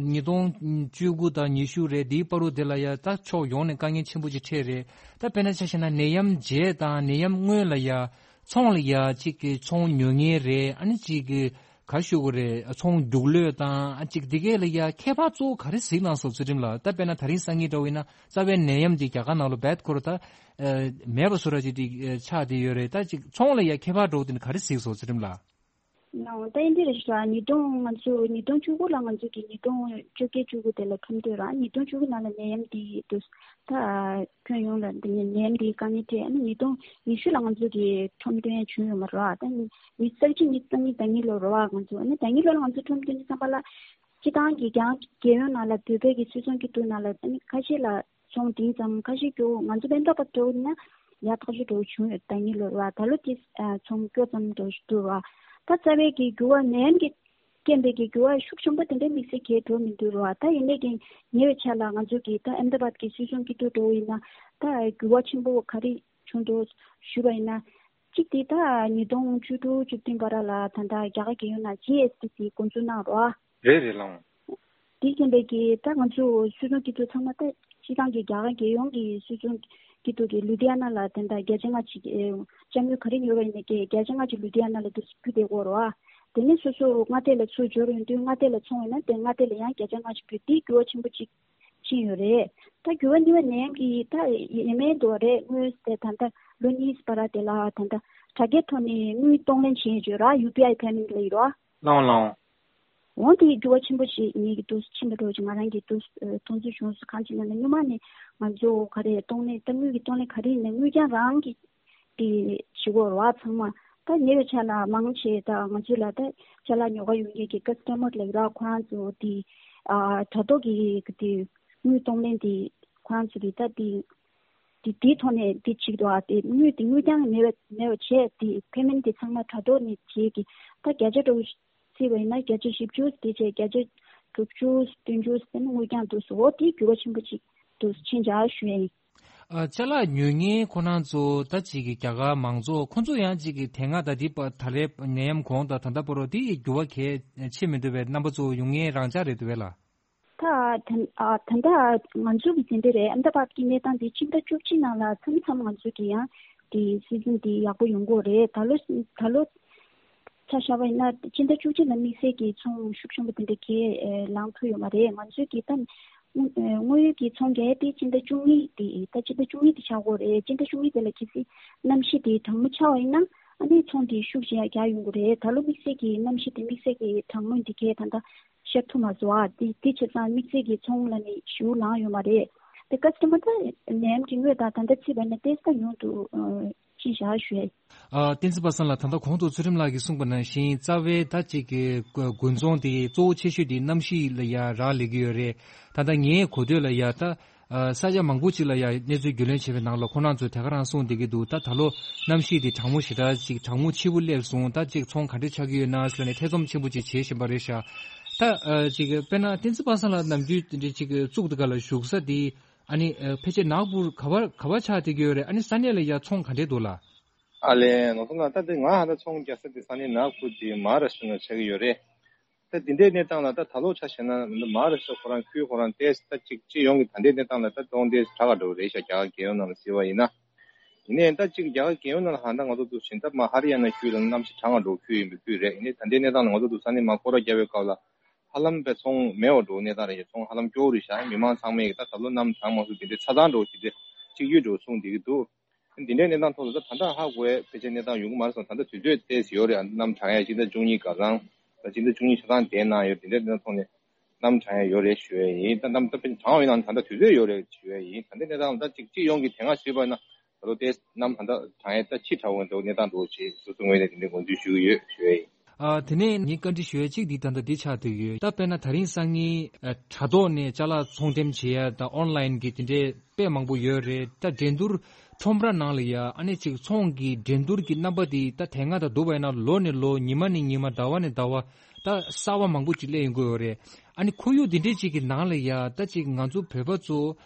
ཉིས་སྟོང་བཅུ་དགུ་དང་ཉི་ཤུ་རེད། དེའི་བར་དུ་དེ་ལ་ཡ་ད་ཕྱོགས་ཡོངས་ནས་དཀའ་ངལ་ཆེན་པོ་ཅིག་འཕྲད་རེད། ད་དཔེར་ན་ཆ་བཞག་ན་ནད་ཡམས་རྗེས་དང་ནད་ཡམས་སྔོན་ལ་ཡ་ཚོང་ལ་ཡ་གཅིག་གི་ཚོང་ཉོ་མཁན་རེད། ཨ་ནི་གཅིག་གི་ག་ཞུ་དགོས་རེད། ཚོང་རྒྱུགས་ལོས་དང་ཨ་གཅིག་འདི་གས་ལ་ཡ་ཁྱད་པར་གཙོ་བོ་ག་རེ་གཟིགས་གནང་སོང་ཚུལ་ཁྲིམས་ལགས། ད་དཔེར་ན་ད་རིང་སང་ཉིན་འདྲ་བོ་ཡིན་ན་རྩ་བའི་ནད་ཡམས་འདི་རྒྱ་གར་ནང་ལ་རྦད་ཁོ་ར་ད་ཨ་མེད་པ་བཟོ་འདྲ་ཅིག་འདི་ཨ་ཆགས་བསྡད་ཡོད་རེད། ད་གཅིག་ཚོང་ལ་ཡ་ཁྱད་པར་འདྲ་བོ་དེ་ནི་ག་རེ་གཟིགས་སོང་ཚུལ་ཁྲིམས་ལགས། ནའོ་ད་ཨིན་དེ་རེད་ཤག་ཉིས་སྟོང་ང་ཚོ་ཉིས་སྟོང་བཅུ་དགུ་ལ་ང་ཚོ་གི་ཉིས་སྟོང་བཅོ་བརྒྱད་བཅུ་དགུ་དེ་ལ་ཁྲོམ་སྟོན་ར། ཉིས་སྟོང་བཅུ་དགུ་ནང་ལ་ནད་ཡམས་འདི་འདུག་ད་ཁྱོན་ཡོངས་ལ་འདི་ནད་ཡམས་འདི་དཀའ་ངལ་འཕྲད། ཨ་ནི་ཉིས་སྟོང་ཉི་ཤུ་ལ་ང་ཚོ་གི་ཁྲོམ་སྟོན་བྱུང་ཡོད་མ་རེད་བ། ད་ཉི་ཉི་ཤུ་རྩ་གཅིག་ཉི་ཤུ་རྩ་གཉིས་ཟླ་གཉིས་ལོ་རེད་བ། ང་ཚོ་ཨ་ནི་ཟླ་གཉིས་ལོ་ལ་ང་ཚོ་ཁྲོམ་སྟོན་དུས་ཙམ་པ་ལ་སྤྱི་བཏང་གི་རྒྱ་རྒྱལ་ཡོངས་ནང་ལ་བོད་པའི་གི་སུད་ཚོང་སྐྱིད་སྡུག་ནང་ལ་ཨ་ནི་ཁ་ཤས་ལ་ཚོང་འབྲིང་ཙམ། ཁ་ཤས་ཀྱི་ང་ཚོ་བན་ཏོ་པ་འགྲོ་ན་ཡ་ཐག་ཆོད་འགྲོ་བྱུང་ཡོད། ཟླ་གཉིས་ལོ་རེད་བ། ད་ལོ་དེ་ཚོང་སྐྱོ་ཙམ་འགྲོ་འདུག་ར། ད་རྩ་བའི་གི་འགྱུར་བ་ནད་ཡམས་ཀྱི་རྐྱེན་པས་ཀྱི་འགྱུར་བ་ཤུགས་ཆེན་པོ་དེ་འདྲའི་དམིགས་བསལ་གང་འགྲོ་མི་འདུག་ར། ད་ཡིན་ནའི་ཀྱང་ཉེ་བའི་ཆར་ལ་ང་ཚོ་གི་ད་ཨེམ་ད་བཱད་ཀྱི་སུད་ཚོང་སྐྱིད་སྡུག་འགྲོ་ཡིན་ན་ད་འགྱུར་བ་ཆེན་པོ་ག་རེ་བྱུང་འདུག་ཞུས་པ་ཡིན་ན། གཅིག་དེ་ད་ཉིས་སྟོང་བཅུ་དྲུག་བཅུ་བདུན་བར་ལ་ད་ལྟ་རྒྱ་གར་རྒྱལ་ཡོངས་ནང་ཇི་ཨེས་ཊི་དེ་འགོ་འཛུགས་གནང་རོགས། རེད་རེད་ལགས། དེ་རྐྱེན་པས་ཀྱི་ད་ང་ཚོ་སུད་ཚོང་སྐྱིད་སྡུག་ཚང་མ་ད་སྤྱི་བཏང་གི་རྒྱ་གར་རྒྱལ་ཡོངས་ཀྱི་སུད་ཚོང་སྐྱིད་སྡུག་གི་ལུ་དྷི་ཡ་ན་ལ་དེ་འདྲ་བརྒྱ་ཆ་ལྔ་ཅིག་ཨེ་ཅ་དངུལ་ག་རེ་ཉོས་པ་ཡིན་ནའི་ཀྱི་བརྒྱ་ཆ་ལྔ་ཅིག་ལུ་དྷི་ཡ་ན་ལ་དུ་རྒྱུ་བསྡད་ཡོད་རེད་བ། དེ་ནས་སོ་སོ་མངའ་སྡེ་ལ་ཚུར་འབྱོར་ཡོང་དུས་མངའ་སྡེ་ལ་ཚོང་ཡོད་ན་དེ་མངའ་སྡེ་ལ་ཡང་བརྒྱ་ཆ་ལྔ་ཅིག་ཕུལ། དེ་འགྱུར་བ་ཆེན་པོ་ཅིག་ཕྱིན་ཡོད་རེད། ད་འགྱུར་བ་གཉིས་པ་ནད་ཡམས་ཀྱི་ད་ཡ་མེད་འགྲོ་བ་རེད། དངུལ་དེ་ད་ལྟ་ལོ་གཉིས་བར་དེ་ལ་ད་ལྟ་དྲ་རྒྱའི་ཐོག་ནས་དངུལ་གཏོང་ལེན་བྱེད་ཡོད་ར། ཡུ་པི་ཨའི་པེ་མེན་ཊི་ལབ་ཡོད་ར། ལགས་ལགས། འོང་དེ་འགྱུར་བ་ཆེན་པོ་ཞིག་ངེད་ཀྱི་འདུག་ཕྱིན་པ་འགྲོ་ཅིག་ང་རང་གི་འདུག་མཐོང་ཚུལ་བྱུང་སོང་། གང་ཅི་ལབ་ན་སྔོན་མ་ནས་ང་ཚོ་ག་རེ་གཏོང་ལེན་ད་དངུལ་གྱི་གཏོང་ལེན་ག་རེ་ཡིན་ན་དངུལ་རྐྱང་རང་གི་དེ་བྱེད་དགོས་རེད་བ། ཚང་མ་ད་ཉེ་བའི་ཆར་ལ་མང་ཆེ་ད་ང་ཚོ་ལ་ད་ཅ་ལག་ཉོ་ག་ཡོང་མཁན་གྱི་ཀ་སི་ཊ་མར་ལབ་ར། ཁོ་རང་ཚོ་དེ་ཨ་དྲ་ཐོག་གི་དེ་དངུལ་གཏོང་ལེན་དེ་ཁོ་རང་ཚོ་གི་ད་དེ་དེ་དེའི་ཐོག་ནས་དེ་བྱེད་ཀྱི་འདུག་ཨ། དེ་དངུལ་དེ་དངུལ་རྐྱང་མེད་པ་མེད་པ་བྱས་དེ་པེ་མེན་ཊི་དེ་ཚང་མ་དྲ་ཐོག་ནས་བྱེད་ཀྱི། ད་བརྒྱ་ཆ་འགྲོ་བརྩིས་པ་ཡིན་ན་བརྒྱ་ཆ་བཞི་བཅུ་དེ་བྱས་བརྒྱ་ཆ་དྲུག་ཅུ་བདུན་ཅུ་ཟེར་ན་དངུལ་རྐྱང་འདུག་སོ། འོ་དེ་འགྱུར་བ་ཆེན་པོ་ཅིག་འདུག་ཕྱིན་བྱ་ཞུ་ཡ་ཡིན། ཨ་ཅ་ལག་ཉོ་མཁན་ཁོ་རང་ཚོ་ད་ཅིག་གི་རྒྱ་གར་མང་ཚོགས་ཁོ་ཚོ་ཡང་ཅིག་གི་དེ་སྔ་ད་དེ་པ་ད་ལས་ནད་ཡམས་གོང་དང་ད་ལྟ་བར་དུ་དེ་འགྱུར་བ་གལ་ཆེ་མི་འདུག་པས། རྣམ་པ་ཚོ་ཡོང་མཁན་རང་འཇགས་རེད་འདུག་པས་ལ། ད་ད་ཨ་ད་ལྟ་ང་ཚོ་གི་དེ་འདྲ་རེད། ཨ་ད་བར་གྱི་གནས་སྟངས་དེ་ཕྱི་ཟླ་བཅུ་གཅིག་ནང་ལ་མཚམས་མཚམས་ང་ཚོ་གི་ཡང་དེ་སི་ཛིན་དེ་ཡག་པོ་ཡོང་གི་རེད། ད་ལོ་ད་ལོ་ཆ་བཞག་པ་ཡིན་ན་ཕྱི་ཟླ་བཅུ་གཅིག་ལ་དམིགས་བསལ་གྱི་ཚོང་ཤུགས་ཆེན་པོ་དེ་འདྲ་གས་ལངས་ཐུབ་ཡོད་མ་རེད། ང་ཚོའི་གི་ད་དངོས་ཡོད་ཀྱི་ཚོང་རྒྱག་ཡས་དེ་ཕྱི་ཟླ་བཅུ་གཉིས་དེ་ད་ཕྱི་ཟླ་བཅུ་གཉིས་དེ་ཆགས་ཀྱི་རེད། ཕྱི་ཟླ་བཅུ་གཉིས་དེ་ལ་གལ་སྲིད་གནམ་གཤིས་དེ་གྲང་མོ་ཆགས་པ་ཡིན་ན་ཨ་ནི་ཚོང་དེ་ཤུགས་ཆེ་རྒྱག་ཡོང་གི་རེད། ད་ལོ་དམིགས་བསལ་གྱི་གནམ་གཤིས་དེ་དམིགས་བསལ་གྱི་གྲང་མོ་འདི་གས་ད་ལྟ་ཤར་ཐུབ་མ་སོང་ཨ། དེ་དེ་བྱས་ཙང་དམིགས་བསལ་གྱི་ཚོང་ལ་ནི་ཞེ་པོ་ལངས་ཡོད་མ་རེད། དེ་ཀ་སི་ཊ་མར་ད་ནད་ཡམས་ཀྱི་སྔོན་དང་ད་ལྟ་བརྩིས་པ་ན་ཏོག་ཙམ་ཉུང་དུ་ཕྱིན་བཞག་ཞུ་ཡ་ཡིན། ཨ་བསྟན་འཛིན་པ་སངས་ལགས། ད་ལྟ་གོང་དུ་ཚུལ་ཁྲིམས་ལགས་ཀྱིས་གསུངས་པ་ནང་བཞིན་རྩ་བའི་ད་ཅིག་གི་དགུན་ཚོང་དེ་གཙོ་བོ་ཆེ་ཤོས་དེ་གནམ་གཤིས་ལ་ཡ་རག་ལས་ཀྱི་ཡོད་རེད། ད་ལྟ་ངའི་གོ་ཐོས་ལ་ཡ་ད་ཨ་ས་ཆ་མང་པོ་ཅིག་ལ་ཡ་གནས་ཚུལ་རྒྱུས་ལོན་བྱས་པའི་ནང་ལ་ཁོ་རང་ཚོས་དེ་ག་རང་གསུངས་བསྡད་ཀྱི་འདུག་ད་ད་ལོ་གནམ་གཤིས་དེ་གྲང་མོ་ཞེ་དྲག་ཅིག་གྲང་མོ་ཆེ་པོ་སླེབས་སོང་། ད་ཅིག་ཚོང་ག་འདྲ་ཆགས་ཀྱི་ཡོད་ན་ཟེར་ནས་ཐེ་ཚོམ་ཆེན་པོ་ཅིག་བྱེད་བཞིན་པ་རེད་ཤག་ད་ཨ་ཅིག་དཔེར་ན་བསྟན་འཛིན་པ་སངས་ལགས་ནམ་རྒྱུན་དེ་འདྲའི་ཅིག་བཙུགས་དེ་ག་ལ་བཞུགས་ས་དེ་ཨ་ནི་ཨ་ཕལ་ཆེར་ནག་པུར་ག་བ་ག་བ་ཆགས་བསྡད་ཀྱི་ཡོད་རེད། ཨ་ནི་ས་གནས་ལ་ཡ་ཚོང་ག་འདྲས་འདུག་ལགས། ཨ་ལས་ནོར་བཟང་ལགས། ད་དེ་ང་ཧ་ད་ཚོང་རྒྱག་ས་དེ་ས་གནས་ནག་པུར་དེ་མ་ཧཱ་ར་ཤི་ཊ་ནང་ཆགས་ཀྱི་ཡོད་རེད། ད་དེ་འདྲའི་གནས་སྟངས་ལ་ད་ད་ལོ་ཆ་བཞག་ན་མ་ཧཱ་ར་ཤི་ཊ་ཁོ་རང་ཁུལ་ཁོ་རང་ཏོག་ཙམ་ད་ཅིག་སྤྱི་ཡོངས་ཀྱི་ད་ལྟའི་གནས་སྟངས་ལ་ད་གཏོང་ཏོག་ཙམ་དྲག་ག་འགྲོ་གི་རེད་ཤག་རྒྱ་གར་རྒྱལ་ཡོངས་ནང་ལ་གཟིགས་པ་ཡིན་ན། ཡིན་ནའི་ད་ཅིག་རྒྱ་གར་རྒྱལ་ཡོངས་ནང་ལ་ཧ་ད་ང་ཚོ་འདུག་བཞིན་ད་མ་ཧ་རི་ཡ་ན་ཁུལ་ལ་གནམ་གཤིས་གྲང་ག་འགྲོ་ཁུལ་ཡིན་པའི་ཁུལ་རེད། ཡིན་ནའི་ད་ལྟའི་གནས་སྟངས་ལ་ང་ཚོ་འདུག་ས་ནས་མ་སྐོར་ར་རྒྱག་པའི་སྐབས་ལ་ཧ་ལམ་པའི་ཚོང་མེད་པ་འགྲོ་གནས་སྟངས་རེད་ཤག་ཚོང་ཧ་ལམ་སྐྱོ་བོ་རེད་ཤག་མི་མང་ཚང་མས་ད་ད་ལོ་གནམ་གྲང་མང་སུ་དེ་འདྲའི་ཚ་གྲང་འགྲོ་དེ་འདྲའི་ གཅིག་གྱུར་འགྲོ་གསུངས་བསྡད་ཀྱི་འདུག་འདི་འདྲའི་གནས་སྟངས་ཐོག་ལ་ད་ད་ལྟ་ཧ་གོ་བའི་ཕལ་ཆེར་གནས་སྟངས་ཡོང་གི་མ་རེད་སོང་། ད་ལྟ་དུས་ཚོད་ཏོག་ཙམ་ཡོད་རེད། གནམ་གྲང་ཡ་སྤྱི་ཟླ་བཅུ་གཉིས་སྐབས་རང་ད་སྤྱི་ཟླ་བཅུ་གཉིས་ཆ་ཚང་དེའི་ནང་ཡོད། འདི་འདྲའི་གནས་སྟངས་ཐོག་ནས་གནམ་གྲང་ཡ་ཡོད་རེད་ཞུ་ཡ་ཡིན། ད་གནམ་ད་ཕལ་ཆེར་གྲང་བ་ཡིན་ནའང་ད་ལྟ་དུས་ཚོད་ཡོད་རེད་ཞུ་ཡ་ཡིན། ད་ལྟའི་གནས་སྟངས་ད་ཅིག་སྤྱི་ཡོངས་ཀྱི་དེ་སྔ་ཞུས་པ་ན་ད་ལོ་ཏོག་ཙམ་གནམ་ད་ལྟ་གྲང་ཡ་ད་ཕྱི་དྲག་འོང་འདུག་གནས་སྟངས་འདུག་ཅེས་སོ་སོ་ངོས་ནས་དེ་འདྲའི་དགོངས་ཚུལ་ཞུ་གི་ཡོད་ཞུ་ཡ་ཡིན། ཨ། དེ་ནས་ངས་བཀའ་འདྲི་ཞུ་ཡ་གཅིག་འདི་ད་ལྟ་འདི་ཆགས་བསྡད་ཡོད། ད་དཔེར་ན་ད་རིང་སང་ཉིན་ཨ། དྲ་ཐོག་ནས་ཅ་ལག་ཚོང་འགྲེམས་བྱེད་ཡ་ད་ཨོན་ལན་གི་དེ་འདྲའི་དཔེ་མང་པོ་ཡོད་རེད། ད་འགྲན་བསྡུར་ཁྲོམ་ར་ནང་ལ་ཡ་ཨ་ནི་ཅིག་ཚོང་གི་འགྲན་བསྡུར་གྱི་རྣམ་པ་དེ་ད་དེ་སྔ་དང་བསྡུར་བ་ཡིན་ན་ལོ་ནས་ལོ་ཉི་མ་ནས་ཉི་མ་ཟླ་བ་ནས་ཟླ་བ་ད་གསར་བ་མང་པོ་ཅིག་སླེབས་ཡོང་གི་ཡོད་རེད། ཨ་ནི་ཁོར་ཡུག་དེ་འདྲའི་ཅིག་གི་ནང་ལ་ཡ་ད་ཅིག་ང་ཚོ་བོད་པ་ཚོ་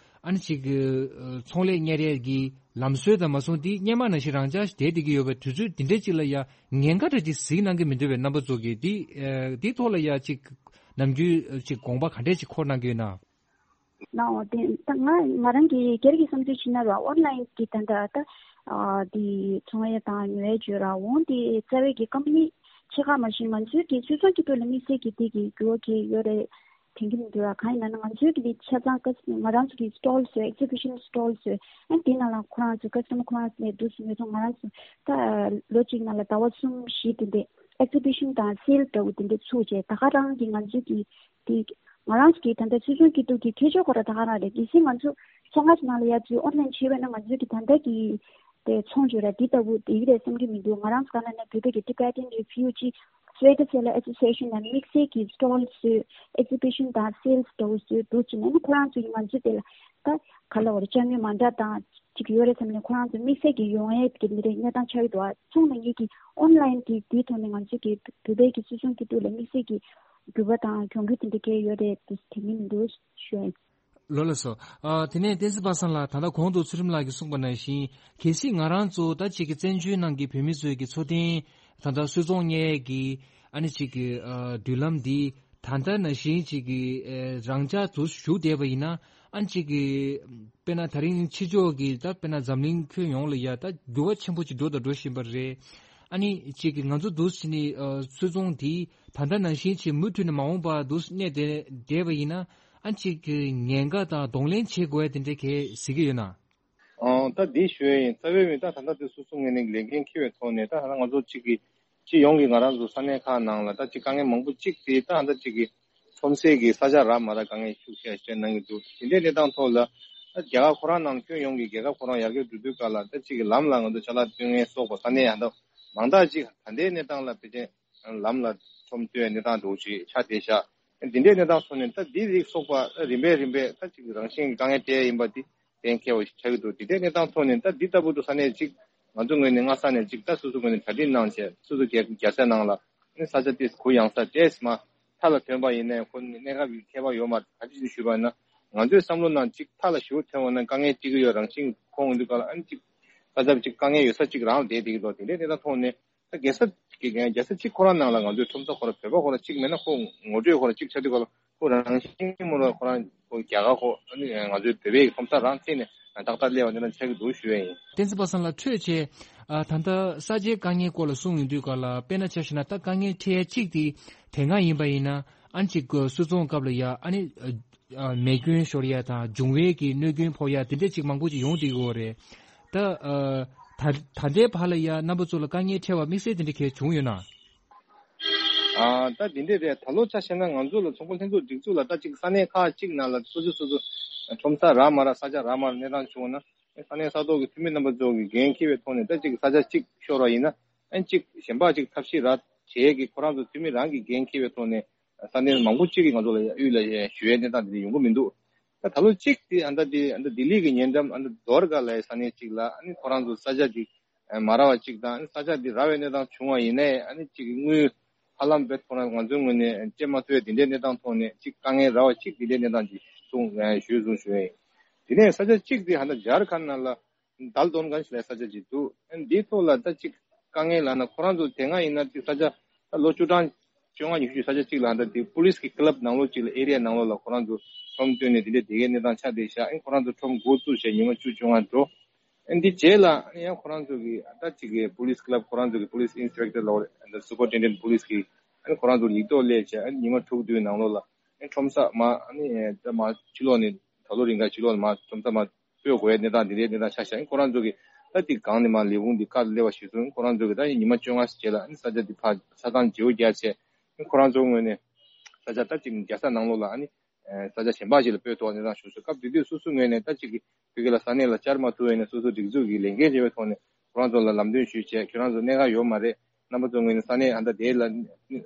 ཨ་ནི་ཅིག་གི་ཨ། ཚོང་ལས་གཉེར་ཡས་ཀྱི་ལམ་སྲོལ་དང་མ་སོང་དེ་སྔོན་མ་ནང་བཞིན་རང་འཇགས་བསྡད་བསྡད་ཀྱི་ཡོད་པའི་དུས་ཚོད་དེ་འདྲའི་ཅིག་ལ་ཡ་ཉེན་ཁ་འདྲ་ཅིག་གཟིགས་གནང་གི་མི་འདུག་པས། རྣམ་པ་ཚོ་གིས་དེ་ཨ། དེའི་ཐོག་ལ་ཡ་ཅིག་ནམ་རྒྱུན་ཅིག་དགོངས་པ་ག་འདྲས་ཅིག་འཁོར་གནང་གི་ཡོད་ན། ནའོ་དེ་ད་ང་ང་རང་གི་སྒེར་གྱི་བསམ་ཚུལ་བྱས་ན་ར་ཨོན་ལན་གྱི་ད་ལྟ་ད་ཨ། དེ་ཚོང་ཡ་དང་ཉོ་ཡ་བརྗོད་ར་འོང་དེ་རྩ་བའི་གི་ཀམ་པ་ནི་ཕྱེད་ཀ་མ་གཞི་ང་ཚོའི་གི་སུད་ཚོང་སྐྱིད་སྡུག་ལ་དམིགས་བསལ་གྱི་དེ་གི་འགྱུར་བ་གི་ཡོད་རེད། དྲན་གྱི་མི་འདུག་ལ། གང་ཡིན་ན་ང་ཚོའི་གི་ཆ་ཚང་ཀ་ང་རང་ཚོ་གི་སི་ཊོལ་བཟོས། ཨེག་ཛི་བི་ཤན་སི་ཊོལ་བཟོས། ཨ་དེ་ནང་ལ་ཁོ་རང་ཚོ་ཀ་སི་ཊ་མར་ཁོ་རང་ཚོ་ནས་འདུག་སེ་ཉོས་སོང་། ང་རང་ཚོ་ད་ལོ་གཅིག་ནང་ལ་ཟླ་བ་གསུམ་བཞི་དེ་འདྲས་ཨེག་ཛི་བི་ཤན་དང་སེལ་འདྲ་བོ་དེ་འདྲས་ཚུགས་བྱས། ད་ག་རང་གི་ང་ཚོའི་གི་དེ་ང་རང་ཚོ་གི་ད་ལྟ་སུད་ཚོང་སྐྱིད་སྡུག་གི་ཁྱད་ཆོས་ཁོ་རང་ད་ག་རང་རེད། གལ་སྲིད་ང་ཚོ་ཚོང་ཁང་ནང་ལ་ཡ་ཚོས་ཨོན་ལན་བྱས་པ་ན་ང་ཚོའི་གི་ད་ལྟ་གི་དེ་ཚོང་བརྗོད་ར་འདི་ལྟ་བུ་དེ་ཡིན་རེད་བསམ་གྱི་མི་འདུག་ང་རང་ཚོ་ག་ན་ནས་བོད་པའི་གི་Tibetan Refugee Sweater Seller Association ནས་དམིགས་བསལ་གྱི་སི་ཊོལ་བཟོས། ཨེག་ཛི་བི་ཤན་དང་སེལ་འདྲ་བོ་བཟོས་འདུག་ཅེ་ནས་ཁོ་རང་ཚོ་ཡིས་ང་ཚོ་དེ་ལ་ད་ག་ལ་བར་ཅ་དངོས་མ་འདྲ་དང་ཅིག་ཡོད་རེད་བསམ་ནས་ཁོ་རང་ཚོ་དམིགས་བསལ་གྱི་ཡོང་ཡས་ཀྱི་མི་རེད་གནས་སྟངས་ཆགས་ཀྱི་འདུག་ཨ་ཚོང་ལ་ངེད་ཀྱི་ཨོན་ལན་གྱི་དེའི་ཐོག་ནས་ང་ཚོ་གི་བོད་པའི་གི་སུད་ཚོང་སྐྱིད་སྡུག་ལ་དམིགས་བསལ་གྱི་འགྱུར་བ་དང་གྱོང་གུད་དེ་འདྲ་གས་ཡོད་རེད་དེ་དྲན་གྱི་མི་འདུག་ཞུ་ཡ་ཡིན། ལགས་སོ། ཨ། དེ་ནས་བསྟན་འཛིན་པ་སངས་ལགས། ད་ལྟ་གོང་དུ་ཚུལ་ཁྲིམས་ལགས་ཀྱིས་གསུངས་པ་ནང་བཞིན་གལ་སྲིད་ང་རང་ཚོ་ད་ཅིག་གི་བཙན་བྱོལ་ནང་གི་བོད་མི་ཚོའི་གི་འཚོ་རྟེན་ད་ལྟ་སུད་ཚོང་གཉེར་གྱི་ཨ་ནི་ཅིག་གི་ཨ། མདུན་ལམ་འདི་ད་ལྟ་ནང་བཞིན་ཅིག་གི་ཨ། རང་འཇགས་དུ་བཞུགས་བསྡད་པ་ཡིན་ན་ཨ་ནི་ཅིག་གི་དཔེར་ན་ད་རིང་ཕྱི་ཕྱོགས་ཀྱི་ད་དཔེར་ན་འཛམ་གླིང་ཁྱོན་ཡོངས་ལ་ཡ་ད་འགྱུར་བ་ཆེན་པོ་ཅིག་འགྲོ་དང་འགྲོ་བཞིན་པ་རེད། ཨ་ནི་ཅིག་གི་ང་ཚོ་འདུག་སེ་ནི་ཨ། སུད་ཚོང་འདི་ད་ལྟ་ནང་བཞིན་ཅིག་མུ་མཐུད་ནས་མ་འོངས་པ་འདུག་སེ་གནས་བསྡད་བསྡད་པ་ཡིན་ན། ཨ་ཅིག་གི་ཉེན་ཁ་དང་གདོང་ལེན་བྱེད་དགོས་ཡ་དེ་འདྲ་གས་གཟིགས་ཀྱི་ཡོད་ན། ཨང་། ད་འདི་ཞུ་ཡ་ཡིན། རྩ་བའི་མི་ད་ད་ལྟ་དེ་སོ་སོ་ངོས་ནས་ལས་འགན་འཁྱེར་བའི་ཐོག་ནས་ད་ད་ང་ཚོ་གཅིག་གི་སྤྱི་ཡོངས་ཀྱི་ང་རང་ཚོ་ས་གནས་ཁག་ནང་ལ་ད་གཅིག་དཀའ་ངལ་མང་པོ་གཅིག་དེ་ད་ད་གཅིག་གི་ཁྲོམ་སའི་གི་ས་ཆ་རག་མ་རག་དཀའ་ངལ་ཤུགས་ཆེ་བཤད་གནང་གི་འདུག་དེ་འདྲའི་གནས་སྟངས་ཐོག་ལ་ད་རྒྱ་གར་ཁོ་རང་ནང་ཁྱོན་ཡོངས་ཀྱི་རྒྱལ་ཁབ་ཁོ་རང་ཡར་རྒྱས་འགྲོ་དུས་སྐབས་ལ་ད་གཅིག་གི་ལམ་ལ་ང་ཚོ་ཅ་ལག་སྟོན་མཁན་སོགས་པ་ས་གནས་ཡང་ད་མང་དག་གཅིག་ད་ལྟའི་གནས་སྟངས་ལ་ཕལ་ཆེར་ལམ་ལ་ཁྲོམ་སྟོན་གནས་སྟངས་འདྲ་བོ་ཞིག་ཆགས་བསྡད་ཤག་འདི་འདྲའི་གནས་སྟངས་ཐོག་ནས་ད་འདི་རིགས་སོགས་པ་རིམ་པས་རིམ་པས་ད་ཅིག་རང་བཞིན་གྱི་དཀའ་ངལ་འཕྲད་ཡ་ཡིན་པ་འདི་གཏན་འཁེལ་བ་ཞིག་ཆགས་ཀྱི་འདུག་འདི་འདྲའི་གནས་སྟངས་ཐོག་ནས་ད་འདི་ལྟ་བུ་དུ་ས་གནས་ཅིག་ང་ཚོ་ངོས་ནས་སྔ་ས་ནས་ཅིག་ད་སོ་སོ་ངོས་ནས་གྲ་སྒྲིག་གནང་བྱས་སོ་སོ་རྒྱལ་རྒྱལ་ས་ནང་ལ་ནི་ས་ཆ་དེ་གུ་ཡངས་ས་ཏོག་ཙམ་མཐའ་ལ་ཐོན་པ་ཡིན་ནའི་ཁོ་གནས་སྐབས་ཀྱི་ཁྱད་པར་ཡོད་མ་རེད། ག་དེ་ཞིག་ཞུས་པ་ཡིན་ན་ང་ཚོའི་བསམ་བློ་ནང་ཅིག་མཐའ་ལ་ཞེ་པོ་ཐོན་འོང་ན་དཀའ་ངལ་ཅིག་ཡོད་རང་བཞིན་གྱི་ཁོང་འདི་ག་ལ་ཨ་ནི་ཅིག་ས་ཆ་ཅིག་དཀའ་ངལ་ཡོད་ས་ཅིག་རང་བསྡད་བསྡད་ཀྱི་འདུག་དེ་འདྲའི་གནས་སྟངས་ཐོག་ནས། ད་རྒྱལ་ས་གི་རྒྱལ་ས་གཅིག་ཁོ་རང་ནང་ལ་ང་ཚོའི་ཁྲོམ་ས་ཁོ་རང་བོད་པ་ཁོ་རང་གཅིག་མེད་ན་ཁོ་ངོ་སྤྲོད་ཁོ་རང་གཅིག་ཆགས་དུས་སྐབས་ལ་ཁོ་རང་བཞིན་མོ་ར་ཁོ་རང་ཁོ་རྒྱ་གར་ཁོ་ཨ་ནི་ང་ཚོའི་བོད་པའི་ཁྲོམ་ས་རང་བཙལ་ནས་ཏག་ཏག་སླེབས་པ་འདི་འདྲ་ཆགས་ཀྱི་འདུག་ཞུ་ཡ་ཡིན། བསྟན་འཛིན་པ་སངས་ལགས་འཕྲོས་བྱས་ཨ་ད་ལྟ་ས་ཆའི་དཀའ་ངལ་སྐོར་ལ་གསུངས་ཡོང་དུས་སྐབས་ལ་དཔེར་ན་ཆ་བཞག་ན་ད་དཀའ་ངལ་འཕྲད་ཡ་གཅིག་དེ་དེ་སྔ་ཡིན་པ་ཡིན་ན་ཨ་ནི་གཅིག་སུད་ཚོང་སྐབས་ལ་ཡ་ཨ་ནི། ཨ། མེ་སྐྱོན་ཤོར་ཡ་དང་འབྱུང་བའི་གི་གནོད་སྐྱོན་ཕོག་ཡ་དེ་འདྲ་ཅིག་མང་པོ་ཅིག་ཡོང་བསྡད་ཀྱི་ཡོད་རེད། ད་ཨ། ད་ད་ལྟའི་བར་ལ་ཡ་རྣམ་པ་ཚོ་ལ་དཀའ་ངལ་འཕྲད་པ་དམིགས་བསལ་དེ་འདྲ་གས་བྱུང་ཡོད་ན། ཨ། ད་དེ་འདྲ་རེད། ད་ལོ་ཆ་བཞག་ན་ང་ཚོ་ལ་ཚོང་པ་ལྷན་ཚོགས་སྒྲིག་འཛུགས་ལ་ད་ཅིག་ས་གནས་ཁག་ཅིག་ནང་ལ་སོ་སོ་སོ་སོ་ཁྲོམ་ས་རག་མ་རག་ས་ཆ་རག་མ་རག་གནས་སྟངས་བྱུང་བ་ན་ས་གནས་ས་ཐོག་གི་འཐུས་མི་རྣམ་པ་ཚོ་གི་འགན་འཁྱེར་བའི་ཐོག་ནས་ད་ཅིག་ས་ཆ་ཅིག་ཤོར་བ་ཡིན་ན་ཨ་ཅིག་གཞན་པ་ཅིག་ཐབས་ཤེས་རག་བྱེད་ཀྱི་ཁོ་རང་ཚོ་འཐུས་མི་རང་གི་འགན་འཁྱེར་བའི་ཐོག་ནས། ས་གནས་མང་པོ་གཅིག་གིས་ང་ཚོ་ལ་གཡུལ་ལ་ཞུ་ཡའི་གནས་སྟངས་དེ་འདྲ་ཡོང་གི་མི་འདུག་ད་ད་ལོ་གཅིག་དེ་ཨ་ད་དེ་ཨ་ད་ལྡི་ལི་གི་ཉེ་འགྲམ་ཨ་ད་དོར་ག་ལའི་ས་གནས་གཅིག་ལ་ཨ་ནི་ཁོ་རང་ཚོ་ས་ཆ་དེ་མ་རག་པ་གཅིག་དང་ཨ་ནི་ས་ཆ་དེ་རག་པའི་གནས་སྟངས་བྱུང་བ་ཡིན་ནའི་ཨ་ནི་གཅིག་གི་དངུལ་ཧ་ལམ་བེད་ཁོ་རང་ང་ཚོའི་ངོས་ནས་སྤྲད་མ་ཐུབ་པའི་དེ་འདྲའི་གནས་སྟངས་ཐོག་ནས་གཅིག་དཀའ་ངལ་རག་པ་གཅིག་དེ་འདྲའི་གནས་སྟངས་ཅིག་གསུངས་ཞུས་གསུངས་ཞུས་ཡིན། དེ་ནས་ས་ཆ་གཅིག་དེ་ཨ་ད་ཇར་ཁན་ནང་ལ། དལ་དོན་གང་ཞིག་ལ་ས་ཆ་ཅིག་འདུག་ཨ་འདིའི་ཐོག་ལ་ད་ཅིག་དཀའ་ངལ་ལབ་ན་ཁོ་རང་ཚོ་དེ་སྔ་ཡིན་ན་ཅིག་ས་ཆ་ད་ལོ་བཅུ་གྲངས་བཅོ་ལྔ་ཉི་ཤུ་ཅིག་ས་ཆ་ཅིག་ལ་ད་དེ་པུ་ལིས་ཀྱི་ཀི་ལབ་ནང་ལོགས་ཅིག་ལ་ཨེ་རི་ཡ་ནང་ལོགས་ལ་ཁོ་རང་ཚོ་ཁྲོམ་བཏོན་ནས་དེ་འདྲའི་དེ་གའི་གནས་སྟངས་ཆགས་བསྡད་ཤག་ཨ་ཁོ་རང་ཚོ་ཁྲོམ་འགོ་བཙུགས་བྱས་ཉི་མ་བཅུ་བཅོ་ལྔ་འགྲོ། ཨ་འདི་རྗེས་ལ་ཨ་ཡང་ཁོ་རང་ཚོ་གི་ད་ཅིག་གི་པུ་ལིས་ཀི་ལབ་ཁོ་རང་ཚོ་གི་པུ་ལིས་ཨིན་སི་པེག་ཊར་ལབ་རེད། ཨ་སུ་པར་ཏེན་ཌེན་པུ་ལིས་ཀྱི་ཨ་ཁོ་རང་ཚོ་ཡིག་ཐོག་སླེབས་བྱས་ཨ་ཉི་མ་དྲུག་བདུན་ནང་ལོགས་ལ་ཨ་ཁྲོམ་ས་མ་ཨ་ནི་ད་མ་ཕྱི་ལོགས་ནས་ད་ལོ་རིང་ག་ཕྱི་ལོགས་ནས་མ་ཁྲོམ་ས་མ། སྤོས་དགོས་ཡ་གནས་སྟངས་དེ་འདྲའི་གནས་སྟངས་ཆགས་ཤག་ཨ་ནི་ཁོ་རང་ཚོ་གི་ད་དེ་སྒང་ནས་མར་ལས་ཁུངས་དེ་བཀའ་སླེབས་པ་གཞིར་བཟུང་ཁོ་རང་ཚོ་གི་ད་ཉི་མ་བཅོ་ལྔ་ཞིག་རྗེས་ལ་ཨ་ནི་ས་ཆ་དེ་ཕར་ཆ་ཚང་བརྗེ་པོ་རྒྱག་བྱས་ཨ་ནི་ཁོ་རང་ཚོའི་ངོས་ནས་ས་ཆ་ད་གཅིག་རྒྱལ་ས་ནང་ལོགས་ལ་ཨ་ནི་ས་ཆ་གཞན་པ་ཞིག་ལ་སྤོས་ཐོག་གནས་སྟངས་ཞུ་སྲོལ་སྐབས་དེ་དུས་སོ་སོའི་ངོས་ནས་ད་གཅིག་གི་བོད་སྐད་ལ་ས་གནས་ལ་བཅར་མ་ཐུབ་པ་ཡིན་ན་སོ་སོ་སྒྲིག་འཛུགས་ཀྱི་ལས་འགན་བྱེད་པའི་ཐོག་ནས་ཁོ་རང་ཚོ་ལ་ལམ་སྟོན་ཞུས་བྱས་ཁྱོད་རང་ཚོ་གནད་འགག་ཡོད་མ་རེད། རྣམ་པ་ཚོ་ངོས་ནས་ས་གནས་ཨ་མདའ་དེ་ལ་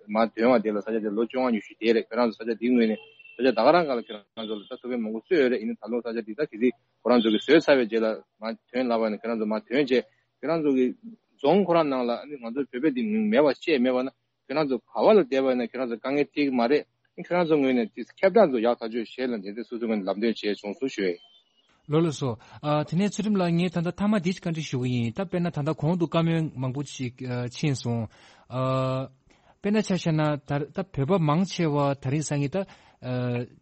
མར་ཐོན་པ་དེ་ལ་ས་ཆ་དེ་ལོ་བཅོ་ལྔ་ཉི་ཤུ་དེ་རེད། ཁྱོད་རང་ཚོ་ས་ཆ་དེའི་ངོས་ནས་ས་ཆ་ད་ག་རང་ག་ལ་ཁྱོད་རང་ཚོ་ལ་ད་ཐུགས་ཕན་མང་པོ་གསོས་ཡོད་རེད། ཡིན་ན་ད་ལོ་ས་ཆ་དེ་ད་གལ་སྲིད་ཁོ་རང་ཚོ་གིས་བཟོས་ཚར་བའི་རྗེས་ལ་མར་ཐོན་ལབ་པ་ཡིན་ན་ཁྱོད་རང་ཚོ་མར་ཐོན་བྱས་ཁྱོད་རང་ཚོ་གི་རྫོང་ཁོ་རང་ནང་ལ་ཨ་ནི་ང་ཚོ་བོད་པའི་དེ་མིང་མེད་པ་བཤད་མེད་པ་ན་ཁྱོད་རང་ཚོ་ག་བ་ལ་བསྡད་པ་ཡིན་ན་ཁྱོད་རང་ཚོ་དཀའ་ངལ་འཕྲད་ཀྱི་མ་རེད། ཁྱོད་རང་ཚོ་ངོས་ནས་དེ་ཁྱབ་བསྒྲགས་ཚོ་ཡག་ཐག་ཆོད་བྱས་ལ་འདི་འདྲ་སོ་སོ་ངོས་ནས་ལམ་སྟོན་བྱས་བྱུང་སོང་ཞུ་ཡས། ལགས་ལགས་སོ། ཨ། དེ་ནས་ཚུལ་ཁྲིམས་ལགས་ངས་ད་ལྟ་མཐའ་མ་འདི་བཀའ་འདྲི་ཞུ་གི་ཡིན། ད་དཔེར་ན་ད་ལྟ་གོང་དུ་བཀའ་མོལ་མང་པོ་ཞིག་ཨ། ཕྱིན་སོང་། ཨ། དཔེར་ན་ཆ་བཞག་ན་ད་ད་བོད་པ་མང་ཆེ་བ་ད་རིང་སང་ཉིན་ད་ཨ།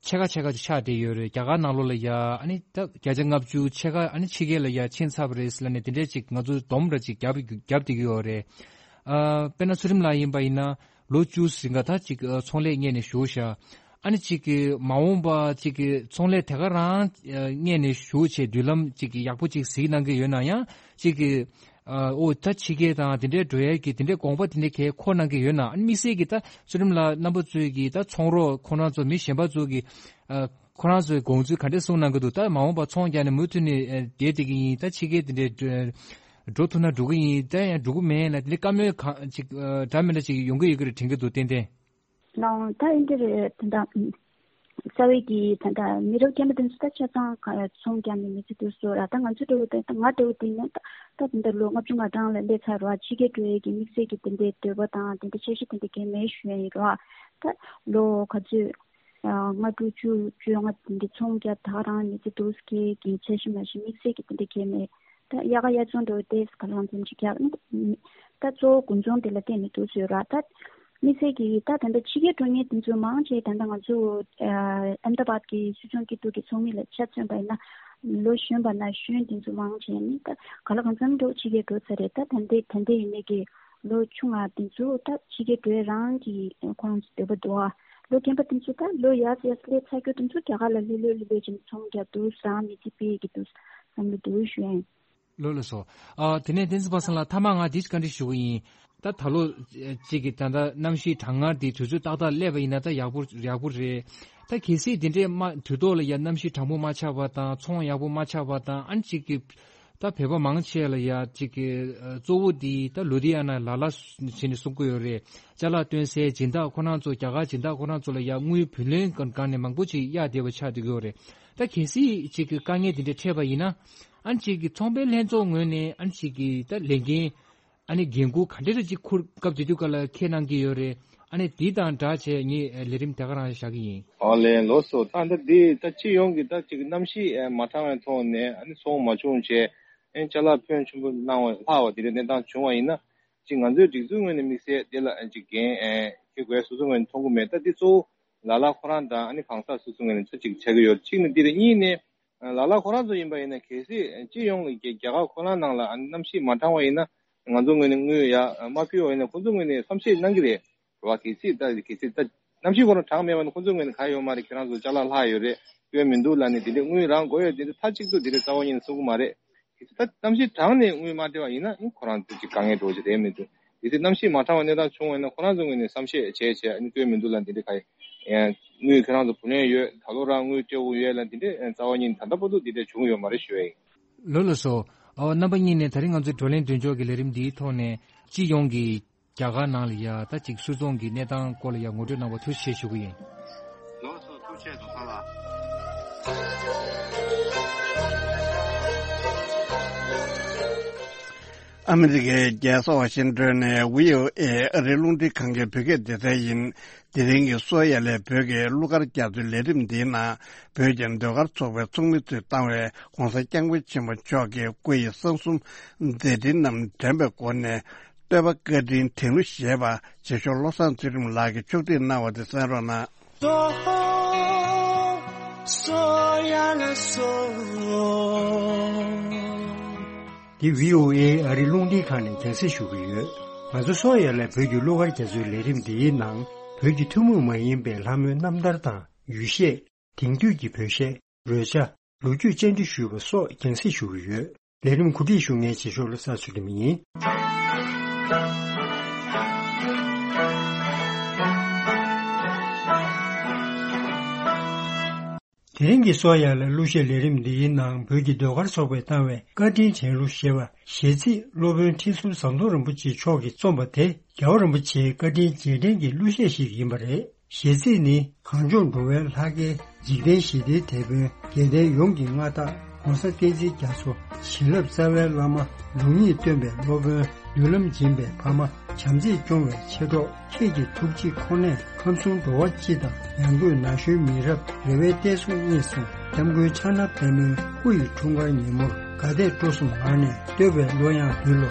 ཕྱེད་ཀ་ཕྱེད་ཀ་ཅིག་ཆགས་བསྡད་ཡོད་རེད། རྒྱ་གར་ནང་ལོགས་ལ་ཡ་ཨ་ནི་ད་བརྒྱ་ཆ་ལྔ་བཅུ་ཕྱེད་ཀ་ཨ་ནི་ཕྱི་རྒྱལ་ལ་ཡ་ཕྱིན་ཚར་བ་རེད་ཟེར་ལབ་ནས་དེ་འདྲས་ཅིག་ང་ཚོ་སྡོམ་ར་ཅིག་རྒྱབ་རྒྱབ་བསྡད་ཀྱི་ཡོད་རེད། ཨ། དཔེར་ན་ཚུལ་ཁྲིམས་ལགས་ཡིན་པ་ཡིན་ན་ལོ་བཅུ་ཟིན་ག་ད་ཅིག་ཨ། ཚོང་ལས་གཉེར་ནས་བཞུགས་ཤག་ཨ་ནི་གཅིག་གི་མ་འོངས་པ་གཅིག་གི་ཚོང་ལས་དེ་ག་རང་གཉེར་ནས་ཞུ་བྱས་མདུན་ལམ་གཅིག་གི་ཡག་པོ་གཅིག་གཟིགས་གནང་གི་ཡོད་ན་ཡང་གཅིག་གི་ཨོ་ད་ཕྱི་རྒྱལ་དང་དེ་འདྲའི་འགྲོ་ཡས་ཀྱི་དེ་འདྲའི་དགོངས་པ་དེ་འདྲའི་གས་འཁོར་གནང་གི་ཡོད་ན། ཨ་ནི་དམིགས་བསལ་གྱི་ད་ཚུལ་ཁྲིམས་ལགས་རྣམ་པ་ཚོས་ཀྱི་ད་ཚོང་རོགས་ཁོ་རང་ཚོ་མི་གཞན་པ་ཚོ་གི་ཁོ་རང་ཚོའི་དགོངས་ཚུལ་ག་འདྲས་གསུངས་གནང་གི་འདུག་ད་མ་འོངས་པ་ཚོང་རྒྱག་ནས་མུ་མཐུད་ནས་བསྡད་བསྡད་ཀྱི་ཡིན། ད་ཕྱི་རྒྱལ་དེ་འདྲའི་འགྲོ་ཐུབ་ན་འགྲོ་གི་ཡིན། ད་ཡང་འགྲོ་གི་མེད་ན་དེ་འདྲའི་བཀའ་མོལ་གང་ཅིག་འདྲ་མི་འདྲ་ཅིག་ཡོང་གི་ཡོད་ཀྱི་རེད་དྲན་གྱི་འདུག་ཏན་ཏན། ལགས་འོང་། ད་ཨིན་དེ་རེད་ད་ལྟ། རྩ་བའི་གི་ད་ལྟ་མི་རབས་རྒན་པ་དེ་ཚོ་ད་ཆ་ཚང་ག་ཚོང་རྒྱག་ནས་མི་ཚེ་སྡུག་སོ་ར། ད་ང་ཚོ་འདྲ་བོ་ད་ང་འདྲ་བོ་དེ་ནས་ད་ད་ད་ལྟ་ལོ་ལྔ་བཅུ་ང་གྲངས་ལ་སླེབས་ཚར་ར། ཕྱི་རྒྱལ་འགྲོ་ཡས་ཀྱི་དམིགས་བསལ་གྱི་དེ་འདྲའི་འདོད་པ་དང་དེ་འདྲ་འཆར་གཞི་དེ་འདྲ་གང་མེད་ཞུ་ཡ་ཡིན་ར། ད་ལོ་ག་ཚོད་ལྔ་དྲུག་བཅུ་བཅོ་ལྔ་དེ་འདྲ་ཚོང་རྒྱག་ད་རང་མི་ཚེ་སྡུག་སྐྱེལ་གྱི་འཆར་གཞི་མ་གཞི་དམིགས་བསལ་གྱི་དེ་འདྲ་གང་མེད། ད་དབྱར་ཁ་དབྱར་ཚོང་འགྲོ་ཏེ་ག་ལང་འཛོམས་ཅིག་རྒྱག་ད་གཙོ་བོ་དགུན་ཚོང་དེ་ལ་བརྟེན་ནས་འདུག་ཟེར་ར། ད་དམིགས་བསལ་གྱིས་ད་ད་ལྟ་ཕྱི་རྒྱལ་འགྲོ་མཁན་དེ་ཚོ་མང་ཆེ་ད་ལྟ་ང་ཚོ་ཨ་ཨེམ་ད་བཱད་ཀྱི་སུད་ཚོང་སྐྱིད་སྡུག་གི་ཚོགས་མི་ལ་ཆ་མཚོན་པ་ཡིན་ན་ལོ་གཞོན་པ་ན་གཞོན་དེ་ཚོ་མང་ཆེ་ནི་ད་ག་ལ་གང་འཚམ་འགྲོ་ཕྱི་རྒྱལ་འགྲོ་ཚར་རེད། ད་ད་ལྟའི་ད་ལྟའི་ཡིན་ནའི་གི་ལོ་ཆུང་བ་དེ་ཚོ་ད་ཕྱི་རྒྱལ་འགྲོ་ཡ་རང་གི་ཁོང་ཚོ་འདོད་པ་འདུག་ཨ། ལོ་རྒན་པ་དེ་ཚོ་ད་ལོ་ཡར་ཡར་སླེབས་ཚར་རྒྱུ་དེ་ཚོ་རྒྱ་གར་ལ་ལྷོད་ལྷོད་ལྷོད་ལྷོད་བྱས་ནས་ཚོང་རྒྱག་འདུག་རང་མི་ཚེ་སྤེལ་གྱི་འདུག་བསམ་གྱི་འདུག་ཞུ་ཡ་ཡིན། ལགས་ལགས་སོ། ཨ། དེ་ནས་བསྟན་འཛིན་པ་སངས་ལགས་ཐ་མ་ང་འདི་བཀའ་འདྲི་ཞུ་གི་ཡིན། ད་ད་ལོ་གཅིག་གི་ད་ལྟ་གནམ་གཤིས་གྲང་ངར་འདི་དུས་ཚོད་ཏག་ཏག་སླེབས་པ་ཡིན་ན་ད་ཡག་པོ་ཡག་པོ་རེད། ད་གལ་སྲིད་འདི་འདྲའི་མ་དུས་ཐོག་ལ་ཡ་གནམ་གཤིས་གྲང་མོ་མ་ཆགས་པ་དང་ཚོང་ཡག་པོ་མ་ཆགས་པ་དང་ཨ་ནི་གཅིག་གི་ད་བོད་པ་མང་ཆེ་ལ་ཡ་གཅིག་གི་གཙོ་བོ་འདི་ད་ལུ་དྷི་ཡ་ན་ལ་ལ་བྱས་ནས་གསུང་གི་ཡོད་རེད། ཅ་ལག་སྟོན་སའི་སྦྱིན་བདག་ཁོ་རང་ཚོ་རྒྱ་གར་སྦྱིན་བདག་ཁོ་རང་ཚོ་ལ་ཡ་དངུལ་བུན་ལེན་སྒང་ནས་མང་པོ་ཅིག་གཡར་བསྡད་པ་ཆགས་བསྡད་ཀྱི་ཡོད་རེད། ད་གལ་སྲིད་གཅིག་གི་དཀའ་ངལ་འདི་འདྲ་འཕྲད་པ་ཡིན་ན། ཨ་ནི་གཅིག་གི་ཚོང་པའི་ལྷན་ཚོགས་ངོས་ནས་ཨ་ནི་གཅིག་གི་ད་ལས་འགན་ཨ་ནི་འགན་འཁུར་ག་འདྲ་རེ་གཅིག་འཁུར་སྐབས་དེ་དུས་སྐབས་ལ་འཁྱེར་གནང་གི་ཡོད་རེད། ཨ་ནི་འདི་དང་སྦྲགས་བྱས་ངས་ལས་རིམ་དེ་ག་རང་བཞག་གི་ཡིན། ཨོ་ལེ་ལགས་སོ། ད་ད་འདི་ད་སྤྱི་ཡོངས་ཀྱི་ད་གཅིག་གནམ་གཤིས་མ་འཕྲང་བའི་ཐོག་ནས་ཨ་ནི་ཚོང་མ་བྱུང་བྱས་ཨ་ནི་ཅ་ལག་ཕོན་ཆེན་པོ་གནང་བ་ལྷག་པ་དེ་འདྲའི་གནས་སྟངས་བྱུང་བ་ཡིན་ན། གཅིག་ང་ཚོའི་སྒྲིག་འཛུགས་ངོས་ནས་དམིགས་བསལ་དེ་ལ་གཅིག་འགན་འཁྱེར་དགོས་སོ་སོ་ངོས་ནས་མཐོང་གི་མེད། ད་འདི་གཙོ་བོ་ལ་ལ་ཁོ་རང་དང་ཨ་ནི་གང་ཟག་སོ་སོ་ངོས་ནས་ཚོད་ཅིག་བྱ་གི་ཡོད། གཅིག་ནི་འདི་རེད། གཉིས་ནས་ལ་ལ་ཁོ་རང་ཚོ་ཡིན་པ་ཡིན་ན་གལ་སྲིད་སྤྱི་ཡོངས་ལ་རྒྱ་རྒྱ་གར་ཁོ་རང་ནང་ལ་ཨ་ནི་གནམ་གཤིས་མ་འཕྲང་བ་ཡིན་ན་ང་ཚོ་ངོས་ནས་དངུལ་ཡར་མ་ཕུལ་བ་ཡིན་ན་ཁོ་ཚོ་ངོས་ནས་བསམ་ཤེས་གནང་གི་རེད། རེད་བ། གལ་སྲིད་ད་གལ་སྲིད་ད་གནམ་གཤིས་ཁོ་རང་གྲང་མེད་པ་ཡིན་ན་ཁོ་ཚོ་ངོས་ནས་ག་ཡོད་མ་རེད། ཁྱེད་རང་ཚོ་ཅ་ལག་ལྷག་ཡོད་རེད། སྐྱོན་མི་འདུག་ལབ་ནས་དེ་འདྲའི་དངུལ་རང་དགོས་ཡོད་དེ་འདྲ་མཐའ་གཅིག་ཏུ་དེ་འདྲའི་རྩ་བ་ཉིད་ནས་གསུང་གི་མ་རེད། གལ་སྲིད་ད་གནམ་གཤིས་གྲང་ནས་དངུལ་མ་སྟེར་བ་ཡིན་ན་ཨིན་ཁོ་རང་ཚོ་ཅིག་དཀའ་ངལ་འགྲོ་གི་རེད་མི་འདུག་གལ་སྲིད་གནམ་གཤིས་མ་གྲང་བའི་གནས་སྟངས་བྱུང་བ་ཡིན་ན་ཁོ་རང་ཚོ་ངོས་ནས་བསམ་ཤེས་བྱས་བྱས་ཨ་ནི་སྐྱོན་མི་འདུག་ལབ་འདི་འདྲ་ག་ཡིན། དངུལ་ཁྱེད་རང་ཚོ་བུ་ལོན་ཡོད། ད་ལོ་རང་དངུལ་སྤྲད་དགོས་ཡོད་ལབ་འདི་འདྲ་རྩ་བ་ཉིད་ནས་ད་ལྟ་བར་དུ་འདི་འདྲ་བྱུང་ཡོད་མ་རེད་ཞུ་ཡ་ཡིན། ལགས་ལགས་སོ། ཨོ་རྣམ་པ་གཉིས་ནས་ད་རིང་ང་ཚོའི་བགྲོ་གླེང་མདུན་ལྕོག་གི་ལས་རིམ་འདིའི་ཐོག་ནས་སྤྱི་ཡོངས་ཀྱི་རྒྱ་གར་ནང་ལ་ཡ་ད་ཅིག་སུད་ཚོང་གི་གནས་སྟངས་སྐོར་ལ་ཡ་ངོ་སྤྲོད་གནང་བར་ཐུགས་རྗེ་ཆེ་ཞུ་གི་ཡིན། ལགས་སོ། ཐུགས་རྗེ་ཆེ་ཟུར་པ་ལགས། ཨ་མི་རི་ཀའི་རྒྱལ་ས་ཝ་ཤིང་ཏོན་ནས་བྷི་ཨོ་ཨེ་ཨ་རིའི་རླུང་འཕྲིན་ཁང་གི་བོད་སྐད་སྡེ་ཚན་ཡིན། དེ་རིང་གི་སོ་ཡ་ལས་བོད་ཀྱི་གླུ་གར་རྒྱ་མཚོའི་ལས་རིམ་འདིའི་ནང་བོད་ཀྱི་ཟློས་གར་ཚོགས་པའི་ཚོགས་མི་ཚོས་བཏང་བའི་ྋགོང་ས་ྋསྐྱབས་མགོན་ཆེན་པོ་མཆོག་གི་སྐུ་ཡི་གསང་གསུམ་མཛད་འཕྲིན་རྣམས་དྲན་པའི་སྒོ་ནས་བསྟོད་པ་བཀའ་དྲིན་དྲན་གླུ་ཞེས་པ་རྗེ་ཤོག་བློ་བཟང་ཚུལ་ཁྲིམས་ལགས་ཀྱིས་ཕྱོགས་སྒྲིག་གནང་བ་དེ་གསན་རོགས་གནང་། འདི་བྷི་ཨོ་ཨེ་ཨ་རིའི་རླུང་འཕྲིན་ཁང་ནས་རྒྱང་སྲིང་ཞུ་གི་ཡོད། ང་ཚོ་སོ་ཡ་ལས་བོད་ཀྱི་གླུ་གར་རྒྱ་མཚོའི་ལས་རིམ་འདིའི་ནང་བོད་ཀྱི་ཐུན་མོང་མ་ཡིན་པའི་ལྷ་མོའི་རྣམ་ཐར་དང་ཡུལ་གཞས། དེང་དུས་ཀྱི་བོད་གཞས། རོལ་ཆ། ལོ་རྒྱུས་བཅར་འདྲི་ཞུས་པ་སོགས་རྒྱང་སྲིང་ཞུ་གི་ཡོད། ལས་རིམ་གོ་སྒྲིག་ཞུ་མཁན་བྱེད་ཕྱོགས་ལ་ས་ཚུལ་ལེ་མི་ཡིན། དེ་རིང་གི་གསོ་ཡག་ལ་གླུ་གཞས་ལས་རིམ་འདིའི་ནང་བོད་ཀྱི་ཟློས་གར་ཚོགས་པས་བཏང་བའི་བཀའ་དྲིན་དྲན་གླུ་ཞེས་པ་གཞས་ཚིག་སློབ་དཔོན་ཁྲི་ཟུར་ཟམ་གདོང་རིན་པོ་ཆེ་མཆོག་གིས་རྩོམ་པ་དེ་རྒྱལ་བ་རིན་པོ་ཆེའི་བཀའ་དྲིན་རྗེས་དྲན་གྱི་གླུ་གཞས་ཤིག་ཡིན་པ་རེད། གཞས་ཚིག་ནི། གངས་ལྗོངས་འགྲོ་བའི་ལྷ་སྐལ་འཇིག་རྟེན་ཞི་བདེའི་དེད་དཔོན་དགེ་ལྡན་ཡོངས་ཀྱི་མངའ་བདག་༸གོང་ས་བསྟན་འཛིན་རྒྱ་མཚོ་བྱིན་རླབས་རྩ་བའི་བླ་མ་ལུགས་གཉིས་སྟོན་པའི་སློབ་དཔོན་མདུན་ལམ་སྦྱིན་པའི་ཕ་མ་བྱམས་བརྩེས་སྐྱོང་བའི་མཆེད་གྲོགས་ཁྱེད་ཀྱི་ཐུགས་རྗེ་ཁོ་ནས་ཁམས་གསུམ་འགྲོ་བ་སྤྱི་དང་ཡང་སྒོས་ན་གཞོན་མི་རབས་རེ་བའི་གཏད་སོ་རྙེད་སོང་སྐྱབས་མགོན་ཕྱག་ན་པདྨོའི་སྐུ་ཡི་འཁྲུངས་སྐར་ཉིན་མོར་དགའ་དད་སྤྲོ་གསུམ་ངང་ནས་བསྟོད་པའི་གླུ་དབྱངས་ཕུལ་ལོ།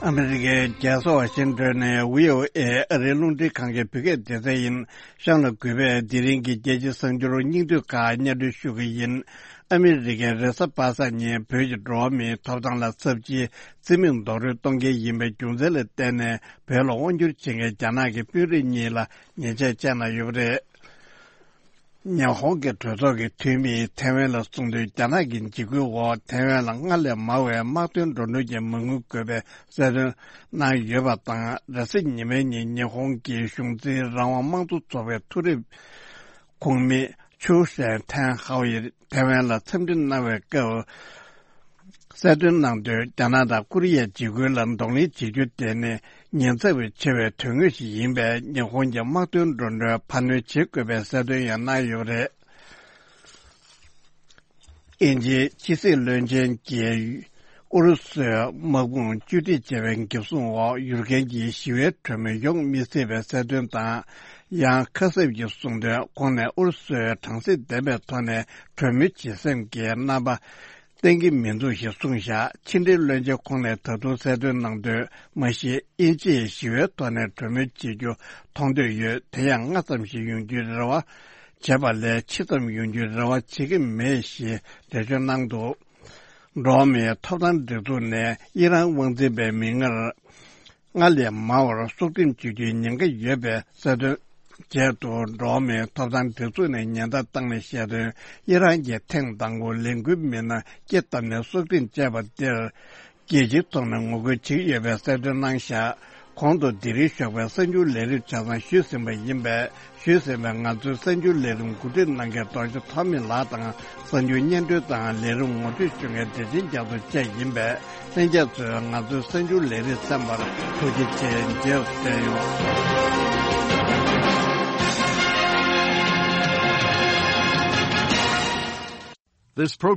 ཨ་མི་རི་ཀའི་རྒྱལ་ས་ཝ་ཤིང་ཏོན་ནས་བྷི་ཨོ་ཨེ་ཨ་རིའི་རླུང་འཕྲིན་ཁང་གི་བོད་སྐད་སྡེ་ཚན་ཡིན། གཤམ་ལ་གུས་པས་དེ་རིང་གི་རྒྱལ་སྤྱིའི་གསར་འགྱུར་སྙིང་བསྡུས་ཁག་སྙན་སྒྲོན་ཞུ་གི་ཡིན། ཨ་མི་རི་ཀའི་རེས་གཟའ་པ་སངས་ཉིན་བོད་ཀྱི་འགྲོ་བ་མིའི་ཐོབ་ཐང་ལ་ཚབས་ཆེའི་རྩིས་མེད་རྡོག་རོལ་གཏོང་གལ་ཡིན་པའི་རྒྱུ་མཚན་ལ་བརྟེན་ནས་བོད་ལ་དབང་བསྒྱུར་བྱེད་མཁན་རྒྱ་ནག་གི་དཔོན་རིགས་གཉིས་ལ་ཉེས་ཆད་བཅད་གནང་ཡོད་པ་རེད། ཉི་ཧོང་གི་གྲོས་ཚོགས་ཀྱི་འཐུས་མིས་ཐའེ་ཝན་ལ་གསུངས་དོན། རྒྱ་ནག་གི་འཇིགས་སྐུལ་འོག་ཐའེ་ཝན་ལ་སྔར་ལས་མང་བའི་དམག་དོན་འགྲོ་གྲོན་གྱི་མ་དངུལ་དགོས་པའི་གསལ་སྟོན་གནང་ཡོད་པ་དང་། རེས་གཟའ་ཉི་མའི་ཉིན་ཉི་ཧོང་གི་གཞུང་འཛིན་རང་དབང་དམངས་གཙོ་ཚོགས་པའི་མཐོ་རིམ་ཁོངས་མི་ཆུའུ་ཧྲེན་ཐན་ཧའོ་ཡིས་ཐའེ་ཝན་ལ་འཚམས་འདྲི་གནང་བའི་སྐབས། གསལ་སྟོན་གནང་དོན། རྒྱ་ནག་དང་ཀོ་རི་ཡའི་འཇིགས་སྐུལ་ལ་གདོང་ལེན་བྱེད་རྒྱུ་དེ་ནི་ཉེན་ཚབས་ཆེ་བའི་དོན་དངོས་ཤིག་ཡིན་པས། ཉི་ཧོང་གི་དམག་དོན་འགྲོ་གྲོན་འཕར་སྣོན་བྱེད་དགོས་པའི་གསལ་སྟོན་ཡང་གནང་ཡོད་པ་རེད། དབྱིན་ཇིའི་ཕྱི་སྲིད་བློན་ཆེན་གྱིས་ཨུ་རུ་སུའི་དམག་དཔུང་བཅོས་སྒྲིག་བྱས་པའི་འགེབས་སྲུང་འོག་ཡུལ་ཁན་གྱི་ཞི་བའི་གྲོས་མོལ་ཡོང་མི་སྲིད་པའི་གསལ་སྟོན་དང་། ཡང་ཁ་གསབ་ཀྱིས་གསུངས་དོན། ཁོང་ནས་ཨུ་རུ་སུའི་དྲང་སྲིད་ལྡན་པའི་ཐོག་ནས་གྲོས་མོལ་བྱེད་སེམས་ཀྱི་རྣམ་པ་བསྟན་གྱི་མི་འདུག་ཞེས་གསུངས་བཞག་ཕྱི་འབྲེལ་བློན་ཆེན་ཁོང་ནས་ད་དུང་གསལ་སྟོན་གནང་དོན། མ་གཞི་དབྱིན་ཇིས་ཞི་བའི་ཐོག་ནས་གྲོས་མོལ་བྱེད་རྒྱུ་མཐོང་འདོད་ཡོད། དེ་ཡང་སྔ་ཙམ་ཞིག་ཡོང་རྒྱུའི་རེ་བ་བྱས་པ་ལས་ཕྱི་ཙམ་ཡོང་རྒྱུའི་རེ་བ་བྱེད་ཀྱི་མེད་ཞེས་འགྲེལ་བརྗོད་གནང་འདུག་འགྲོ་བ་མིའི་ཐོབ་ཐང་སྒྲིག་འཛུགས་ནས་ཨི་རན་དབང་འཛིན་པའི་མི་སྣར་སྔར་ལས་མང་བར་སྲོག་ཁྲིམས་གཅོད་རྒྱུའི་ཉེན་ཁ་ཡོད་པའི་གསལ་སྟོན། བྱས་འདུག་འགྲོ་བ་མིའི་ཐོབ་ཐང་སྒྲིག་འཛུགས་ནས་ཉེན་བརྡ་བཏང་ནས་བཤད་དོན། ཨི་རན་གྱིས་ཐེངས་དང་པོ་ལས་འགུལ་མི་སྣ་སྐྱེ་བཏབ་ནས་སྲོག་ཁྲིམས་བཅད་པ་འདིར། རྒྱལ་སྤྱིའི་ཐོག་ནས་ངོ་རྒོལ་བྱེད་ཀྱི་ཡོད་པའི་གསལ་སྟོན་གནང་བཞག་གོང་དུ་དེ་རིང་ཞོགས་པའི་གསར་འགྱུར་ལས་རིམ་ཆ་ཚང་ཞུས་ཟིན་པ་ཡིན་པས། ཞུས་ཟིན་པའི་ང་ཚོའི་གསར་འགྱུར་ལས་རིམ་གོ་སྒྲིག་གནང་མཁན་རྡོ་རྗེ་ཐོགས་མེད་ལགས་དང་། གསར་འགྱུར་སྙན་སྒྲོན་དང་ལས་རིམ་ངོ་སྤྲོད་ཞུ་མཁན་བདེ་ཆེན་རྒྱ་མཚོ་བཅས་ཡིན་པས། ལྷན་རྒྱས་ཚོས་ང་ཚོའི་གསར་འགྱུར་ལས་རིམ་གསན་པར་ཐུགས་རྗེ་ཆེ། མཇལ་སུ་བསྟན་ཡོང་། This program